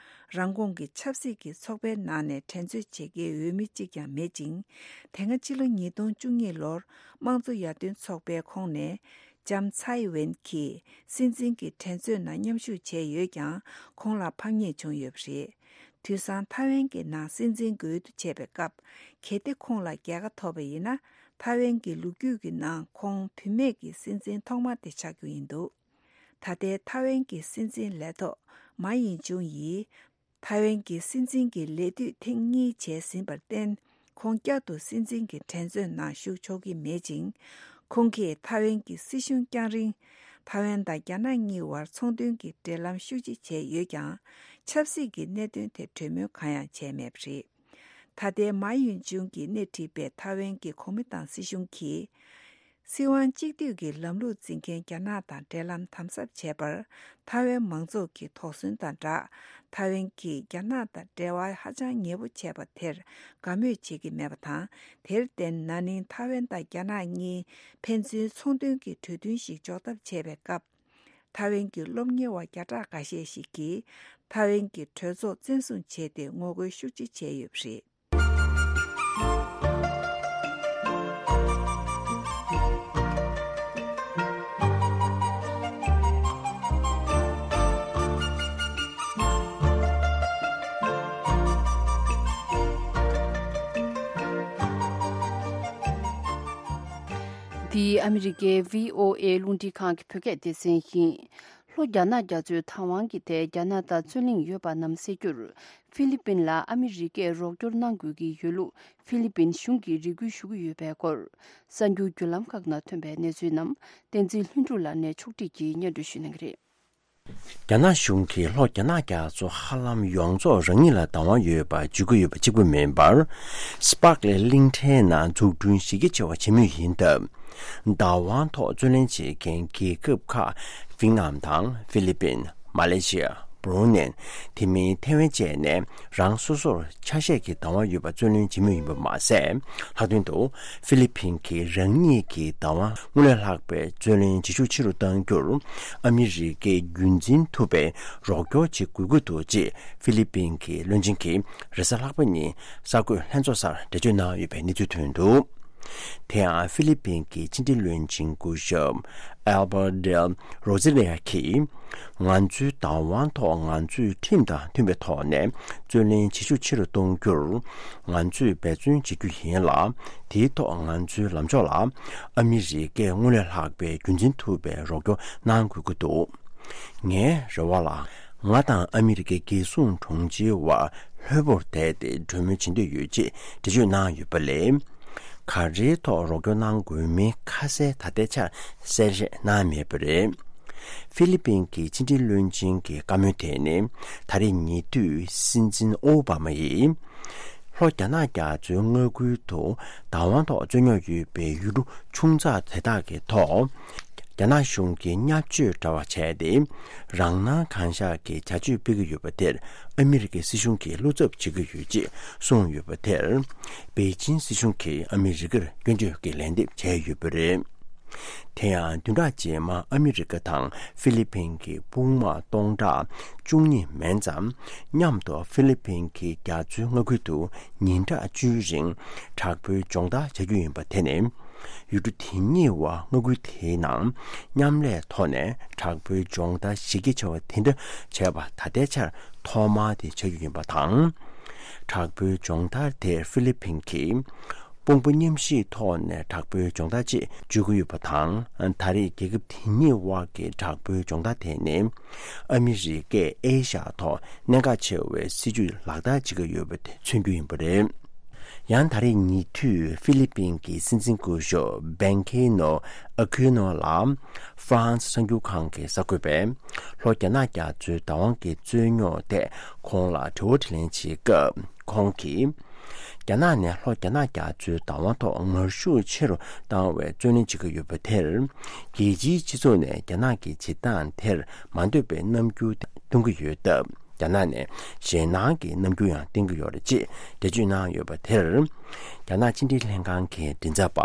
རང་ཁོངས་ཀྱི་ཆབ་སྲིད་ཀྱི་ཚོགས་པའི་ནང་ནས་འགྲན་རྩོད་བྱེད་མཁན་འོས་མི་གཅིག་ཀྱང་མེད་ཅིང་། དེ་སྔ་ཕྱི་ལོ་ཉིས་སྟོང་བཅུ་གཉིས་ལོར་དམངས་གཙོ་ཡར་ཐོན་ཚོགས་པའི་ཁོངས་ནས། ལྕམ་ཚའེ་ཝེན་གྱིས་སྲིད་འཛིན་གྱི་འགྲན་རྩོད་ནང་མཉམ་ཞུགས་བྱས་ཡོད་ཀྱང་། ཁོང་ལ་ཕམ་ཉེས་བྱུང་ཡོད་པ་རེད། དུས་སང་ཐའེ་ཝན་གྱི་ནང་སྲིད་འཛིན་གྱི་འོས་བསྡུ་བྱས་པའི་སྐབས། གལ་ཏེ་ཁོང་ལ་རྒྱལ་ཁ་ཐོབ་པ་ཡིན་ན། ཐའེ་ཝན་གྱི་ལོ་རྒྱུས་ཀྱི་ནང་ཁོང་བུད་མེད་ཀྱི་སྲིད་འཛིན་ཐོག་མ་དེ་ཆགས་རྒྱུ་ཡིན་འདུག་ད་ལྟའི་ཐའེ་ཝན་གྱི་སྲིད་འཛིན་ལས་ཐོག་མཱ་ཡིན་ཅུང་ཡིས། ཐའེ་ཝན་གྱི་སྲིད་འཛིན་གྱི་ལས་དུས་ཐེངས་གཉིས་བྱས་ཟིན་པར་བརྟེན། ཁོང་བསྐྱར་དུ་སྲིད་འཛིན་གྱི་འགྲན་རྩོད་ནང་ཞུགས་ཆོག་གི་མེད་ཅིང་། ཁོང་གིས་ཐའེ་ཝན་གྱི་སྲིད་གཞུང་བསྐྱངས་རིང་། ཐའེ་ཝན་དང་རྒྱ་ནག་གཉིས་བར་ཚོང་དོན་གྱི་འབྲེལ་ལམ་ཤུགས་ཆེ་བྱས་ཡོད་ཀྱང་། ཆབ་སྲིད་ཀྱི་གནད་དོན་ཐད་གྲོས་མོལ་གང་ཡང་བྱས་མེད་པ་རེད། ད་ལྟའི་མཱ་ཡུན་ཅུང་གིས་སྣེ་ཁྲིད་པའི་ཐའེ་ཝན་གྱི་གོ་མིན་ཏང་སྲིད་གཞུང་གིས། སྲིད་དབང་གཅིག་སྡུད་ཀྱི་ལམ་ལུགས་འཛིན་མཁན་རྒྱ་ནག་དང་འབྲེལ་ལམ་དམ་ཟབ་བྱས་པར། ཐའེ་ཝན་མང་ཚོགས་ཀྱི་དོགས་ཟོན་དང་སྦྲགས། ཐའེ་ཝན་གྱིས་རྒྱ་ནག་དང་འབྲེལ་བ་ཧ་ཅང་ཉེ་པོ་བྱས་པ་དེར་དགའ་མོས་བྱེད་ཀྱི་མེད་པ་དང་། དེར་བརྟེན། ན་ནིང་ཐའེ་ཝན་དང་རྒྱ་ནག་གཉིས་ཕན་ཚུན་ཚོང་དོན་གྱི་གྲོས་མཐུན་ཞིག་འཇོག་ཐབས་བྱས་པའི་སྐབས། ཐའེ་ཝན་གྱི་སློབ་གཉེར་བ་བརྒྱ་ཕྲག་འགའ་ཤས་ཤིག་གིས་ཐའེ་ཝན་གྱི་གྲོས་ཚོགས་བཙན་བཟུང་བྱས་ཏེ་ངོ་རྒོལ་ཤུགས་ཆེ་བྱས་ཡོད་པ་རེད། འདི་ཨ་མི་རི་ཀའི་བྷི་ཨོ་ཨེ་རླུང་འཕྲིན་ཁང་གི་བོད་སྐད་སྡེ་ཚན་ཡིན། ལྷོ་རྒྱ་ནག་རྒྱ་མཚོའི་བདག་དབང་གི་ཐད་རྒྱ་ནག་དང་རྩོད་གླེང་ཡོད་པ་རྣམས་སེལ་རྒྱུར། ཧྥི་ལི་པིན་ལ་ཨ་མི་རི་ཀས་རོགས་སྐྱོར་གནང་དགོས་ཀྱི་ཡོད་ལུགས་ཧྥི་ལི་པིན་གཞུང་གིས་རེ་སྐུལ་ཞུ་གི་ཡོད་པའི་སྐོར། གསར་འགྱུར་བརྒྱུད་ལམ་ཁག་ནང་ཐོན་པའི་གནས་ཚུལ་རྣམས་བསྟན་འཛིན་ལྷུན་གྲུབ་ལགས་ནས་ཕྱོགས་སྒྲིག་གིས་སྙན་སྒྲོན་ཞུ་གནང་གི་རེད། རྒྱ་ནག་གཞུང་གིས་ལྷོ་རྒྱ་ནག་རྒྱ་མཚོ་ཧ་ལམ་ཡོངས་རྫོགས་རང་ཉིད་ལ་བདག་དབང་ཡོད་པ་བརྗོད་ཀྱི་ཡོད་པ་གཅིག་པུ་མིན་པར། སི་པཱག་ལེ་གླིང་ཕྲན་ནང་འཛུགས་སྐྲུན་གཞི་རྒྱ་ཆེ་བ་བྱེད་མུས་ཡིན་སྟབས། བདག་དབང་ཐོག་རྩོད་ལེན་བྱེད་མཁན་རྒྱལ་ཁབ་ཁག་ཝི་ཡེ་ནམ་དང་ཧྥི་ལི་པིན། མ་ལེ་ཤི་ཡ། སྦྲུ་ནན། དེ་མིན་ཐེ་ཝན་བཅས་ནས་རང་སོ་སོར་ཆ་ཤས་ཀྱི་བདག་དབང་ཡོད་པ་རྩོད་ལེན་བྱེད་མུས་ཡིན་པ་མ་ཟད། ལྷག་དོན་དུ་ཧྥི་ལི་ཕིན་གྱིས་རང་ཉིད་ཀྱི་བདག་དབང་སྔོན་ལས་ལྷག་པའི་རྩོད་ལེན་བྱེད་ཤུགས་ཆེ་རུ་གཏང་རྒྱུར་ཨ་མི་རི་ཀས་རྒྱུན་འཛིན་ཐུབ་པའི་རོགས་སྐྱོར་བྱེད་དགོས་ཀྱི་འདུག་ཅེས་ཧྥི་ལི་ཕིན་གྱི་བློན་ཆེན་གྱིས་རེས་གཟའ་ལྷག་པ་ཉིན་གསར་འགོད་ལྷན་ཚོགས་སར་འགྲེལ་བརྗོད་གནང་ཡོད་པའི་གནས་ཚུལ་ཐོན་འདུག་དེ་ཡང་ཧྥི་ལི་ཕིན་གྱི་ཕྱི་འབྲེལ་བློན་ཆེན་སྐུ་ཞབས་Albert del Rosario གྱིས། ང་ཚོའི་བདག་དབང་ཐོག་ང་ཚོས་ཁྲིམས་དང་མཐུན་པའི་ཐོག་ནས་རྩོད་ལེན་བྱེད་ཤུགས་ཆེ་རུ་གཏོང་རྒྱུར་ང་ཚོས་འབད་བརྩོན་བྱེད་རྒྱུ་ཡིན་ལ། དེའི་ཐོག་ང་ཚོའི་ལམ་ཕྱོགས་ལ་ཨ་མི་རི་ཀས་སྔོན་ལས་ལྷག་པའི་རྒྱུན་འཛིན་ཐུབ་པའི་རོགས་སྐྱོར་གནང་དགོས་ཀྱི་འདུག་ངའི་རེ་བ་ལ། ང་དང་ཨ་མི་རི་ཀའི་རྒྱལ་སྲུང་དྲུང་ཆེའི་དབར་ལྷོད་པོར་བསྡད་དེ་གྲོས་མོལ་བྱེད་འདོད་ཡོད་ཅེས་འགྲེལ་བརྗོད་གནང་ཡོད་པ་ལས། ག་རེའི་ཐོག་རོགས་སྐྱོར་གནང་དགོས་མིན་ཁ་གསལ་ད་ལྟའི་ཆར་གསལ་བཤད་གནང་མེད་པ་རེད། ཧྥི་ལི་ཕིན་གྱི་ཕྱི་འབྲེལ་བློན་ཆེན་གྱི་བཀའ་མོལ་དེ་ནི་ད་རེས་ཉེ་དུས་སྲིད་འཛིན་ཨོ་བྷ་མ་ཡིས། ལྷོ་རྒྱ་ནག་རྒྱ་མཚོའི་མངའ་ཁུལ་དུ་བདག་དབང་ཐོག་རྩོད་རྙོག་ཡོད་པའི་ཡུལ་གྲུ་ཆུང་ཙག་དེ་དག་གི་ཐོག་རྒྱ་ནག་གཞུང་གིས་བརྙས་བཅོས་འདྲ་བ་བྱས་ཏེ། རང་སྣང་གང་ཤར་གྱི་བྱ་སྤྱོད་སྤེལ་གྱི་ཡོད་པ་དེར་ཨ་མི་རི་ཀའི་སྲིད་གཞུང་གིས་བློ་འཚབ་བྱེད་ཀྱི་ཡོད་ཅེས་གསུངས་ཡོད་པ་དེར། པེ་ཅིན་སྲིད་གཞུང་གིས་ཨ་མི་རི་ཀར་སྐྱོན་བརྗོད་ཀྱི་ལན་འདེབས་བྱས་ཡོད་པ་རེད། དེ་ཡང་བདུན་ཕྲག་རྗེས་མ་ཨ་མི་རི་ཀ་དང་ཧྥི་ལི་ཕིན་གྱི་དཔུང་དམག་སྟོང་ཕྲག་བཅུ་གཉིས་མན་ཙམ་མཉམ་དུ་ཧྥི་ལི་ཕིན་གྱི་རྒྱ་མཚོའི་མངའ་ཁུལ་དུ་ཉིན་གྲངས་བཅུའི་རིང་དྲག་པོའི་སྦྱོང་བརྡར་བྱ་རྒྱུ་ཡིན་པ་དེ་ནི། ཡུལ་གྲུ་དེ་གཉིས་བར་མངའ་ཁུལ་དེའི་ནང་མཉམ་ལས་ཐོག་ནས་དྲག་པོའི་སྦྱོང་བརྡར་གཞི་རྒྱ་ཆེ་བ་དེ་འདྲ་བྱས་པ་ད་ལྟའི་ཆར་ཐོག་མ་དེ་ཆགས་རྒྱུ་ཡིན་པ་དང་། དྲག་པོའི་སྦྱོང་བརྡར་དེ་ཧྥི་ལི་ཕིན་གྱིས་དཔུང་པ་མཉམ་གཤིབ་ཐོག་ནས་དྲག་པོའི་སྦྱོང་བརྡར་ཅེས་བརྗོད་ཀྱི་ཡོད་པ་དང་། ད་རེས་རྒྱལ་ཁབ་དེ་གཉིས་དབར་གྱི་དྲག་པོའི་སྦྱོང་བརྡར་དེ་ནི་ཨ་མི་རི་ཀས་ཨེ་ཤ་ཡ་ཐོག་གནད་འགག་ཆེ་བའི་སྲིད་ཇུས་ལག་བསྟར་བྱེད་ཀྱི་ཡོད་པ་དེ་མཚོན་རྒྱུ་ཡིན་པ་རེད། ཡང་ད་རེས་ཉེ་དུས་ཧྥི་ལི་ཕིན་གྱི་སྲིད་འཛིན་སྐུ་ཞབས་བན་ཁེ་ནོ་ཨ་ཁུ་ནོ་ལ་ཧྥ་རན་སི་གསར་འགྱུར་ཁང་གི་གསར་འགོད་པས་ལྷོ་རྒྱ་ནག་རྒྱ་མཚོའི་བདག་དབང་གི་རྩོད་རྙོག་ཐད་ཁོང་ལ་དྲི་བ་དྲིས་ལན་བྱེད་སྐབས་ཁོང་གིས། རྒྱ་ནག་ནས་ལྷོ་རྒྱ་ནག་རྒྱ་མཚོའི་བདག་དབང་ཐོག་ངར་ཤུགས་ཆེ་རུ་བཏང་བའི་རྩོད་ལེན་བྱེད་ཀྱི་ཡོད་པ་དེར། རྒྱལ་སྤྱིའི་སྤྱི་ཚོགས་ནས་རྒྱ་ནག་གི་བྱེད་སྟངས་དེར་མ་འདོད་པའི་རྣམ་འགྱུར་སྟོན་གྱི་ཡོད་སྟབས། རྒྱ་ནག་ནས་ཞེད་སྣང་གི་རྣམ་འགྱུར་ཡང་བསྟན་གྱི་ཡོད་རེད་ཅེས་འགྲེལ་བརྗོད་གནང་ཡོད་པ་དེར། རྒྱ་ནག་ཕྱི་འབྲེལ་ལྷན་ཁང་གི་མགྲིན་ཚབ་པ་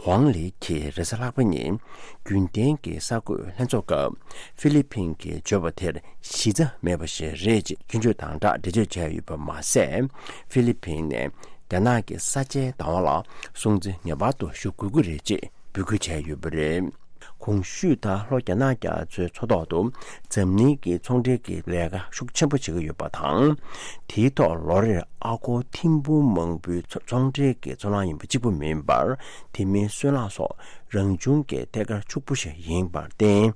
ཝང་ལི་གིས་རེས་གཟའ་ལྷག་པ་ཉིན་རྒྱུན་ལྡན་གྱི་གསར་འགོད་ལྷན་ཚོགས་སྐབས་ཧྥི་ལི་ཕིན་གྱིས་བརྗོད་པ་དེར་གཞི་རྩ་མེད་པ་ཞིག་རེད་ཅེས་སྐྱོན་བརྗོད་དང་སྦྲགས་འགྲེལ་བརྗོད་བྱས་ཡོད་པ་མ་ཟད། ཧྥི་ལི་ཕིན་ནས་རྒྱ་ནག་གི་ས་ཆའི་བདག་དབང་ལ་སྲུང་བརྩི་ངེས་པར་དུ་ཞུ་དགོས་ཀྱི་རེད་ཅེས་འབོད་སྐུལ་བྱས་ཡོད་པ་རེད། གོང་ཞུས་ལྟར་ལྷོ་རྒྱ་ནག་རྒྱ་མཚོའི་མཚོ་ཐོག་ཏུ་འཛམ་གླིང་གི་ཚོང་འབྲེལ་གྱི་ལས་ཀ་ཤུགས་ཆེན་པོ་བྱེད་ཀྱི་ཡོད་པ་དང་། དེའི་ཐོག་ལོ་རེར་ཨ་སྒོར་ཐེར་འབུམ་མང་པོའི་ཚོང་འབྲེལ་གྱི་ཚོང་ལམ་ཡིན་པ་གཅིག་པུ་མིན་པར། དེ་མིན་སོལ་རླངས་སོགས་རང་བྱུང་གི་ཐད་ཀར་ཕྱུག་པོ་ཞིག་ཡིན་པར་བརྟེན།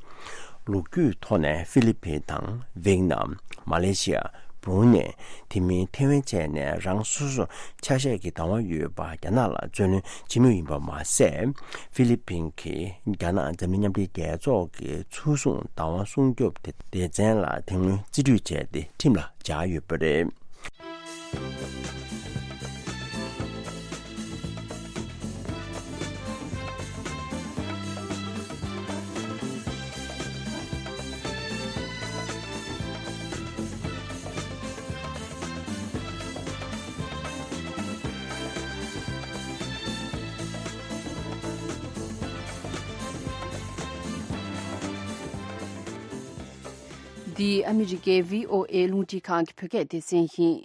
ལོ་རྒྱུས་ཐོག་ནས་ཧྥི་ལི་ཕིན་དང་ཝེད་ནམ། མ་ལེ་ཤི་ཡ། སྦྲུ་ནེ། དེ་མིན་ཐེ་ཝན་བཅས་ནས་རང་སོ་སོར་ཆ་ཤས་ཀྱི་བདག་དབང་ཡོད་པ་རྒྱ་ནག་ལ་རྩོད་ལེན་བྱེད་མུས་ཡིན་པ་མ་ཟད། ཧྥི་ལི་ཕིན་གྱིས་རྒྱ་ནག་འཛམ་གླིང་མཉམ་འབྲེལ་རྒྱལ་ཚོགས་ཀྱི་ཚུལ་བཟུང་བདག་དབང་སྲུང་སྐྱོབ་སྡེ་ཚན་ལ་དེ་སྔོན་རྩིས་སྤྲོད་བྱས་ཏེ་ཁྲིམས་ལ་སྦྱར་ཡོད་པ་རེད། འདི་ཨ་མི་རི་ཀའི་བྷི་ཨོ་ཨེ་རླུང་འཕྲིན་ཁང་གི་བོད་སྐད་སྡེ་ཚན་ཡིན།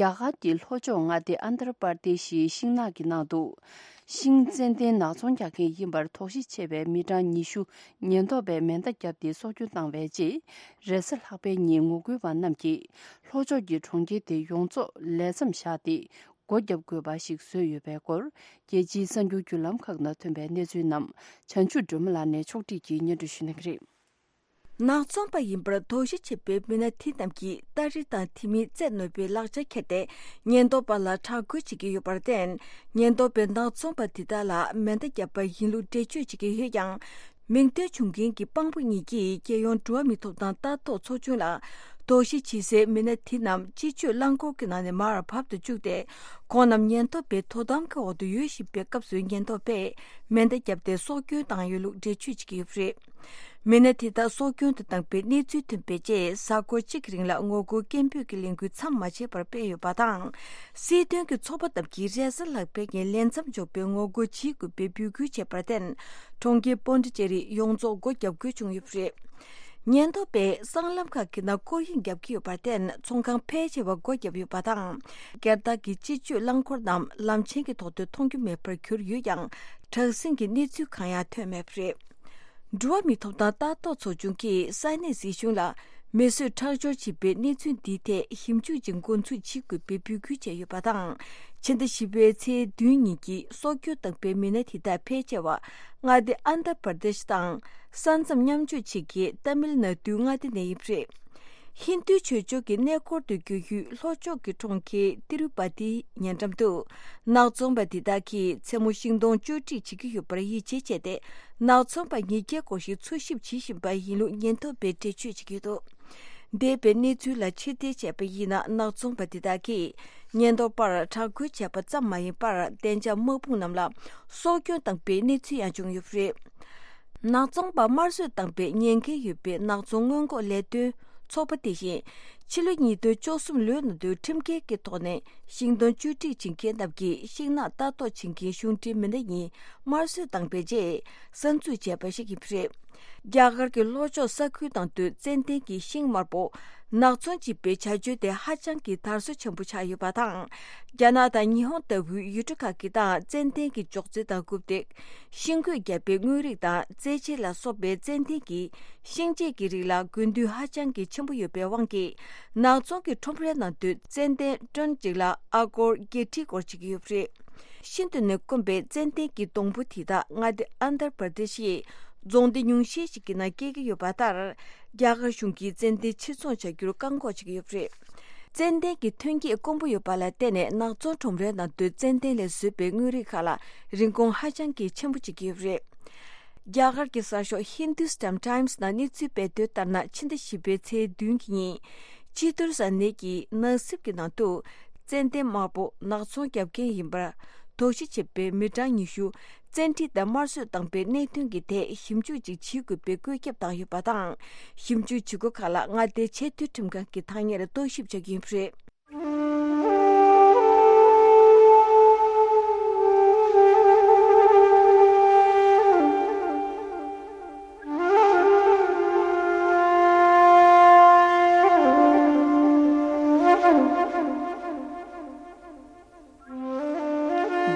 རྒྱ་གར་གྱི་ལྷོ་ཕྱོགས་མངའ་སྡེ་ཨན་དྷ་ར་པར་དེ་ཤིའི་ཤིང་ནགས་ཀྱི་ནང་དུ། ཤིང་ཙན་དན་ནག་ཚོང་རྒྱག་མཁན་ཡིན་པར་དོགས་གཞི་ཆེ་བའི་མི་གྲངས་ཉི་ཤུ་ཉེན་རྟོག་པས་མེ་མདའ་བརྒྱབ་སྟེ་སྲོག་སྐྱོན་བཏང་བའི་རྗེས། རེས་གཟའ་ལྷག་པའི་ཉིན་ངོ་རྒོལ་བ་རྣམས་ཀྱིས་ལྷོ་ཕྱོགས་ཀྱི་གྲོང་ཁྱེར་དེ་ཡོངས་རྫོགས་ལས་མཚམས་བཞག་སྟེ། སྒོ་བརྒྱབ་དགོས་པ་ཞིག་བཟོས་ཡོད་པའི་སྐོར། རྒྱལ་སྤྱིའི་གསར་འགྱུར་བརྒྱུད་ལམ་ཁག་ནང་ཐོན་པའི་གནས་ཚུལ་རྣམས་བྱང་ཆུབ་སྒྲོལ་མ་ལགས་ནས་ཕྱོགས་སྒྲིག་གིས་སྙན་སྒྲོན་ཞུ་གནང་གི་རེད། ནག་ཚོང་པ་ཡིན་པར་དོགས་གཞི་ཆེ་བའི་མི་སྣ་དེ་རྣམས་ཀྱིས་སྟ་རེ་དང་དེ་མིན་རྩེད་ནོར་བུའི་ལག་ཆ་ཁྱེར་ཏེ་ཉེན་རྟོག་པ་ལ་དྲག་རྒོལ་བྱེད་ཀྱི་ཡོད་པར་བརྟེན། ཉེན་རྟོག་པས་ནག་ཚོང་པ་དེ་དག་ལ་མེ་མདའ་བརྒྱབ་པ་ཡིན་ལུགས་འགྲེལ་བརྗོད་བྱེད་ཀྱི་ཡོད་ཀྱང་། མིང་འདོན་བྱུང་མཁན་གྱི་དཔང་པོ་གཉིས་ཀྱིས་རྒྱལ་ཡོངས་འགྲོ་བ་མིའི་ཐོབ་ཐང་ལྟ་རྟོག་ཚོགས་ཆུང་ལ་དོགས་གཞི་ཆེ་སའི་མི་སྣ་དེ་རྣམས་སྤྱི་སྤྱོད་རླངས་འཁོར་གྱི་ནང་ནས་མར་བབ་ཏུ་བཅུག་སྟེ། ཁོང་རྣམས་ཉེན་རྟོག་པའི་དོ་དམ་གྱི་འོག་ཏུ་ཡོད་བཞིན་པའི་སྐབས་སུ་ཉེན་རྟོག་པས་མེ་མདའ་བརྒྱབ་སྟེ་སྲོག་སྐྱོན་བཏང་ཡོད་ལུགས་འགྲེལ་བརྗོད་བྱེད་ཀྱི་ཡོད་པ་རེད། མི་སྣ་དེ་དག་སྲོག་སྐྱོན་དུ་བཏང་པའི་གནས་ཚུལ་ཐོན་པའི་རྗེས། གཟའ་འཁོར་གཅིག་གི་རིང་ལ་ངོ་རྒོལ་སྐད་འབོད་ཀྱི་ལས་འགུལ་མཚམས་མ་ཆད་པར་སྤེལ་ཡོད་པ་དང་། སྲིད་དོན་གྱི་ཚོགས་པ་རྣམས་ཀྱིས་རེས་གཟའ་ལྷག་པའི་ཉིན་ལས་མཚམས་འཇོག་པའི་ངོ་རྒོལ་བྱེད་དགོས་པའི་འབོད་སྐུལ་བྱས་པར་བརྟེན། གྲོང་ཁྱེར་པོན་ཌི་ཅེ་རི་ཡོངས་རྫོགས་སྒོ་བརྒྱབ་དགོས་བྱུང་ཡོད་པ་རེད། ཉེན་རྟོག་པས་སྲང་ལམ་ཁག་གི་ནང་སྐོར་གཡེང་བརྒྱབ་ཀྱི་ཡོད་པར་བརྟེན། ཚོང་ཁང་ཕལ་ཆེ་བ་སྒོ་བརྒྱབ་ཡོད་པ་དང་། སྒེར་བདག་གི་སྤྱི་སྤྱོད་རླངས་འཁོར་རྣམས་ལམ་ཆེན་གྱི་ཐོག་ཏུ་མཐོང་རྒྱུ་མེད་པར་གྱུར་ཡོད་ཀྱང་། དྲག་ཟིང་གི་གནས་ཚུལ་གང་ཡང་ཐོན་མེད་པ་རེད། འགྲོ་བ་མིའི་ཐོབ་ཐང་ལྟ་རྟོག་ཚོགས་ཆུང་གིས་ས་གནས་སྲིད་གཞུང་ལ་མེ་གསོད་ཁྲག་སྦྱོར་བྱས་པའི་གནས་ཚུལ་འདིའི་ཐད་ཞིབ་འཇུག་ཅིག་འགོ་འཛུགས་བྱེད་དགོས་པའི་འབོད་སྐུལ་བྱས་ཡོད་པ་དང་། ཕྱི་ཟླ་བཞི་པའི་ཚེས་བདུན་ཉིན་གྱི་སྲོག་སྐྱོན་བཏང་པའི་མི་སྣ་དེ་དག་ཕལ་ཆེ་བ་མངའ་སྡེ་ཨན་དྷ་པར་དེཤ་དང་། ས་མཚམས་མཉམ་འཇོག་བྱེད་མཁན་ཏཱ་མིལ་ནཱ་ཌུའི་མངའ་སྡེ་ནས་ཡིན་པ་རེད། ཧིན་རྡུའི་ཆོས་ཕྱོགས་ཀྱི་གནས་སྐོར་དུ་བསྐྱོད་ཡུལ་ལྷོ་ཕྱོགས་ཀྱི་གྲོང་ཁྱེར་ཏི་རུ་པ་ཏིའི་ཉེ་འགྲམ་དུ། ནག་ཚོང་པ་འདི་དག་གིས་མཚན་མོ་ཤིང་སྡོང་གཅོད་སྒྲིག་བྱེད་ཀྱི་ཡོད་པར་ཡིད་ཆེས་བྱས་ཏེ། ནག་ཚོང་པ་ཉིས་བརྒྱའི་སྐོར་ཞིག་འཚོལ་ཞིབ་བྱེད་བཞིན་པ་ཡིན་ལུགས་ཉེན་རྟོག་པས་འགྲེལ་བརྗོད་བྱེད་ཀྱི་ཡོད་འདུག་འདས་པའི་གནས་ཚུལ་ལ་ཕྱིར་བལྟས་བྱས་པ་ཡིན་ན། ནག་ཚོང་པ་འདི་དག་གིས་ཉེན་རྟོག་པར་དྲག་རྒོལ་བྱས་པ་ཙམ་མ་ཡིན་པར། གཏན་འཇགས་དམག་དཔུང་རྣམས་ལ་སྲོག་སྐྱོན་བཏང་པའི་གནས་ཚུལ་ཡང་བྱུང་ཡོད་པ་རེད། ནག་ཚོང་པ་དམར་གསོད་བཏང་པའི་ཉེན་ཁ་ཡོད་པའི་ནག་ཚོང་སྔོན་འགོག་ལས་དོན་ཚོགས་པ་དེ་བཞིན། ཕྱི་ལོ་ཉིས་སྟོང་བཅུ་གསུམ་ལོའི་ནང་དུ་ཁྲིམས་འགལ་གྱི་ཐོག་ནས་ཤིང་སྡོང་གཅོད་སྒྲིག་བྱེད་མཁན་རྣམས་ཀྱི་ཤིང་ནགས་ལྟ་རྟོག་བྱེད་མཁན་གཞུང་འབྲེལ་མི་སྣ་གཉིས་དམར་གསོད་བཏང་པའི་རྗེས་གསར་འཛུགས་བྱས་པ་ཞིག་ཡིན་པ་རེད། རྒྱ་གར་གྱི་ལྷོ་ཕྱོགས་ས་ཁུལ་ནང་དུ་ཙན་དན་གྱི་ཤིང་དམར་པོ་ནག་ཚོང་བྱེད་པའི་བྱ་སྤྱོད་དེ་ཧ་ཅང་གི་དར་སྲོལ་ཆེན་པོ་ཆགས་ཡོད་པ་དང་། རྒྱ་ནག་དང་ཉི་ཧོང་ལྟ་བུའི་ཡུལ་གྲུ་ཁག་གི་ནང་ཙན་དན་གྱི་ཅོག་ཙེ་དང་རྐུབ་སྟེགས། ཤིང་བརྐོས་བརྒྱབ་པའི་དངོས་རིགས་དང་རྩེད་ཆས་ལ་སོགས་པའི་ཙན་དན་གྱི་ཤིང་ཆས་ཀྱི་རིགས་ལ་དགོས་འདུན་ཧ་ཅང་གི་ཆེན་པོ་ཡོད་པའི་དབང་གིས། ནག་ཚོང་གི་ཁྲོམ་རའི་ནང་དུ་ཙན་དན་ཊོན་གཅིག་ལ་ཨ་སྒོར་བརྒྱད་ཁྲིའི་སྐོར་བྱེད་ཀྱི་ཡོད་པ་རེད། ཤིན་ཏུ་ནས་དཀོན་པའི་ཙན་དན་གྱི་སྡོང་པོ་དེ་དག་མངའ་སྡེ་ཨན་དྷར་པར་དེ་ཤི་ཡི་རྫོང་སྡེ་ཉུང་ཤས་ཤིག་གི་ནང་སྐྱེ་གི་ཡོད་པ་ལྟར། རྒྱ་གར་གཞུང་གིས་ཙན་དན་ཕྱིར་ཚོང་བྱ་རྒྱུར་བཀག་འགོག་བྱེད་ཀྱི་ཡོད་པ་རེད། ཙན་དན་གྱི་ཐོན་སྐྱེད་དཀོན་པོ་ཡོད་པ་ལ་བརྟེན་ནས། ནག་ཚོང་ཁྲོམ་རའི་ནང་དུ་ཙན་དན་ལས་བཟོས་པའི་དངོས་རིགས་ཁག་ལ་རིན་གོང་ཧ་ཅང་གི་ཆེན་པོ་བྱེད་ཀྱི་ཡོད་པ་རེད། རྒྱ་གར་གྱི་གསར་ཤོག་Hindustan Times ནང་གནས་ཚུལ་སྤེལ་དོན་ལྟར་ན། ཕྱི་ཟླ་བཞི་པའི་ཚེས་བདུན་གྱི་ཉིན། ཅི་ཏུར་ས་གནས་ཀྱི་ནགས་གསེབ་ཀྱི་ནང་དུ། ཙན་དན་དམར་པོ་ནག་ཚོང་བརྒྱབ་མཁན་ཡིན་པར་དོགས་གཞི་བྱས་པའི་མི་གྲངས་ཉི་ཤུ། བཙན་ཁྲིད་དང་དམར་གསོད་བཏང་པའི་གནད་དོན་གྱི་ཐད་ཞིབ་འཇུག་ཅིག་བྱེད་དགོས་པའི་བཀོད་ཁྱབ་བཏང་ཡོད་པ་དང་། ཞིབ་འཇུག་བྱེད་སྒོ་ཁག་ལ་མངའ་སྡེའི་ཆེས་མཐོའི་ཁྲིམས་ཁང་གིས་ཐག་ཉེར་རྟོག་ཞིབ་བྱ་རྒྱུ་ཡིན་པ་རེད།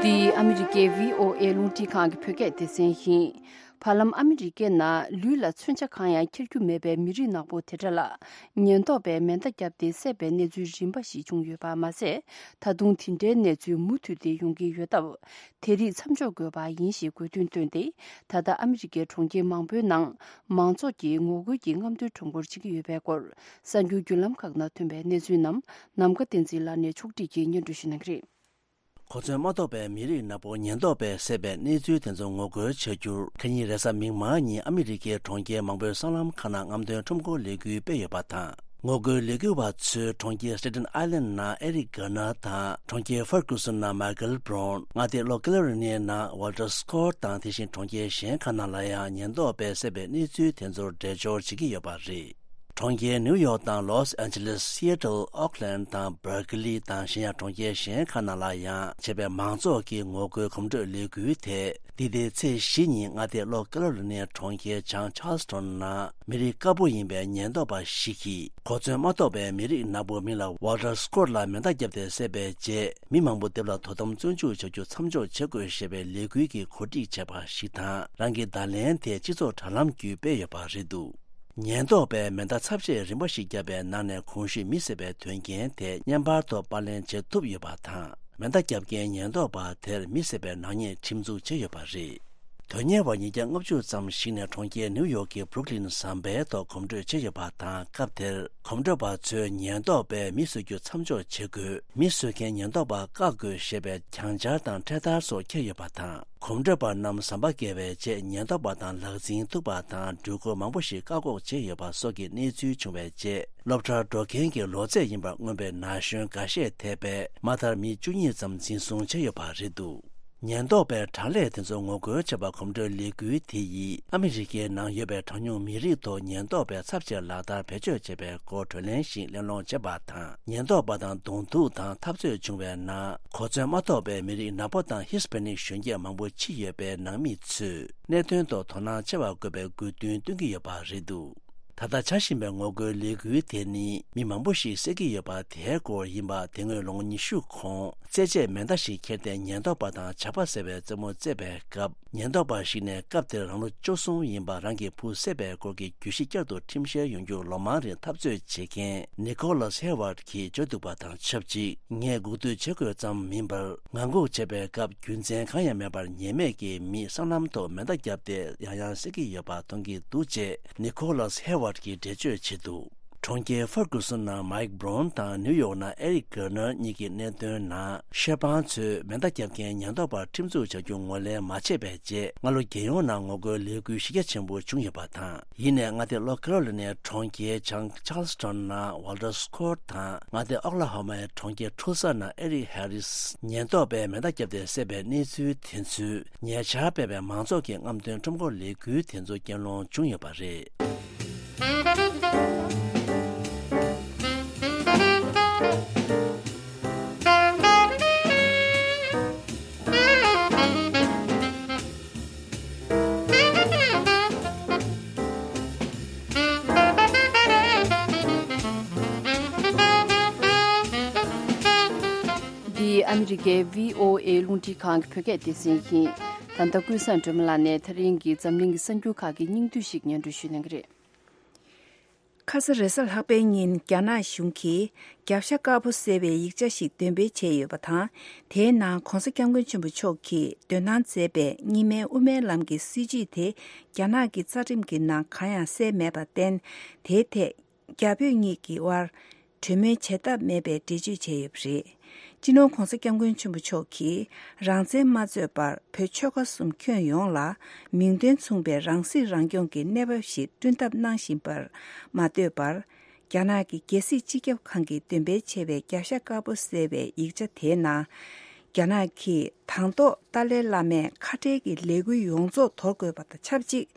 འདི་ཨ་མི་རི་ཀའི་བྷི་ཨོ་ཨེ་རླུང་འཕྲིན་ཁང་གི་བོད་སྐད་སྡེ་ཚན་ཡིན། བར་ལམ་ཨ་མི་རི་ཀའི་ནང་ལུས་ལ་མཚོན་ཆ་གང་ཡང་འཁྱེར་རྒྱུ་མེད་པའི་མི་རིགས་ནག་པོ་དེ་འདྲ་ལ། ཉེན་རྟོག་པས་མེ་མདའ་བརྒྱབ་སྟེ་བསད་པའི་གནས་ཚུལ་རིམ་པ་ཞིག་བྱུང་ཡོད་པ་མ་ཟད། ད་དུང་དེ་འདྲའི་གནས་ཚུལ་མུ་མཐུད་དེ་ཡོང་གི་ཡོད་སྟབས། དེ་རིགས་མཚམས་འཇོག་དགོས་པ་ཡིན་ཞེས་དགོས་འདུན་བཏོན་ཏེ། ད་ལྟ་ཨ་མི་རི་ཀའི་གྲོང་ཁྱེར་མང་པོའི་ནང་མང་ཚོགས་ཀྱིས་ངོ་རྒོལ་གྱི་རྔམ་སྟོན་ཁྲོམ་སྐོར་བྱེད་ཀྱི་ཡོད་པའི་སྐོར། གསར་འགྱུར་བརྒྱུད་ལམ་ཁག་ནང་ཐོན་པའི་གནས་ཚུལ་རྣམས་ནམ་མཁའ་བསྟན་འཛིན་ལགས་ནས་ཕྱོགས་སྒྲིག་གིས་སྙན་སྒྲོན་ཞུ་གནང་གི་རེད། གོ་མཚོན་མ་ཐོབ་པའི་མི་རིགས་ནག་པོ་ཉེན་རྟོག་པས་བསད་པའི་གནས་ཚུལ་དེ་ཚོར་ངོ་རྒོལ་བྱ་རྒྱུར། ཁ་ཉིན་རེས་གཟའ་མིག་དམར་ཉིན་ཨ་མི་རི་ཀའི་གྲོང་ཁྱེར་མང་པོའི་སྲང་ལམ་ཁག་ནང་རྔམ་སྟོན་ཁྲོམ་སྐོར་ལས་འགུལ་སྤེལ་ཡོད་པ་དང་། ངོ་རྒོལ་ལས་འགུལ་བ་ཚོས་གྲོང་ཁྱེར་སི་ཊེ་ཊན་ཨའི་ལན་ནང་ཨེ་རིག་གྷར་ནར་དང་། གྲོང་ཁྱེར་ཧྥར་གུ་སུན་ནང་མའི་ཀལ་བྷི་རོན། མངའ་སྡེ་གློ་ཀེ་རོ་ལི་ནའི་ནང་ཝལ་ཊར་སི་ཀོཊ་དང་། དེ་བཞིན་གྲོང་ཁྱེར་གཞན་ཁག་ནང་ལ་ཡང་ཉེན་རྟོག་པས་བསད་པའི་གནས་ཚུལ་དེ་ཚོར་འགྲེལ་བརྗོད་བྱེད་ཀྱི་ཡོད་པ་རེད། གྲོང་ཁྱེར་ནིའུ་ཡོག་དང་ལོས་ཨན་ཇེ་ལེས། སི་ཨེ་ཊལ། ཨོག་ལན་དང་། སྦར་ཀི་ལི་དང་གཞན་ཡང་གྲོང་ཁྱེར་གཞན་ཁག་ནང་ལ་ཡང་བྱས་པའི་མང་ཚོགས་ཀྱི་ངོ་རྒོལ་གོམ་བགྲོད་ལས་འགུལ་དེ། འདི་ཟླའི་ཚེས་བཞི་ཉིན་མངའ་སྡེ་གློ་ཀེ་རོ་ལི་ནའི་གྲོང་ཁྱེར་བྱང་ཆཱལ་སི་ཊོན་ནང་མི་རིགས་དཀར་པོ་ཡིན་པའི་ཉེན་རྟོག་པ་ཞིག་གིས། གོ་མཚོན་མ་ཐོབ་པའི་མི་རིགས་ནག་པོ་མིང་ལ་ཝལ་ཊར་སི་ཀོཊ་ལ་མེ་མདའ་བརྒྱབ་སྟེ་བསད་པའི་རྗེས། མི་མང་པོ་སྡེབ་ལ་དོ་དམ་བཙོན་འཇུག་བྱ་རྒྱུ་མཚམས་འཇོག་བྱེད་དགོས་ཞེས་པའི་ལས་འགུལ་གྱི་གོ་སྒྲིག་བྱས་པ་ཞིག་དང་། རང་གི་བརྡ་ལན་དེ་སྤྱི་ཚོགས་དྲ་ལམ་བརྒྱུད་སྤེལ་ཡོད་པ་རེད་འདུག་ཉེན་རྟོག་པས་མེ་མདའ་ཚབས་ཆེ་རིམ་པ་ཞིག་བརྒྱབ་པའི་ནང་ནས་གོང་ཞུས་མི་བསད་པའི་དོན་རྐྱེན་དེ་བརྙན་པར་ཐོག་པར་ལེན་བྱེད་ཐུབ་ཡོད་པ་དང་། མེ་མདའ་བརྒྱབ་མཁན་ཉེན་རྟོག་པ་དེར་མི་བསད་པའི་ནག་ཉེས་ཁྲིམས་འཛུགས་བྱས་ཡོད་པ་རེད། དོན་གཉེར་བ་ཉིས་བརྒྱ་ལྔ་བཅུ་ཙམ་ཞིག་ནས་གྲོང་ཁྱེར་ནིའུ་ཡོག་གི་བྷུ་རུག་ལིན་ཟམ་པའི་ཐོག་གོམ་བགྲོད་བྱས་ཡོད་པ་དང་། སྐབས་དེར་གོམ་བགྲོད་པ་ཚོས་ཉེན་རྟོག་པས་མི་གསོད་རྒྱུ་མཚམས་འཇོག་བྱེད་དགོས། མི་གསོད་མཁན་ཉེན་རྟོག་པ་བཀག་དགོས་ཞེས་པའི་གྱང་འཆར་དང་འཕྲེད་དར་སོགས་འཁྱེར་ཡོད་པ་དང་། གོམ་བགྲོད་པ་རྣམས་ཟམ་པ་བརྒལ་བའི་རྗེས་ཉེན་རྟོག་པ་དང་ལག་འཛིང་ཐུག་པ་དང་། འགྲུལ་འཁོར་མང་པོ་ཞིག་བཀག་འགོག་བྱས་ཡོད་པ་སོགས་ཀྱི་གནས་ཚུལ་བྱུང་བའི་རྗེས། སློབ་གྲྭར་འགྲོ་མཁན་གྱི་ལོ་ཚད་ཡིན་པར་མངོན་པའི་ན་གཞོན་འགའ་ཤས་ཐེ་བའི་མ་མཐར་མི་བཅུ་གཉིས་ཙམ་འཛིན་བཟུང་བྱས་ཡོད་པ་རེད་འདུག་ཉེན་རྟོག་པས་དྲག་ལས་དེ་ཚོ་ངོ་རྒོལ་བྱས་པ་གོམ་བགྲོད་ལས་འགུལ་དེ་ཡིས་ཨ་མི་རི་ཀའི་ནང་ཡོད་པའི་གྲངས་ཉུང་མི་རིགས་ཐོག་ཉེན་རྟོག་པས་ཚབས་ཆེ་ལག་བསྟར་བེད་སྤྱོད་བྱས་པའི་སྐོར་གྲོས་གླེང་ཞིག་གླེང་སློང་བྱས་པ་དང་། ཉེན་རྟོག་པ་དང་གདོང་ཐུག་དང་འཐབ་རྩོད་བྱུང་བའི་ནང་གོ་མཚོན་མ་ཐོབ་པའི་མི་རིགས་ནག་པོ་དང་ཧི་སི་པེ་ནིག་གཞོན་སྐྱེས་མང་པོ་འཆི་ཡོད་པའི་ནང་མི་ཚོས་གནད་དོན་ཐོག་དོ་སྣང་ཆེ་བ་དགོས་པའི་དགོས་འདུན་བཏོན་གྱི་ཡོད་པ་རེད་འདུག་ད་ལྟ་བྱ་བཞིན་པའི་ངོ་རྒོལ་ལས་འགུལ་དེ་ནི་མི་མང་པོ་ཞིག་བསད་ཀྱི་ཡོད་པ་དེའི་སྐོར་ཡིན་པ། དེ་སྔོན་ལོ་ངོ་ཉི་ཤུ་གོང་རྩེད་ཆས་མེ་མདའ་ཞིག་ཁྱེར་ཏེ་ཉེན་རྟོག་པ་དང་ཇག་པ་ཟེར་བའི་རྩེད་མོ་རྩེད་པའི་སྐབས། ཉེན་རྟོག་པ་ཞིག་ནས་སྐབས་དེར་རང་ལོ་བཅུ་གསུམ་ཡིན་པ་རང་གི་བུ་བསད་པའི་སྐོར་གྱི་གྱོད་གཞི་བསྐྱར་དུ་ཁྲིམས་བཤེར་ཡོང་རྒྱུར་ལོ་མང་རིང་འཐབ་རྩོད་བྱེད་མཁན་ནི་ཁོ་ལཱས་ཧེ་ཝར་གྱིས་བརྗོད་འདུག་པ་དང་ཆབས་ཅིག་ངས་སྒུག་སྡོད་བྱེད་དགོས་ཙམ་མིན་པར། ངང་སྒུག་བྱས་པའི་སྐབས་རྒྱུ་མཚན་གང་ཡང་མེད་པར་ཉེས་མེད་ཀྱི་མིས་སྲང་ལམ་ཐོག་མེ་མདའ་བརྒྱབ་སྟེ་ཡང་ཡང་བསད་ཀྱི་ཡོད་པ་མཐོང་གི་འདུག་ཅེས་ནི་ཁོ་ལཱས་ཧེ་ཝར་གྱིས་འགྲེལ་བརྗོད་བྱས་འདུག་གྲོང་ཁྱེར་ཧྥར་གུ་སུན་ནང་མའིག་བྷི་རོན་དང་ནིའུ་ཡོག་ནང་ཨེ་རིག་གྷར་ནར་གཉིས་ཀྱི་གནད་དོན་ནང་ཤེར་ཕང་ཚོས་མེ་མདའ་བརྒྱབ་མཁན་ཉེན་རྟོག་པར་ཁྲིམས་འཛུགས་བྱ་རྒྱུ་ངོས་ལེན་མ་བྱས་པའི་རྗེས། སྔ་ལོ་རྒྱལ་ཡོངས་ནང་ངོ་རྒོལ་ལས་འགུལ་གཞི་རྒྱ་ཆེན་པོ་བྱུང་ཡོད་པ་དང་། ཡིན་ནའི་མངའ་སྡེ་ལྷོ་ཁེ་རོ་ལི་ནའི་གྲོང་ཁྱེར་བྱང་ཆཱལ་སི་ཊོན་ནང་ཝལ་ཊར་སི་ཀོཊ་དང་། མངའ་སྡེ་ཨོ་ཀ་ལ་ཧོ་མའི་གྲོང་ཁྱེར་ཊུལ་ས་ནང་ཨེ་རིག་ཧེ་རིས་ཉེན་རྟོག་པས་མེ་མདའ་བརྒྱབ་སྟེ་བསད་པའི་གནས་ཚུལ་དེ་ཚོས་ཉེ་ཆར་སྤེལ་བའི་མང་ཚོགས་ཀྱི་རྔམ་སྟོན་ཁྲོམ་སྐོར་ལས་འགུལ་དེ་ཚོ་རྐྱེན་སློང་བྱུང་ཡོད་པ་རེད། འདི་ཨ་མི་རི་ཀའི་བྷི་ཨོ་ཨེ་རླུང་འཕྲིན་ཁང་གི་བོད་སྐད་སྡེ་ཚན་ཡིན། ད་ལྟ་ཀུན་བཟང་སྒྲོལ་མ་ལགས་ནས་ད་རིང་གི་འཛམ་གླིང་གི་གསར་འགྱུར་ཁག་གི་སྙིང་བསྡུས་ཤིག་སྙན་སྒྲོན་ཞུ་གནང་གི་རེད། ཁ་ས་རེས་གཟའ་ལྷག་པའི་ཉིན་རྒྱ་ནག་གཞུང་གིས་རྒྱབ་ཤ་དཀར་པོ་ཟེར་བའི་ཡིག་ཆ་ཞིག་འདོན་སྤེལ་བྱས་ཡོད་པ་དང་། དེའི་ནང་༧གོང་ས་༧སྐྱབས་མགོན་ཆེན་པོ་མཆོག་གིས་འདོན་གནང་མཛད་པའི་རྙིང་མའི་དབུ་མའི་ལམ་གྱི་སྲིད་བྱུས་དེ་རྒྱ་ནག་གི་རྩ་ཁྲིམས་ཀྱི་ནང་གང་ཡང་གསལ་མེད་པར་བརྟེན། དེའི་ཐད་རྒྱ་བོད་གཉིས་ཀྱི་དབར་གྲོས་མོལ་བྱེད་ཐབས་མེད་པའི་འགྲེལ་བརྗོད་བྱས་ཡོད་པ་རེད། སྤྱི་ནོར་༧གོང་ས་༧སྐྱབས་མགོན་ཆེན་པོ་མཆོག་གིས་རང་བཙན་མ་རྩོད་པར་བོད་ཆོལ་ཁ་གསུམ་ཁྱོན་ཡོངས་ལ་མིང་དོན་མཚུངས་པའི་རང་སྲིད་རང་སྐྱོང་གི་གནས་བབ་ཞིག་བསྐྲུན་ཐབས་གནང་བཞིན་པར་མ་ལྟོས་པར། རྒྱ་ནག་གི་རྒྱལ་སྲིད་སྤྱི་ཁྱབ་ཁང་གིས་འདོན་སྤེལ་བྱས་པའི་རྒྱབ་ཤ་དཀར་པོ་ཟེར་བའི་ཡིག་ཆ་དེའི་ནང་། རྒྱ་ནག་གིས་དང་ཐོག་ཏཱ་ལའི་བླ་མས་ཁ་བྲལ་གྱི་ལས་འགུལ་ཡོངས་རྫོགས་དོར་དགོས་པ་དང་ཆབས་ཅིག་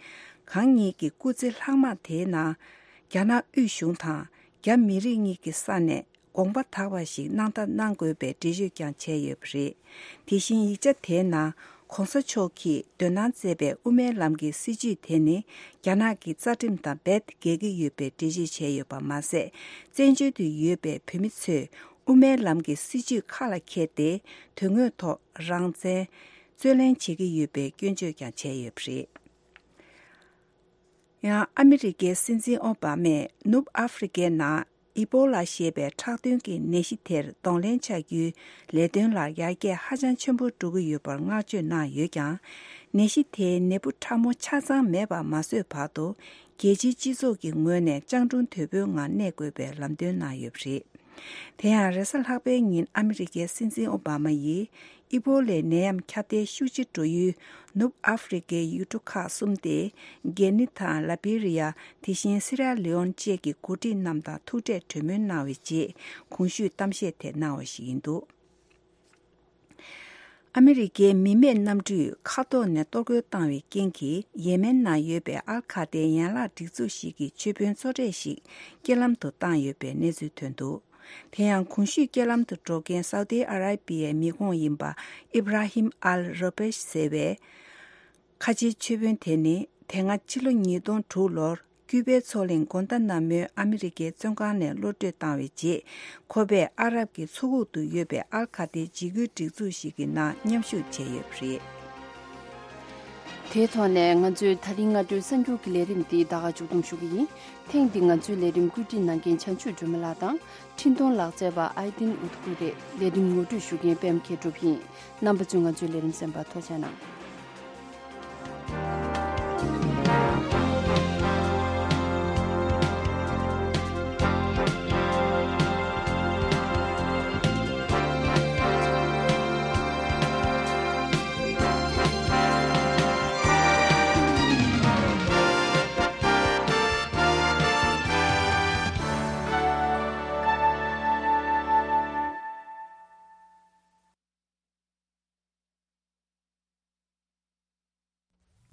གང་ཉིད་ཀྱི་སྐུ་ཚེ་ལྷག་མ་དེའི་ནང་། རྒྱ་ནག་དབུས་གཞུང་དང་རྒྱ་མི་རིགས་གཉིས་ཀྱི་ས་ནས་དགོངས་པ་དག་པ་ཞིག་གནང་ཐབས་གནང་དགོས་པའི་འགྲེལ་བརྗོད་ཀྱང་བྱས་ཡོད་པ་རེད། དེ་བཞིན་ཡིག་ཆ་དེའི་ནང་༧གོང་ས་མཆོག་གིས་འདོན་གནང་མཛད་པའི་དབུ་མའི་ལམ་གྱི་སྲིད་བྱུས་དེ་ནི་རྒྱ་ནག་གི་རྩ་ཁྲིམས་དང་རྦད་འགལ་གྱི་ཡོད་པའི་འགྲེལ་བརྗོད་བྱས་ཡོད་པ་མ་ཟད། བཙན་བྱོལ་དུ་ཡོད་པའི་བོད་མི་ཚོས་དབུ་མའི་ལམ་གྱི་སྲིད་བྱུས་ཁ་ལ་འཁྱེར་ཏེ་དོན་དངོས་ཐོག་རང་བཙན་རྩོད་ལེན་བྱེད་ཀྱི་ཡོད་པའི་སྐྱོན་བརྗོད་ཀྱང་བྱས་ཡོད་པ་རེད། ཡང་ཨ་མི་རི་ཀའི་སྲིད་འཛིན་ཨོ་བྷ་མས་ནུབ་ཨ་ཧྥེ་རི་ཀའི་ནང་ཨི་པོ་ལ་ཞེས་པའི་ཁྲག་དོན་གྱི་ནད་གཞི་དེར་གདོང་ལེན་བྱ་རྒྱུའི་ལས་དོན་ལ་ཡར་རྒྱས་ཧ་ཅང་ཆེན་པོ་འགྲོ་གི་ཡོད་པར་བསྔགས་བརྗོད་གནང་ཡོད་ཀྱང་། ནད་གཞི་དེའི་ནད་འབུ་ཕྲ་མོ་ཆ་ཚང་མེད་པ་མ་བཟོས་བར་དུ་རྒྱལ་སྤྱིའི་སྤྱི་ཚོགས་ཀྱི་ངོས་ནས་སྤྱང་གྲུང་དོད་པོའི་ངང་གནས་དགོས་པའི་ལམ་སྟོན་གནང་ཡོད་པ་རེད། དེ་ཡང་རེས་གཟའ་ལྷག་པའི་ཉིན་ཨ་མི་རི་ཀའི་སྲིད་འཛིན་ཨོ་བྷ་མ་ཡིས། ཨི་པོ་ལའི་ནད་ཡམས་ཁྱབ་གདལ་ཤུགས་ཆེ་འགྲོ་ཡུལ་ནུབ་ཨ་ཧྥེ་རི་ཀའི་ཡུལ་གྲུ་ཁག་གསུམ་སྟེ། གྷི་ནི་དང་ལ་བི་རི་ཡ། དེ་བཞིན་སི་ར་ལི་ཨོན་བཅས་ཀྱི་འགོ་ཁྲིད་རྣམས་དང་ཐུག་འཕྲད་གྲོས་མོལ་གནང་བའི་རྗེས། གོང་ཞུས་གཏམ་བཤད་དེ་གནང་བ་ཞིག་ཡིན་འདུག་ཨ་མི་རི་ཀའི་མི་མེད་གནམ་གྲུས་མཁའ་ཐོག་ནས་གཏོར་རྒོལ་བཏང་བའི་རྐྱེན་གྱིས། ཡེ་མེན་ནང་ཡོད་པའི་ཨལ་ཁ་ཏའི་ཡན་ལག་སྒྲིག་འཛུགས་ཤིག་གི་ཆོས་དཔོན་གཙོ་གྲས་ཤིག་རྐྱེན་ལམ་དུ་བཏང་ཡོད་པའི་གནས་ཚུལ་ཐོན་འདུག་དེ་ཡང་གོང་ཞུས་རྐྱེན་ལམ་དུ་འགྲོ་མཁན་སའུ་ཏི་ཨ་ར་པི་ཡའི་མི་ཁོངས་ཡིན་པ་ཨི་བྷ་ར་ཧིམ་ཨལ་རོ་པེཤ་ཟེར་བའི་ཁ་ཆེའི་ཆོས་དཔོན་དེ་ནི། དེ་སྔ་ཕྱི་ལོ་ཉིས་སྟོང་དྲུག་ལོར་ཀྱུ་པའི་མཚོ་གླིང་གོན་ཏ་ན་མོའི་ཨ་མི་རི་ཀའི་བཙོན་ཁང་ནས་གློད་གྲོལ་བཏང་བའི་རྗེས། ཁོ་པས་ཨ་རབ་ཀྱི་མཚོ་ཁུག་ཏུ་ཡོད་པའི་ཨལ་ཁ་ཏའི་འཇིགས་སྐུལ་སྒྲིག་འཛུགས་ཤིག་གི་ནང་མཉམ་ཞུགས་བྱས་ཡོད་པ་རེད། དེའི་ཐོག་ནས་ང་ཚོའི་ད་རིང་སྔ་དྲོའི་གསར་འགྱུར་གྱི་ལས་རིམ་འདི་ད་ག་མཇུག་བསྡོམས་ཞུ་གི་ཡིན། ཐེངས་འདི་ང་ཚོའི་ལས་རིམ་བཀོད་སྒྲིག་གནང་མཁན་བྱང་ཆུབ་སྒྲོལ་མ་ལགས་དང་། འཕྲིན་གཏོང་ལག་རྩལ་བ་ཨའི་ཏིན་ཨུ་ཐུ་ཀུ་རེད། ལས་རིམ་ངོ་སྤྲོད་ཞུ་མཁན་པད་མ་མཁས་གྲུབ་ཡིན། རྣམ་པ་ཚོས་ང་ཚོའི་ལས་རིམ་གསན་པར་ཐུགས་རྗེ་གནང་།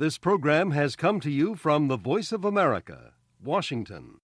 This program has come to you from the Voice of America, Washington.